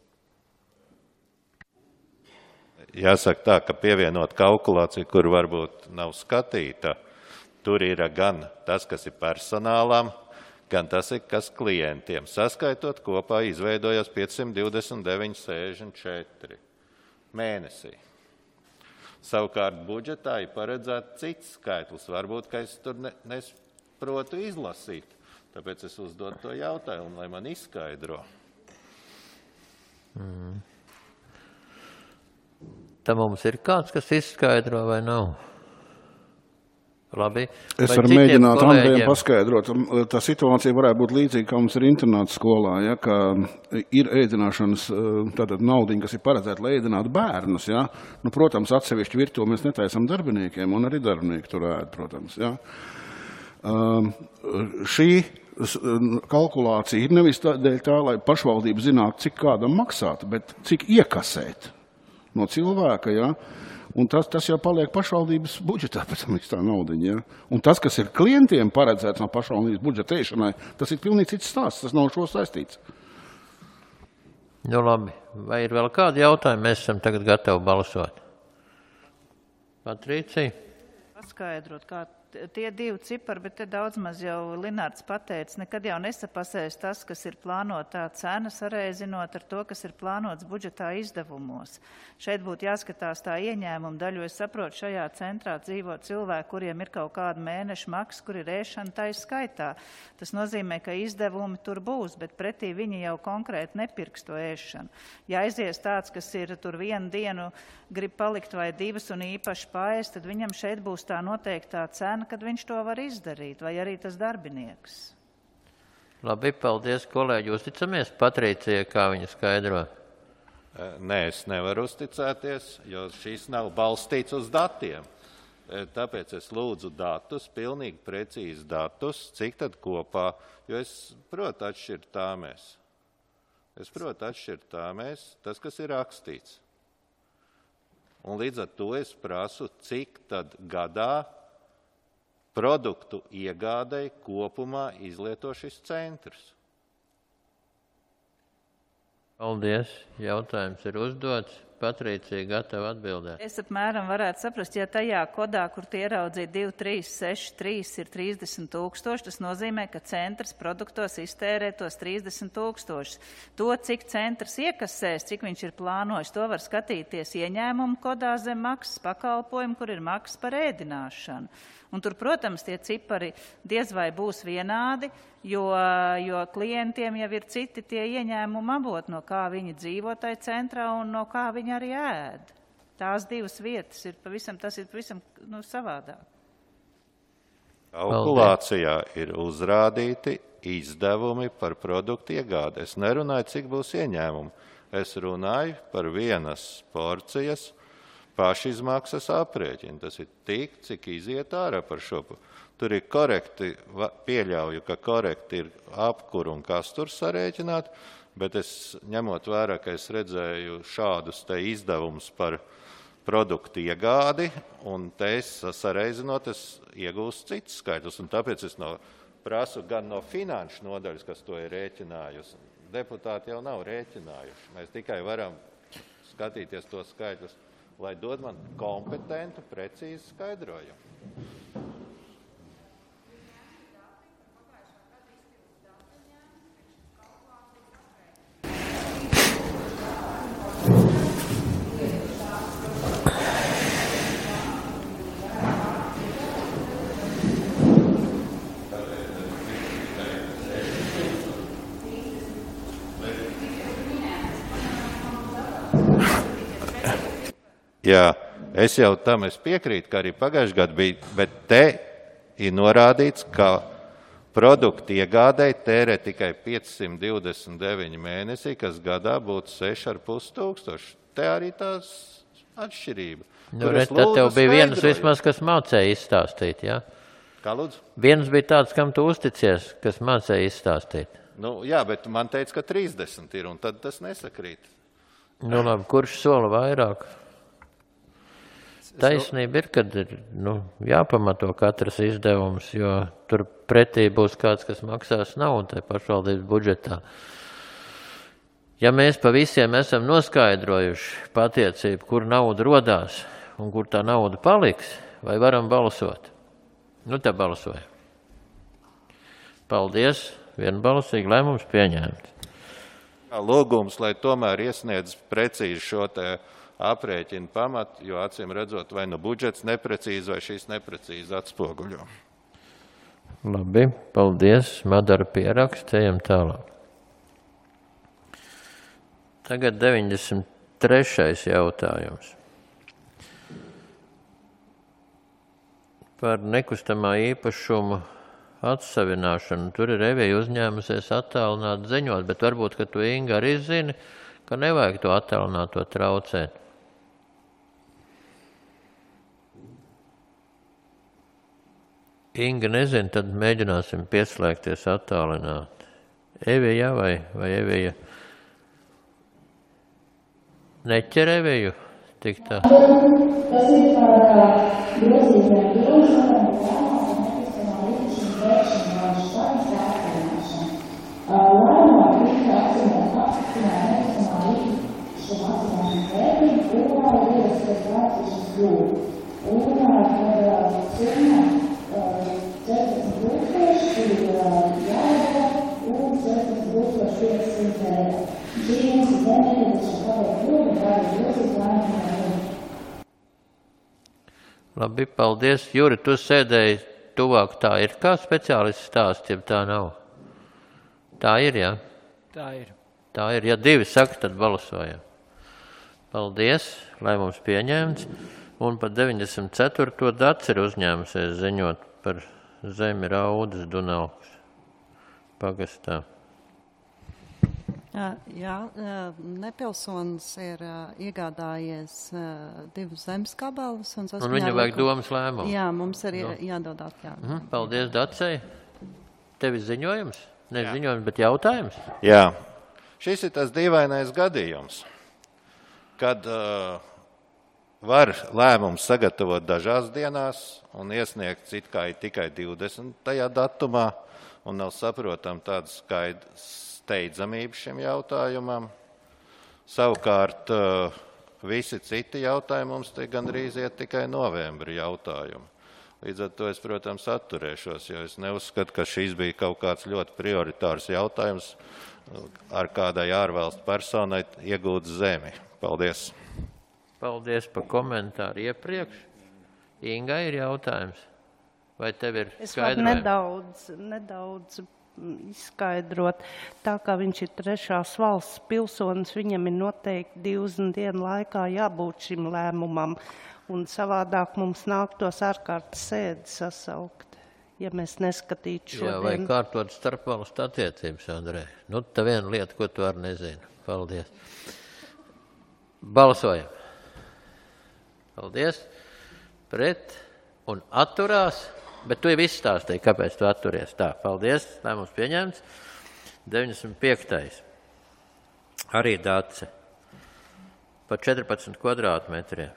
Jāsaka tā, ka pievienot kalkulāciju, kur varbūt nav skatīta, tur ir gan tas, kas ir personālam, gan tas ir, kas klientiem. Saskaitot kopā izveidojās piecsimt divdesmit deviņi sēžņi četri mēnesī. Savukārt budžetā ir paredzēts cits skaitlis. Varbūt, ka es tur ne, nesprotu izlasīt. Tāpēc es uzdodu to jautājumu, lai man izskaidro. Mm. Tā mums ir kāds, kas izskaidro vai nav? Labi. Es Vai varu citiem mēģināt Andrejam kolēģiem? paskaidrot. Tā situācija varētu būt līdzīga, kā mums ir internāta skolā, ja, ka ir ēdināšanas tātad naudiņa, kas ir paredzēta, lai ēdinātu bērnus. Ja. Nu, protams, atsevišķi virtuvi mēs netaisam darbiniekiem, un arī darbinieki tur ēd, protams. Ja. Um, šī kalkulācija ir nevis tādēļ tā, lai pašvaldība zinātu, cik kādam maksāt, bet cik iekasēt no cilvēka, ja. Un tas, tas jau paliek pašvaldības budžetā, pēc tam tā naudiņa. Ja? Un tas, kas ir klientiem paredzēts no pašvaldības budžetēšanai, tas ir pilnīgi cits stāsts, tas nav šo saistīts. Nu labi, vai ir vēl kādi jautājumi? Mēs esam tagad gatavi balsot. Patricija? Paskaidrot, kā tie divi cipari, bet te daudz maz jau Linārds pateica, nekad jau nesapasēs tas, kas ir plānotā cena, sareizinot ar to, kas ir plānots budžetā izdevumos. Šeit būtu jāskatās tā ieņēmuma daļu. Es saprotu, šajā centrā dzīvo cilvēki, kuriem ir kaut kāda mēneša maksa, kur ir ēšana tai skaitā. Tas nozīmē, ka izdevumi tur būs, bet pretī viņi jau konkrēti nepirks to ēšanu. Ja aizies tāds, kas ir tur vienu dienu grib palikt vai divas un īpaši paēst, tad viņam šeit būs tā noteiktā cena, kad viņš to var izdarīt, vai arī tas darbinieks. Labi, paldies, kolēģi. Uzticamies Patricijai, kā viņa skaidro? Nē, es nevaru uzticēties, jo šis nav balstīts uz datiem. Tāpēc es lūdzu datus, pilnīgi precīzi datus, cik tad kopā, jo es protu atšķirt tā mēs. Es protu atšķirt tā mēs, tas, kas ir rakstīts. Un līdz ar to es prasu, cik tad gadā produktu iegādai kopumā izlieto šis centrs. Paldies. Jautājums ir uzdots. Patricija gatava atbildēt. Es apmēram varētu saprast, ja tajā kodā, kur tie ieraudzīja divi, trīs, seši, trīs ir trīsdesmit tūkstoši, tas nozīmē, ka centrs produktos iztērē tos trīsdesmit tūkstošus. To, cik centrs iekasēs, cik viņš ir plānojis, to var skatīties ieņēmumu kodā zem maksas pakalpojumu, kur ir maksas par ēdināšanu. Un tur, protams, tie cipari diez vai būs vienādi, jo, jo klientiem jau ir citi tie ieņēmumi avoti, no kā viņi dzīvo tai centrā un no kā viņi arī ēd. Tās divas vietas ir pavisam, tas ir pavisam nu, savādāk. Kalkulācijā ir uzrādīti izdevumi par produktu iegādi. Es nerunāju, cik būs ieņēmumi. Es runāju par vienas porcijas pašizmaksas aprēķinu. Tas ir tik, cik iziet ārā par šo. Tur ir korekti, pieļauju, ka korekti ir apkur un kas tur sarēķināt, bet es ņemot vērā, ka es redzēju šādus te izdevumus par produktu iegādi, un te es sareizinot, es iegūstu citus skaitļus, un tāpēc es no, prasu gan no finanšu nodaļas, kas to ir rēķinājusi. Deputāti jau nav rēķinājuši. Mēs tikai varam skatīties tos skaitļus, lai dod man kompetentu, precīzi skaidrojumu. Jā, es jau tam es piekrītu, ka arī pagājušajā gadā bija, bet te ir norādīts, ka produktu iegādēji tērē tikai piecsimt divdesmit deviņi mēnesī, kas gadā būtu seši ar pus tūkstoši. Te arī tās atšķirība. Nu, re, tad tev bija viens vismaz, kas mācēja izstāstīt, jā? Kā lūdzu? Viens bija tāds, kam tu uzticies, kas mācēja izstāstīt. Nu, jā, bet man teica, ka trīsdesmit ir, un tad tas nesakrīt. Nu, labi, kurš sola vairāk? Taisnība ir, kad ir nu, jāpamato katrs izdevums, jo tur pretī būs kāds, kas maksās naudu tai pašvaldības budžetā. Ja mēs pa visiem esam noskaidrojuši patiecību, kur nauda rodās un kur tā nauda paliks, vai varam balsot? Nu, tā balsoja. Paldies, vienbalsīgi lēmums pieņēmts. Lūgums, lai tomēr iesniedz precīzi šo te aprēķinu pamatu, jo acīm redzot, vai nu budžets neprecīzi, vai šīs neprecīzi atspoguļo. Labi, paldies, Madara pieraksts, ejam tālāk. Tagad deviņdesmit trešais jautājums. Par nekustamā īpašumu atsavināšanu. Tur ir Evija uzņēmusies attālināt ziņot, bet varbūt, ka tu, Inga, arī zini, ka nevajag to attālināto traucēt. Inga nezina, tad mēģināsim pieslēgties attālināt. Evija vai, vai Evija? Neķer Eviju tik tā? Tas ir par grozītiem grozītiem, lēmām nekustamā īpašuma vēršanās saimnes attīrināšanu. Lēmumā tika apzināt apstiprināt nekustamā īpašuma attīrināšanas vērtību, kurā ir ierasties vērtīšanas kļūdu. Un par summa četrdesmit tūkstoši ir jāiedod un četrdesmit tūkstoši piecsimt eiro. Šī mums ir nepieciešama paliek kļūda, kā ir grozīt lēmumu. Labi, paldies. Juri, tu sēdēji tuvāk, tā ir kā speciālists stāsts, ja tā nav? Tā ir, jā? Tā ir. Tā ir. Ja divi saka, tad balsojam. Paldies, lēmums pieņemts. Un par deviņdesmit ceturto Dats ir uzņēmusies ziņot par zemi Raudas Dunaukas pagastā. Jā, nepilsonis ir iegādājies divus zemes gabalus. Un, un viņa vajag domas lēmumu. Jā, mums ir no. jādod atļauj. Mhm, paldies, Dacei. Tev ir ziņojums? Ne Jā. ziņojums, bet jautājums? Jā. Šis ir tas dīvainais gadījums, kad uh, var lēmumu sagatavot dažās dienās un iesniegt it kā tikai divdesmitajā datumā, un nav saprotam tāda skaidra steidzamība šim jautājumam. Savukārt visi citi jautājumi mums te gandrīz iet tikai novembra jautājumi. Līdz ar to es, protams, atturēšos, jo es neuzskatu, ka šis bija kaut kāds ļoti prioritārs jautājums ar kādai ārvalstu personai iegūt zemi. Paldies. Paldies par komentāru iepriekš. Inga, ir jautājums? Vai tev ir skaidrojumi? Es varu nedaudz, nedaudz izskaidrot. Tā kā viņš ir trešās valsts pilsonis, viņam ir noteikti divdesmit dienu laikā jābūt šim lēmumam. Un savādāk mums nāktos ārkārtas sēdi sasaukt, ja mēs neskatītu šodien. Jā, vai kārtot starpvalstu attiecības, Andrej. Nu, tā viena lieta, ko tu arī nezini. Paldies. Balsojam. Paldies. Pret un atturās. Bet tu jau izstāstīji, kāpēc tu atturies. Tā, paldies. Lēmums pieņemts. deviņdesmit piektais. Arī Dace. Par četrpadsmit kvadrātmetriem.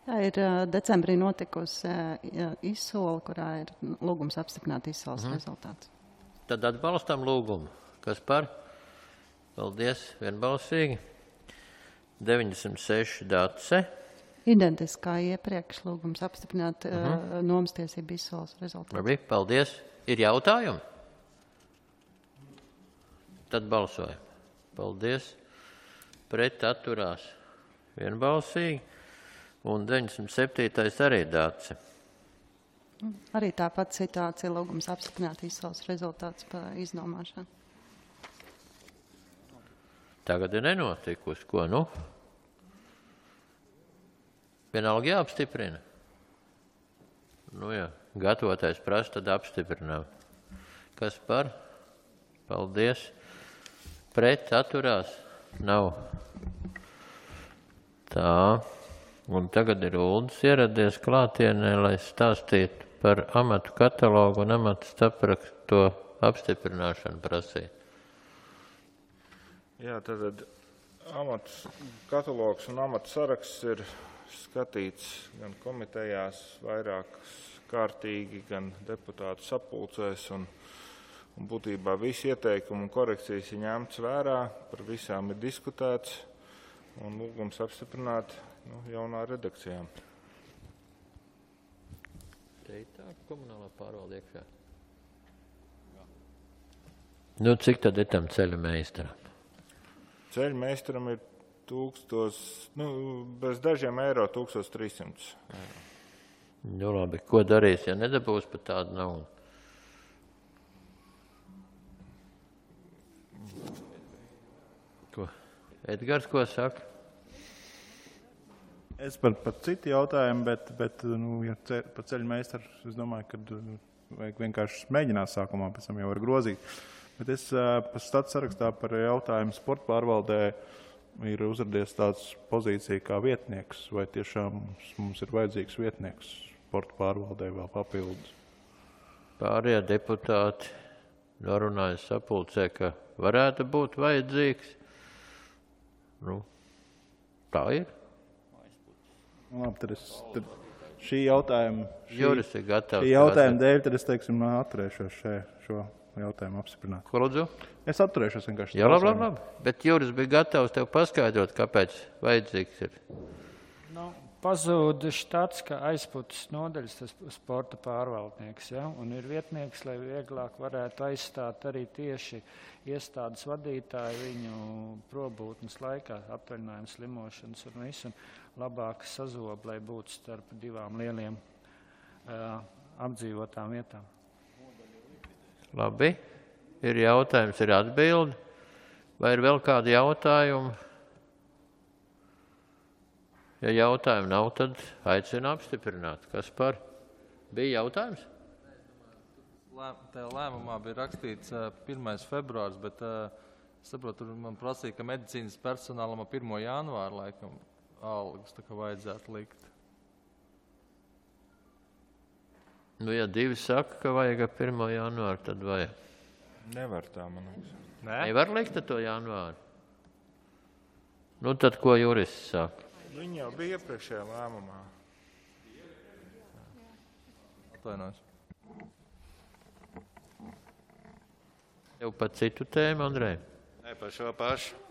Tā ir decembrī notikusi izsole, kurā ir lūgums apstiprināt izsoles mhm. rezultāts. Tad atbalstam lūgumu. Kas par? Paldies, vienbalsīgi. deviņdesmit seši Dace. Identiskā iepriekš lūgums apstiprināt mhm. nomas tiesību izsoles rezultāts. Labi, paldies. Ir jautājumi? Tad balsojam. Paldies. Pret atturās vienbalsīgi. Un deviņdesmit septītais arī Dace. Arī tāpat situācija lūgums apstiprināt izsoles rezultāts par iznomāšanu. Tagad ir nenotikusi. Ko nu? Vienalga jāapstiprina. Nu jā, gatavotais prasa, tad apstiprinām. Kas par? Paldies. Pret atturās? Nav. Tā. Un tagad ir Uldis ieradies klātienē, lai stāstītu par amatu katalogu un amatu saprakto apstiprināšanu prasīt. Jā, tad amatu katalogs un amatu saraksts ir skatīts gan komitejās vairākas kārtīgi, gan deputātu sapulcēs, un, un būtībā visi ieteikumi un korekcijas ir ņemts vērā, par visām ir diskutēts un lūgums apstiprināt nu, jaunā redakcijā. Te ir tā komunālā pārvalde iekšā. Nu, cik tad ir tam ceļu meistaram? Ceļu meistaram ir tūkstos, nu, bez dažiem eiro tūkstoš trīssimts eiro. Nu, labi, ko darīs, ja nedabūs pat tādu naudu? Ko? Edgars, ko saka? Es par, par citu jautājumu, bet, bet nu, ja ce, par ceļu meistaru, es domāju, ka vajag vienkārši mēģināt sākumā, pēc tam jau var grozīt. Bet es par stats sarakstā par jautājumu sporta pārvaldē ir uzradies tāds pozīcija kā vietnieks, vai tiešām mums, mums ir vajadzīgs vietnieks sporta pārvaldē vēl papildus. Pārējie deputāti norunāja sapulcē, ka varētu būt vajadzīgs. Nu, tā ir. Labi, tad es tad šī jautājuma, šī, Juris ir gatavs. Šī jautājuma dēļ, tad es, teiksim, atturēšos še, šo jautājumu apstiprināt. Ko lūdzu? Es atturēšos vienkārši. Jā, labi, labi, labi. Bet Juris bija gatavs tev paskaidrot, kāpēc vajadzīgs ir. Nu, pazūda štats, ka aizputas nodaļas tas sporta pārvaldnieks, ja? Un ir vietnieks, lai vieglāk varētu aizstāt arī tieši iestādes vadītāju viņu probūtnes laikā, atvaļinājums, slimošanas un visu, un labāk sazob, lai būtu starp divām lieliem uh, apdzīvotām vietām. Labi, ir jautājums, ir atbildi. Vai ir vēl kādi jautājumi? Ja jautājumu nav, tad aicinu apstiprināt. Kas par? Bija jautājums? Tajā lēmumā bija rakstīts pirmais februārs, bet es saprotu, man prasīja, ka medicīnas personālam pirmo janvāru laikam algas tā kā vajadzētu likt. Nu, ja divi saka, ka vajag pirmo janvāru, tad vajag. Nevar tā, man liekas. Nē? Nevar likt to janvāru? Nu, tad ko jurists saka? Viņi jau bija iepriekšējā lēmumā. Atvainojos. Jau par citu tēmu, Andrej? Nē, par šo pašu.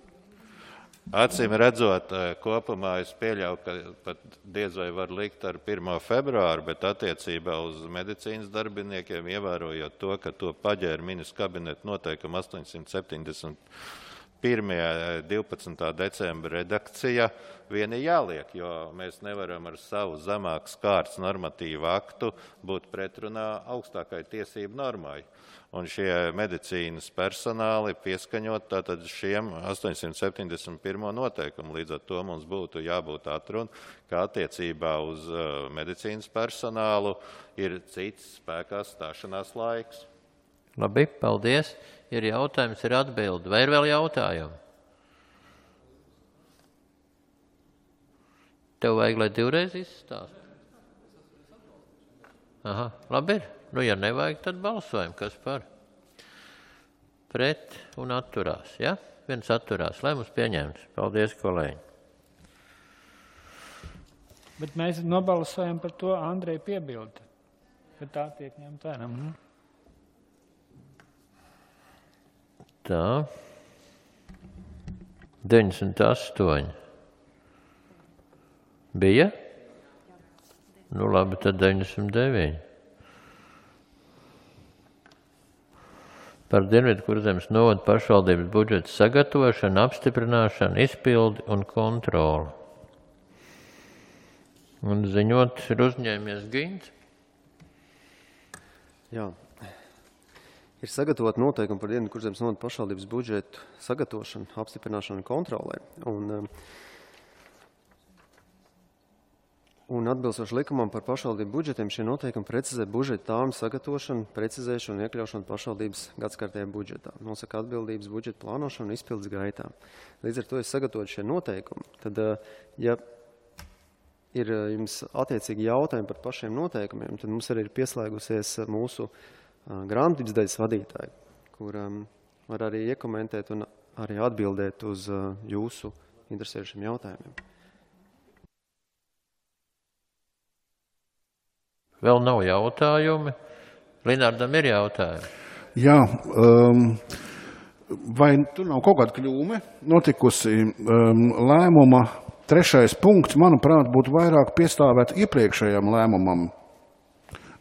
Acīm redzot, kopumā es pieļauju, ka pat diez vai var likt ar pirmo februāru, bet attiecībā uz medicīnas darbiniekiem, ievērojot to, ka to paģēra ministru kabineta noteikuma astoņsimt septiņdesmit pirmā divpadsmitā decembra redakcija vien ir jāliek, jo mēs nevaram ar savu zemākas kārtas normatīvu aktu būt pretrunā augstākai tiesību normai. Un šie medicīnas personāli pieskaņot tātad šiem astoņsimt septiņdesmit pirmo noteikumu. Līdz ar to mums būtu jābūt atruna, ka attiecībā uz uh, medicīnas personālu ir cits spēkā stāšanās laiks. Labi, paldies. Ir jautājums, ir atbildi. Vai ir vēl jautājumi? Tev vajag, lai divreiz izstāst? Aha, labi ir. Nu, ja nevajag, tad balsojam. Kas par? Pret un atturās, ja? Viens atturās. Lai mums pieņemts. Paldies, kolēģi. Bet mēs nobalsojam par to Andreja piebildi. Ka tā tiek ņemt vērā. Mhm. Tā. deviņdesmit astoņi. Bija? Nu labi, tad deviņdesmit deviņi. Par Dienvidkurzemes novada pašvaldības budžeta sagatavošanu, apstiprināšanu, izpildi un kontroli. Un ziņot ir uzņēmies Gints. Jā. Ir sagatavot noteikumi par Dienvidkurzemes novada pašvaldības budžetu sagatavošanu, apstiprināšanu un kontrolē. Un, um, Un atbilstoši likumam par pašvaldību budžetiem šie noteikumi precizē budžeta tālmu sagatavošanu, precizēšanu un iekļaušanu pašvaldības gadskārtajā budžetā. Nosaka atbildības budžeta plānošanu un izpildes gaitā. Līdz ar to, ja sagatavot šie noteikumi, tad, ja ir jums attiecīgi jautājumi par pašiem noteikumiem, tad mums arī ir pieslēgusies mūsu grāmatvedības daļas vadītāji, kur var arī iekomentēt un arī atbildēt uz jūsu interesējušiem jautājumiem. Vēl nav jautājumi. Linardam ir jautājumi. Jā, um, vai tur nav kaut kāda kļūme notikusi um, lēmuma trešais punkts, manuprāt, būtu vairāk piestāvēt iepriekšējam lēmumam.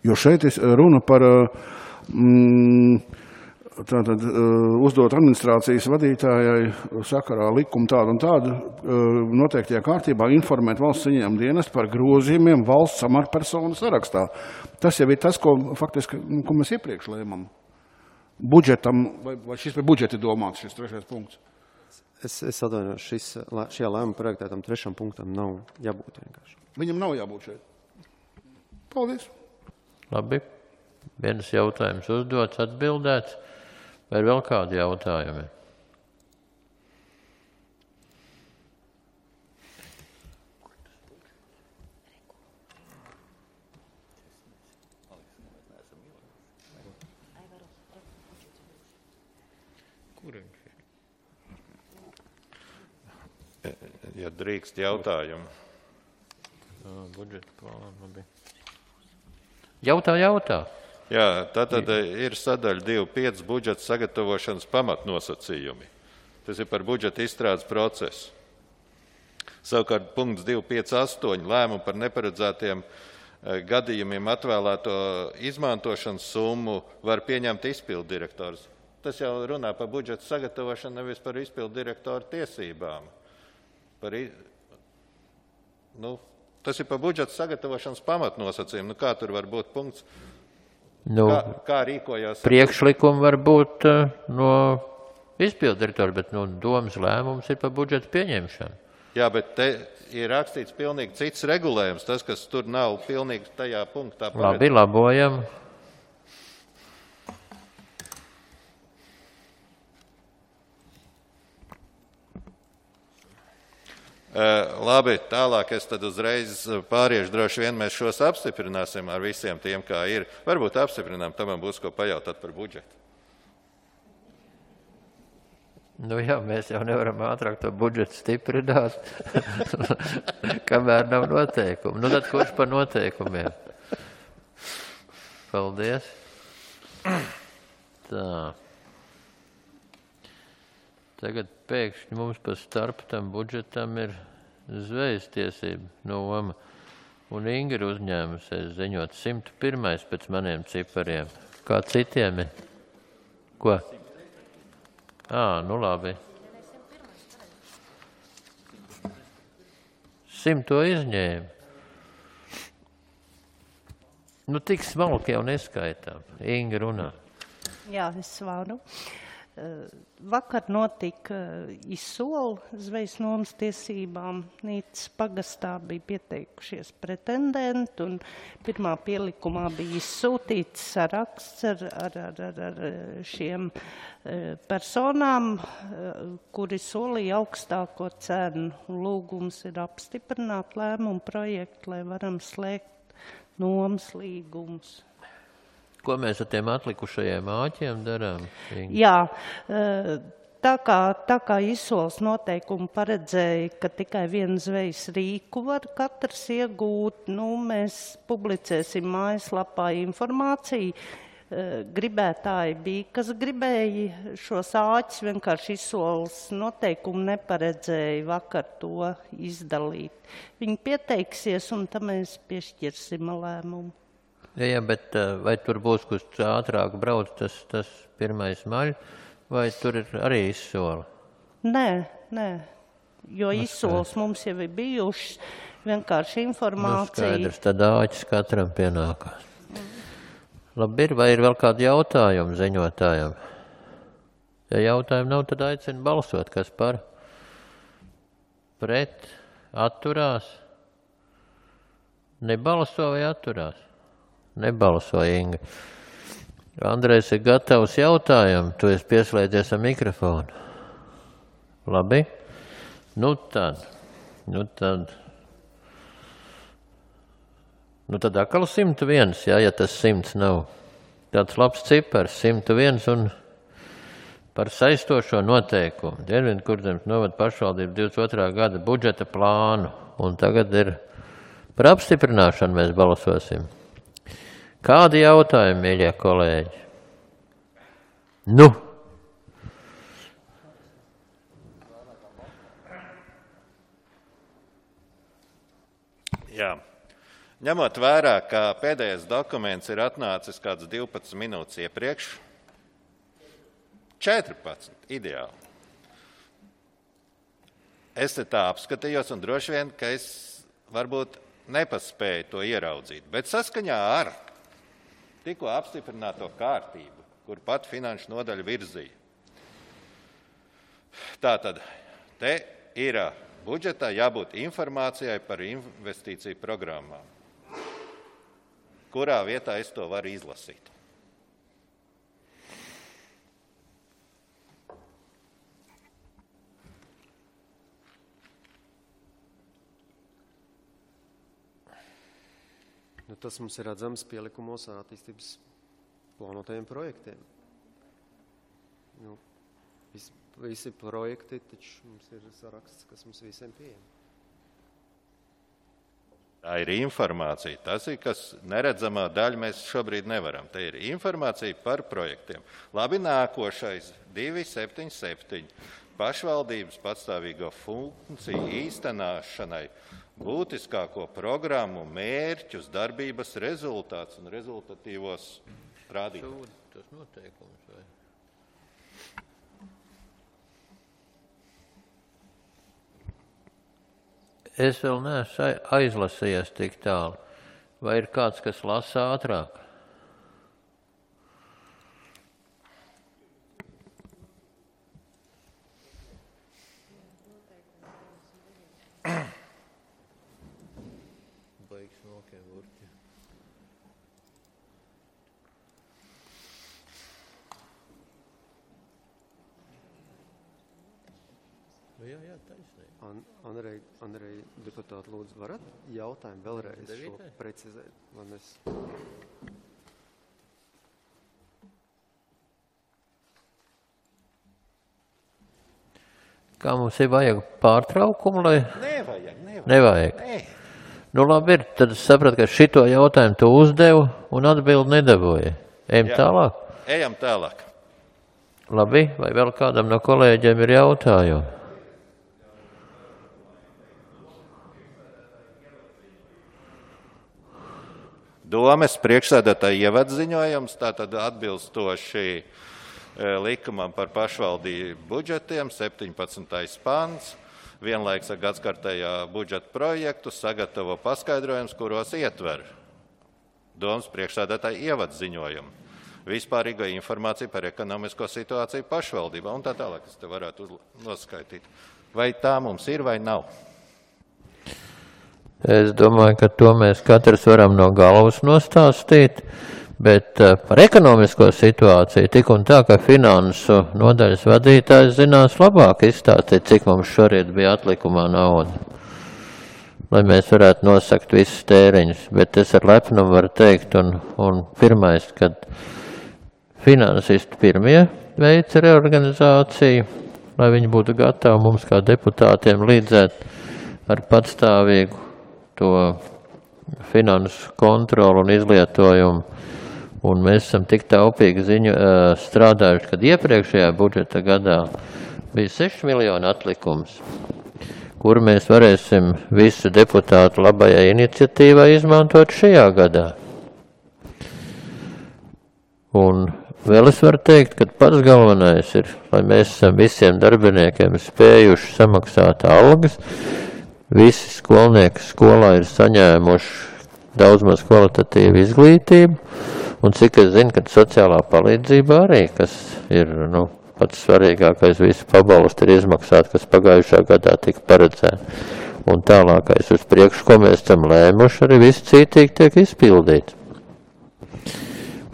Jo šeit runa par um, tātad, uh, uzdot administrācijas vadītājai sakarā likumu tādu un tādu uh, noteiktajā kārtībā informēt valsts ieņēmuma dienestu par grozījumiem valsts amatpersonu sarakstā. Tas jau ir tas, ko faktiski, ko mēs iepriekš lēmam. Budžetam, vai, vai šis par budžeti domāts, šis trešais punkts? Es, es atvainojos, šis, šajā lēmuma projektā tam trešam punktam nav jābūt vienkārši. Viņam nav jābūt šeit. Paldies. Labi. Viens jautājums uzdots, atbildēts. Vai ir vēl kādi jautājumi? Ja drīkst jautājumu. Budžeta plāna, labi. Jautā, jautā. Jā, tātad ir sadaļa divi pieci budžeta sagatavošanas pamatnosacījumi. Tas ir par budžeta izstrādes procesu. Savukārt punkts divi pieci astoņi lēmumu par neparedzētiem gadījumiem atvēlēto izmantošanas summu var pieņemt izpildu direktors. Tas jau runā par budžeta sagatavošanu, nevis par izpildu direktoru tiesībām. Par, nu, tas ir par budžeta sagatavošanas pamatnosacījumu. Nu, kā tur var būt punkts? Nu, kā, kā rīkojās? Priekšlikumi var būt uh, no izpildu direktora, bet nu, domas lēmums ir par budžeta pieņemšanu. Jā, bet te ir rakstīts pilnīgi cits regulējums. Tas, kas tur nav pilnīgi tajā punktā. Labi, labojam. Uh, labi, tālāk es tad uzreiz pāriešu, droši vien mēs šos apstiprināsim ar visiem tiem, kā ir. Varbūt apstiprinām, tam man būs ko pajautāt par budžetu. Nu jā, mēs jau nevaram ātrāk to budžetu stiprināt, kamēr nav noteikumu. Nu tad kurš par noteikumiem? Paldies. Tā. Tagad pēkšņi mums pa starp tam budžetam ir zvejas tiesība noma. Un Inga ir uzņēmusies ziņot simt pirmais pēc maniem cipariem. Kā citiem ir? Ko? Ā, nu labi. Simto izņēma. Nu tik smalki jau neskaitām. Inga runā. Jā, es varu. Vakar notika izsoli zvejas nomas tiesībām. Nīcas pagastā bija pieteikušies pretendenti, un pirmā pielikumā bija izsūtīts saraksts ar, ar, ar, ar, ar šiem personām, kuri solīja augstāko cenu. Lūgums ir apstiprināt lēmumu projektu, lai varam slēgt nomas līgumus. Ko mēs ar tiem atlikušajiem āķiem darām? Jā, tā kā, tā kā izsoles noteikumi paredzēja, ka tikai vienu zvejas rīku var katrs iegūt, nu, mēs publicēsim mājaslapā informāciju. Gribētāji bija, kas gribēja šos āķus, vienkārši izsoles noteikumu neparedzēja vakar to izdalīt. Viņi pieteiksies, un tam mēs piešķirsim lēmumu. Jā, jā, bet vai tur būs, kurš ātrāk brauc, tas, tas pirmais maļ, vai tur ir arī izsole? Nē, nē, jo izsoles mums jau ir bijušas, vienkārši informācija. Nu, skaidrs, tad āķis katram pienākās. Mm. Labi, ir, vai ir vēl kādi jautājumi ziņotājiem? Ja jautājumi nav, tad aicinu balsot, kas par? Pret, atturās? Nebalso vai atturās? Nebalso, Inga. Andrejs ir gatavs jautājumu, tu esi pieslēdzies ar mikrofonu. Labi? Nu tad, nu tad, nu tad atkal simt viens, jā, ja tas simts nav. Tāds labs cipars, simt viens un par saistošo noteikumu. Dienvidkurzemes novada pašvaldību divdesmit otrā gada budžeta plānu. Un tagad ir par apstiprināšanu mēs balsosim. Kādi jautājumi, mīļie kolēģi? Nu? Jā. Ņemot vērā, ka pēdējais dokuments ir atnācis kāds divpadsmit minūtes iepriekš, četrpadsmit, ideāli. Es te tā apskatījos un droši vien, ka es varbūt nepaspēju to ieraudzīt, bet saskaņā ar tikko apstiprināto kārtību, kur pat finanšu nodaļa virzīja. Tātad, te ir budžetā jābūt informācijai par investīciju programmām. Kurā vietā es to varu izlasīt? Nu, tas mums ir redzams pielikumos ar attīstības plānotajiem projektiem. Nu, visi, visi projekti, taču mums ir saraksts, kas mums visiem pieejam. Tā ir informācija. Tas ir, kas neredzamā daļa mēs šobrīd nevaram. Tā ir informācija par projektiem. Labi, nākošais, divi septiņi septiņi. Pašvaldības patstāvīgo funkciju īstenošanai būtiskāko programmu, mērķus, darbības rezultātus un rezultatīvos rādītājus. Tas noteikums, vai? Es vēl neesmu aizlasījies tik tālu. Vai ir kāds, kas lasa ātrāk? Baigs nokiem urķi. Jā, jā, taisnība. An, Andrej, Andrej, deputāti, lūdzu, varat jautājumu vēlreiz šo precizēt? Lai mēs... Kā mums ir vajag pārtraukumu, lai... Nevajag, nevajag. Nevajag. Nē. Nu labi ir, tad es sapratu, ka šito jautājumu tu uzdevu un atbildi nedabūji. Ejam Jā. tālāk? Ejam tālāk. Labi, vai vēl kādam no kolēģiem ir jautājumi? Domes priekšsēdētāja ievadziņojums, tātad atbilstoši likumam par pašvaldību budžetiem, septiņpadsmitais pants, vienlaiks ar gadskartējā budžeta projektu sagatavo paskaidrojums, kuros ietver Domes priekšsēdētāja ievadziņojumu, vispārīgo informāciju par ekonomisko situāciju pašvaldībā un tā tālāk, es te varētu noskaitīt. Vai tā mums ir vai nav? Es domāju, ka to mēs katrs varam no galvas nostāstīt, bet par ekonomisko situāciju tik un tā, ka finansu nodaļas vadītājs zinās labāk izstāstīt, cik mums šorīt bija atlikumā nauda, lai mēs varētu nosakt visus tēriņus. Bet es ar lepnumu varu teikt, un, un pirmais, kad finansisti pirmie veica reorganizāciju, lai viņi būtu gatavi mums kā deputātiem līdzēt ar patstāvīgu to finansu kontrolu un izlietojumu. Un mēs esam tik taupīgi ziņu strādājuši, kad iepriekšējā budžeta gadā bija seši miljoni atlikums, kuru mēs varēsim visu deputātu labajai iniciatīvai izmantot šajā gadā. Un vēl es varu teikt, ka pats galvenais ir, lai mēs esam visiem darbiniekiem spējuši samaksāt algas. Visi skolnieki skolā ir saņēmuši daudz maz kvalitatīvu izglītību, un cik es zinu, ka sociālā palīdzība arī, kas ir nu, pats svarīgākais, visu pabalstu ir izmaksāt, kas pagājušā gadā tika paredzēta. Un tālākais uz priekšu, ko mēs tam lēmuši, arī viss cītīgi tiek izpildīts.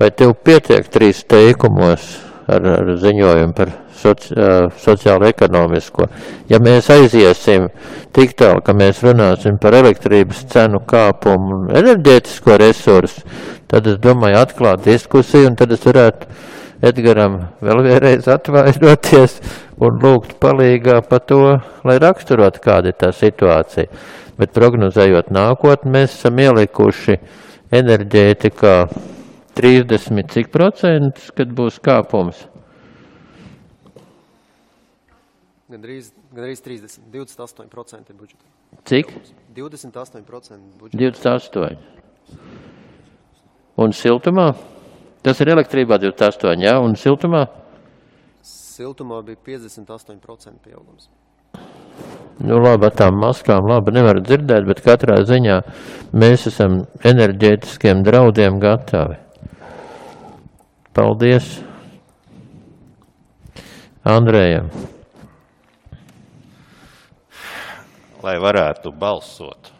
Vai tev pietiek trīs teikumos ar, ar ziņojumu par soci, sociālo-ekonomisko? Ja mēs aiziesim tik tālu, ka mēs runāsim par elektrības cenu kāpumu un enerģētisko resursu, tad es domāju atklāt diskusiju, un tad es varētu Edgaram vēl vienreiz atvainoties un lūgt palīgā par to, lai raksturot, kāda ir tā situācija. Bet prognozējot nākotni, mēs esam ielikuši enerģētikā trīsdesmit cik procentus, kad būs kāpums? Gandrīz, gandrīz trīsdesmit, divdesmit astoņi procenti budžeta. Cik? divdesmit astoņi procenti budžeta. divdesmit astoņi. Un siltumā? Tas ir elektrībā divdesmit astoņi, jā, un siltumā? Siltumā bija piecdesmit astoņi procenti pieaugums. Nu labi, ar tām maskām labi nevar dzirdēt, bet katrā ziņā mēs esam enerģētiskiem draudiem gatavi. Paldies Andrejam. Lai varētu balsot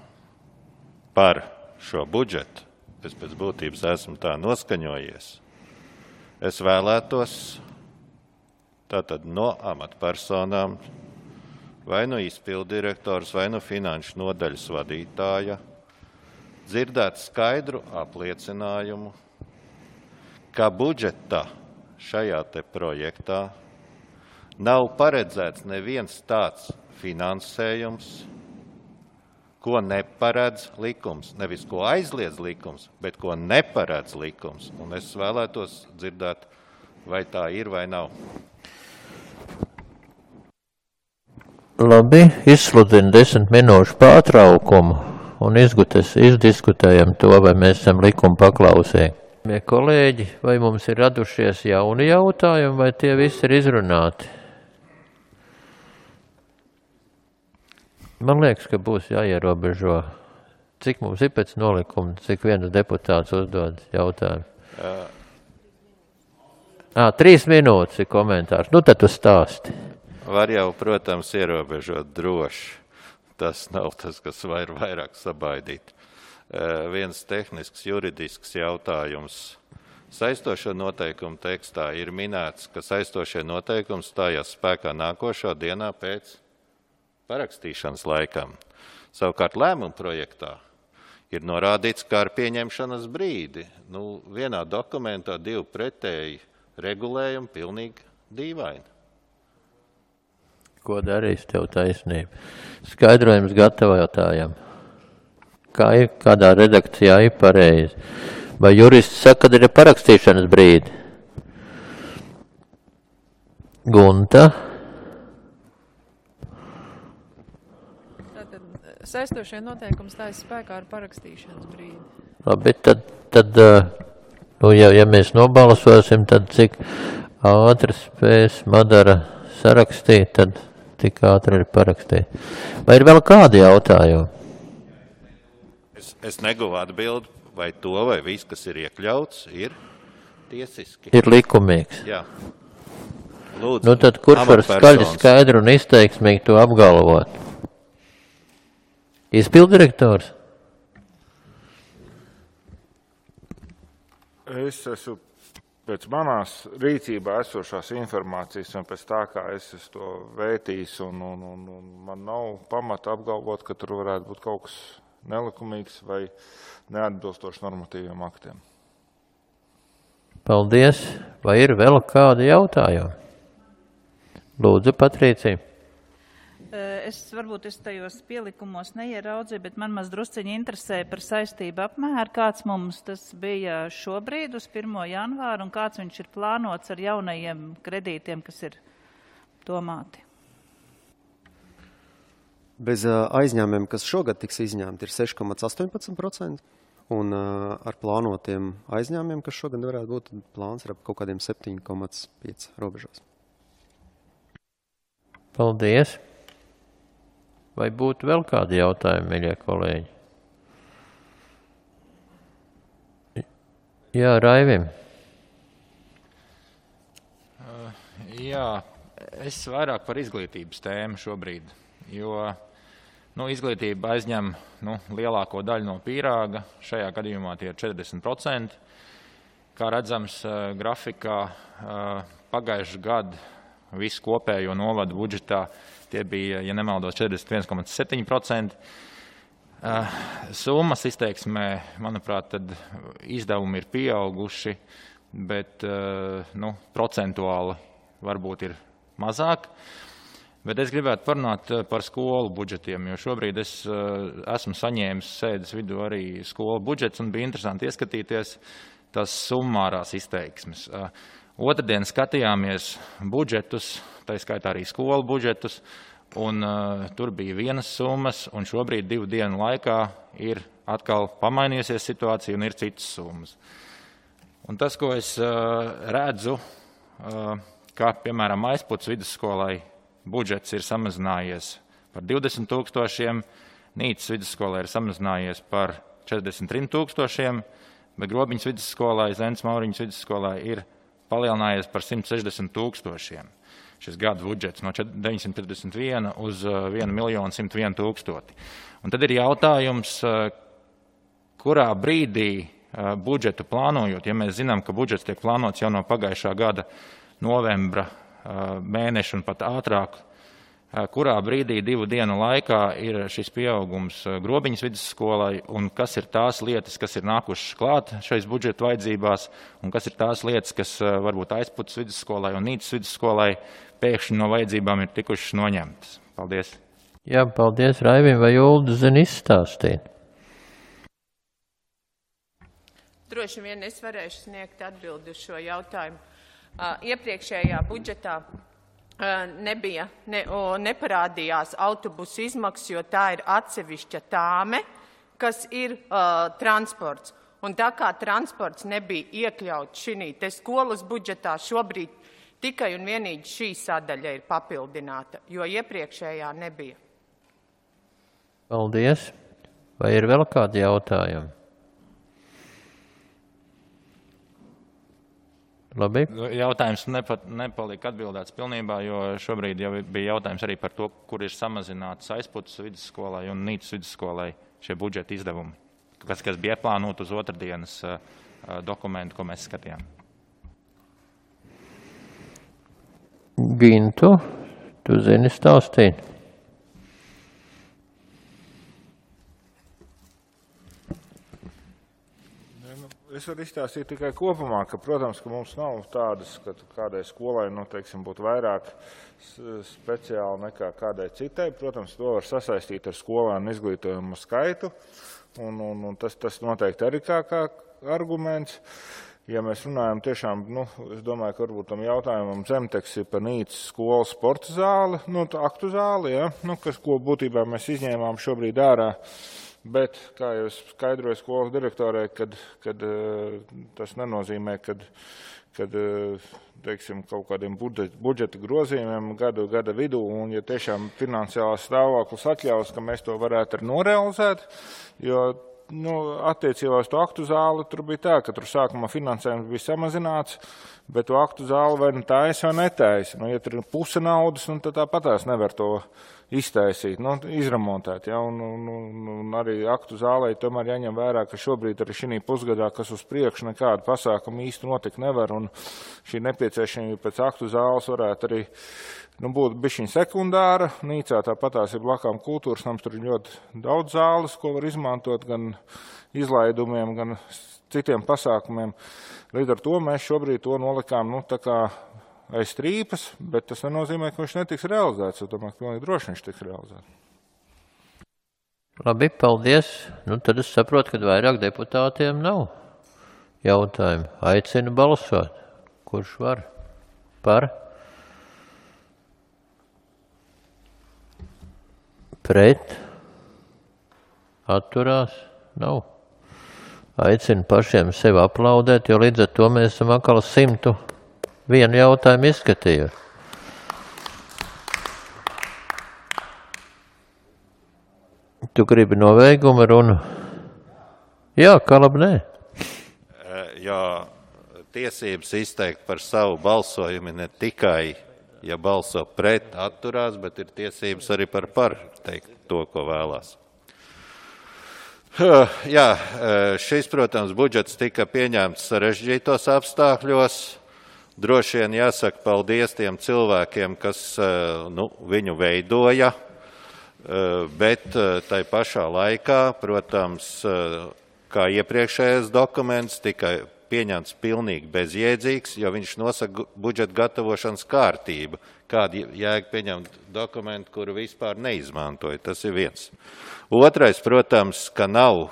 par šo budžetu, es pēc būtības esmu tā noskaņojies, es vēlētos tātad no amatpersonām, vai no izpildirektors, vai no finanšu nodaļas vadītāja, dzirdēt skaidru apliecinājumu, ka budžeta šajā te projektā nav paredzēts neviens tāds finansējums, ko neparedz likums. Nevis ko aizliedz likums, bet ko neparedz likums. Un es vēlētos dzirdēt, vai tā ir vai nav. Labi, izsludinu desmit minūšu pārtraukumu un izgutes, izdiskutējam to, vai mēs esam likuma paklausīgi. Mie kolēģi, vai mums ir radušies jauni jautājumi, vai tie visi ir izrunāti? Man liekas, ka būs jāierobežo, cik mums ir pēc nolikuma, cik viens deputāts uzdod jautājumu. Uh. À, trīs minūtes ir komentārs. Nu, tad tu stāsti. Var jau, protams, ierobežot droši. Tas nav tas, kas var vairāk sabaidīt. Uh, viens tehnisks, juridisks jautājums. Saistošo noteikumu tekstā ir minēts, ka saistošie noteikumi stājās spēkā nākošo dienā pēc parakstīšanas laikam. Savukārt lēmuma projektā ir norādīts, kā ar pieņemšanas brīdi. Nu, vienā dokumentā divi pretēji regulējumi pilnīgi dīvaini. Ko darīs tev taisnība? Skaidrojums gatavotājam. Kā ir, kādā redakcijā ir pareizi? Vai jurists saka, kad ir parakstīšanas brīdi? Gunta? Saistošie noteikumi stājas spēkā ar parakstīšanas brīdi. Labi, tad, tad nu, ja, ja mēs nobalsosim, tad cik ātri spēs Madara sarakstīt, tad tik ātri ir parakstīt. Vai ir vēl kādi jautājumi? Es, es neguvu atbildi, vai to, vai viss, kas ir iekļauts, ir tiesiski. Ir likumīgs. Jā. Lūdzu, nu tad kurš var skaļi, skaidru un izteiksmīgi to apgalvot? Izpildirektors? Es esmu pēc manās rīcībā esošās informācijas un pēc tā, kā es esmu to vētījis, un, un, un, un man nav pamata apgalvot, ka tur varētu būt kaut kas nelikumīgs vai neatbilstoši normatīviem aktiem. Paldies. Vai ir vēl kādi jautājumi? Lūdzu, Patricija. Es varbūt es tajos pielikumos neieraudzīju, bet man maz drusciņi interesē par saistību apmēru, kāds mums tas bija šobrīd uz pirmo janvāru un kāds viņš ir plānots ar jaunajiem kredītiem, kas ir domāti. Bez aizņēmumiem, kas šogad tiks izņemti, ir seši komats astoņpadsmit procenti, un ar plānotiem aizņēmumiem, kas šogad varētu būt, plāns ir ap kaut kādiem septiņi komats pieci robežās. Paldies! Vai būtu vēl kādi jautājumi, mīļie kolēģi? Jā, Raivim. Uh, jā, es vairāk par izglītības tēmu šobrīd, jo Nu, izglītība aizņem nu, lielāko daļu no pīrāga, šajā gadījumā tie ir četrdesmit procenti. Kā redzams grafikā, pagājušā gada visu kopējo novadu budžetā tie bija, ja nemaldos, četrdesmit viens komats septiņi procenti. Summas izteiksmē, manuprāt, tad izdevumi ir pieauguši, bet nu, procentuāli varbūt ir mazāk. Bet es gribētu parunāt par skolu budžetiem, jo šobrīd es esmu saņēmis sēdes vidū arī skolu budžets un bija interesanti ieskatīties tās summārās izteiksmes. Otradien skatījāmies budžetus, tā skaitā arī skolu budžetus, un uh, tur bija vienas summas, un šobrīd divu dienu laikā ir atkal pamainījusies situācija un ir citas summas. Un tas, ko es uh, redzu, uh, kā piemēram Aizputs vidusskolai budžets ir samazinājies par divdesmit tūkstošiem, Nīcas vidusskolai ir samazinājies par četrdesmit trim tūkstošiem, bet Grobiņas vidusskolai, Zentes Mauriņas vidusskolai ir palielinājies par simt sešdesmit tūkstošiem. Šis gada budžets no deviņsimt četrdesmit viena uz vienu miljonu simt vienu tūkstoti. Un tad ir jautājums, kurā brīdī budžetu plānojot, ja mēs zinām, ka budžets tiek plānots jau no pagājušā gada novembra mēneša un pat ātrāk, kurā brīdī divu dienu laikā ir šis pieaugums Grobiņas vidusskolai un kas ir tās lietas, kas ir nākušas klāt šais budžeta vajadzībās un kas ir tās lietas, kas varbūt Aizputs vidusskolai un Nīcas vidusskolai pēkšņi no vajadzībām ir tikušas noņemtas. Paldies. Jā, paldies Raivim, vai Ulda zina izstāstīt? Droši vien es varēšu sniegt atbildi uz šo jautājumu. Iepriekšējā budžetā nebija, ne, neparādījās autobusu izmaksas, jo tā ir atsevišķa tāme, kas ir uh, transports. Un tā kā transports nebija iekļauts šī te skolas budžetā, šobrīd tikai un vienīgi šī sadaļa ir papildināta, jo iepriekšējā nebija. Paldies. Vai ir vēl kādi jautājumi? Labi. Jautājums nepat, nepalika atbildēts pilnībā, jo šobrīd jau bija jautājums arī par to, kur ir samazināts Aizputs vidusskolai un Nīcas vidusskolai šie budžeta izdevumi, kas, kas bija plānot uz otrdienas uh, dokumentu, ko mēs skatījām. Gintu, tu zini stāstīt? Es varu izstāstīt tikai kopumā, ka, protams, ka mums nav tādas, ka kādai skolai, nu, teiksim, būtu vairāk speciāli nekā kādai citai. Protams, to var sasaistīt ar skolēnu izglītojumu skaitu, un, un, un tas, tas noteikti arī kā, kā arguments. Ja mēs runājam tiešām, nu, es domāju, ka varbūt tam jautājumam Zemteks ir par Nīcas skolas sporta zāli, nu, aktu zāli, ja, nu, kas, ko būtībā mēs izņēmām šobrīd ārā. Bet, kā jau es skaidroju skolas direktorai, kad, kad tas nenozīmē, kad, kad teiksim, kaut kādiem budžeta grozījumiem gadu, gada vidū, un ja tiešām finansiālās stāvoklis atļaus, ka mēs to varētu arī norealizēt, jo nu, attiecībā uz to aktu zāli tur bija tā, ka tur sākumā finansējums bija samazināts, bet to aktu zāli vai nu taisa vai netaisa. Nu, ja tur ir puse naudas, nu, tad tāpatās nevar to iztaisīt, nu, izremontēt. Ja, un, un, un arī aktu zālē tomēr jāņem vērā, ka šobrīd arī šī pusgadā, kas uz priekšu nekādu pasākumu īsti notikt nevar, un šī nepieciešamība pēc aktu zāles varētu arī nu, būt bišķiņ sekundāra. Nīcā tāpatās ir blakām kultūras nams, tur ir ļoti daudz zāles, ko var izmantot gan izlaidumiem, gan citiem pasākumiem. Līdz ar to mēs šobrīd to nolikām, nu, tā kā aiz strīpas, bet tas nenozīmē, ka viņš netiks realizēts. Es domāju, ka pilnīgi droši viņš tiks realizēts. Labi, paldies. Nu, tad es saprotu, ka vairāk deputātiem nav jautājumu. Aicinu balsot. Kurš var? Par? Pret? Atturās? Nav. Aicinu pašiem sevi aplaudēt, jo līdz ar to mēs esam atkal simtu vienu jautājumu izskatījuši. Tu gribi novēgumu runu? Jā, kā labi, nē. Jā, tiesības izteikt par savu balsojumu ne tikai, ja balso pret atturās, bet ir tiesības arī par par teikt. to, ko vēlās. Jā, šis, protams, budžets tika pieņemts sarežģītos apstākļos. Droši vien jāsaka paldies tiem cilvēkiem, kas nu, viņu veidoja, bet tai pašā laikā, protams, kā iepriekšējais dokuments, tika pieņemts pilnīgi bezjēdzīgs, jo viņš nosaka budžeta gatavošanas kārtību. Kāda jēga pieņemt dokumentu, kuru vispār neizmantoja. Tas ir viens. Otrais, protams, ka nav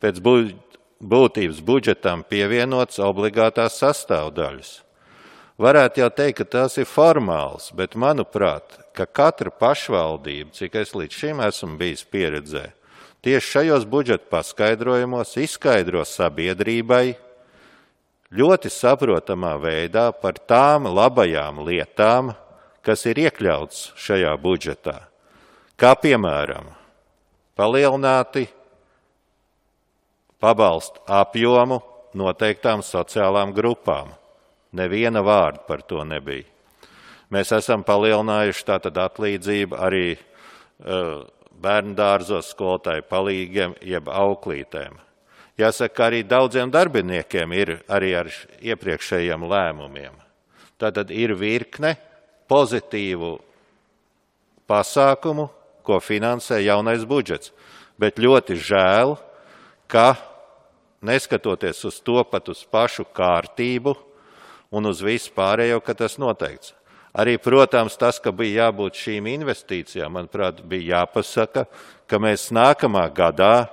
pēc būtības budžetam pievienots obligātās sastāvdaļas. Varētu jau teikt, ka tas ir formāls, bet manuprāt, ka katra pašvaldība, cik es līdz šim esmu bijis pieredzē, tieši šajos budžeta paskaidrojumos izskaidro sabiedrībai ļoti saprotamā veidā par tām labajām lietām, kas ir iekļauts šajā budžetā. Kā piemēram, palielināti pabalstu apjomu noteiktām sociālām grupām. Neviena vārda par to nebija. Mēs esam palielinājuši tātad atlīdzību arī uh, bērndārzos skolotāju palīgiem jeb auklītēm. Jāsaka, arī daudziem darbiniekiem ir arī ar iepriekšējiem lēmumiem. Tātad ir virkne pozitīvu pasākumu, ko finansē jaunais budžets. Bet ļoti žēl, ka neskatoties uz to pat uz pašu kārtību un uz visu pārējo, ka tas noteikts. Arī, protams, tas, ka bija jābūt šīm investīcijām, manuprāt, bija jāpasaka, ka mēs nākamā gadā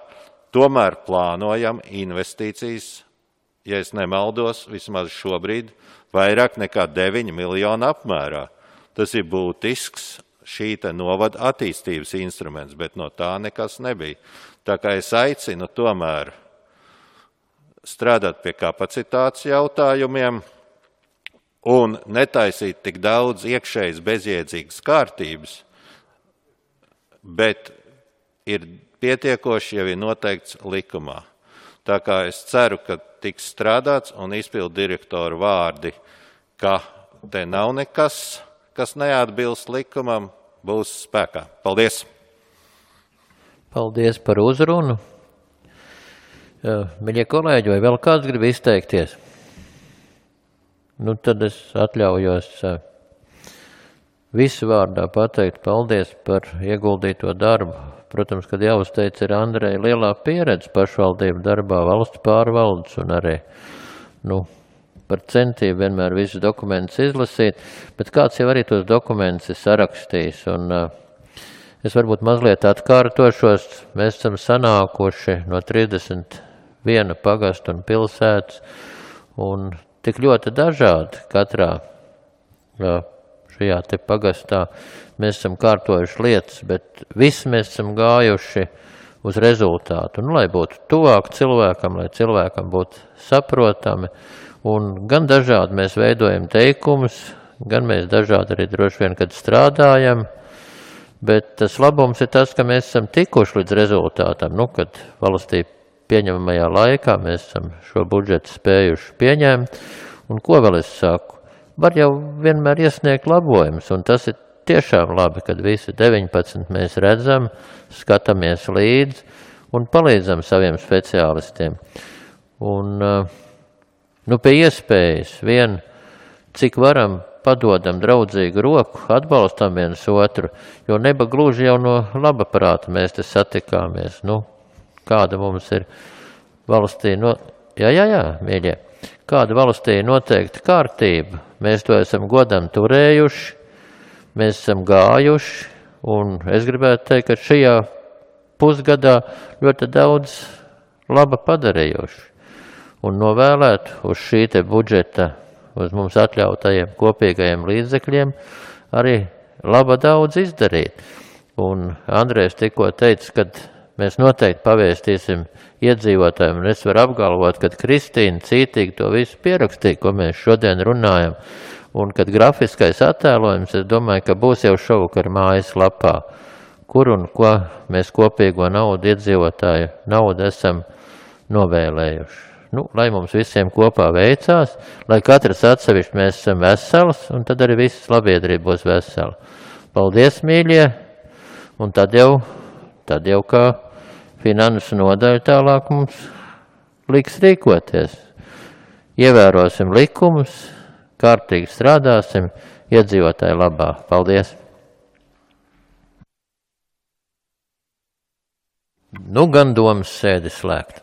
tomēr plānojam investīcijas, ja es nemaldos, vismaz šobrīd, vairāk nekā deviņi miljonu apmērā. Tas ir būtisks šī te novada attīstības instruments, bet no tā nekas nebija. Tā kā es aicinu tomēr strādāt pie kapacitātes jautājumiem un netaisīt tik daudz iekšējas bezjēdzīgas kārtības, bet ir pietiekoši jau ir noteikts likumā. Tā kā es ceru, ka tiks strādāts un izpildu direktoru vārdi, ka te nav nekas, kas neatbilst likumam, būs spēkā. Paldies! Paldies par uzrunu. Miļie kolēģi, vai vēl kāds grib izteikties? Nu, tad es atļaujos visu vārdā pateikt paldies par ieguldīto darbu. Protams, kad jāuzteic ir Andreja lielā pieredze pašvaldību darbā, valsts pārvaldes un arī, nu, par centību vienmēr visus dokumentus izlasīt, bet kāds jau arī tos dokumentus ir sarakstījis. Un uh, es varbūt mazliet atkārtošos, mēs esam sanākuši no trīsdesmit viena pagasta un pilsētas un tik ļoti dažādi katrā uh, šajā te pagastā. Mēs esam kārtojuši lietas, bet visi mēs esam gājuši uz rezultātu. Nu, lai būtu tuvāk cilvēkam, lai cilvēkam būtu saprotami. Un gan dažādi mēs veidojam teikumus, gan mēs dažādi arī droši vien, kad strādājam. Bet tas labums ir tas, ka mēs esam tikuši līdz rezultātam. Nu, kad valstī pieņemamajā laikā mēs esam šo budžetu spējuši pieņemt. Un ko vēl es saku? Var jau vienmēr iesniegt labojumus, un tas ir tiešām labi, kad visi deviņpadsmit mēs redzam, skatāmies līdzi un palīdzam saviem speciālistiem. Un, nu, pie iespējas vien, cik varam, padodam draudzīgu roku, atbalstam viens otru, jo neba gluži jau no laba prāta mēs te satikāmies. Nu, kāda mums ir valstī, no... jā, jā, jā, mīļie, kāda valstī ir noteikta kārtība, mēs to esam godam turējuši, mēs esam gājuši, un es gribētu teikt, ka šajā pusgadā ļoti daudz laba padarījuši. Un novēlēt uz šī te budžeta, uz mums atļautajiem kopīgajiem līdzekļiem, arī laba daudz izdarīt. Un Andrejs tikko teica, kad mēs noteikti pavēstīsim iedzīvotājiem, un es varu apgalvot, ka Kristīna cītīgi to visu pierakstīja, ko mēs šodien runājam. Un kad grafiskais attēlojums, es domāju, ka būs jau šovakar mājas lapā, kur un ko mēs kopīgo naudu, iedzīvotāju naudu esam novēlējuši. Nu, lai mums visiem kopā veicās, lai katrs atsevišķi mēs esam vesels, un tad arī visas labiedrība būs vesela. Paldies, mīļie, un tad jau tad jau kā finansu nodaļa tālāk mums liks rīkoties. Ievērosim likumus, kārtīgi strādāsim, iedzīvotāju labā. Paldies! Nu gan domas sēdi slēgt.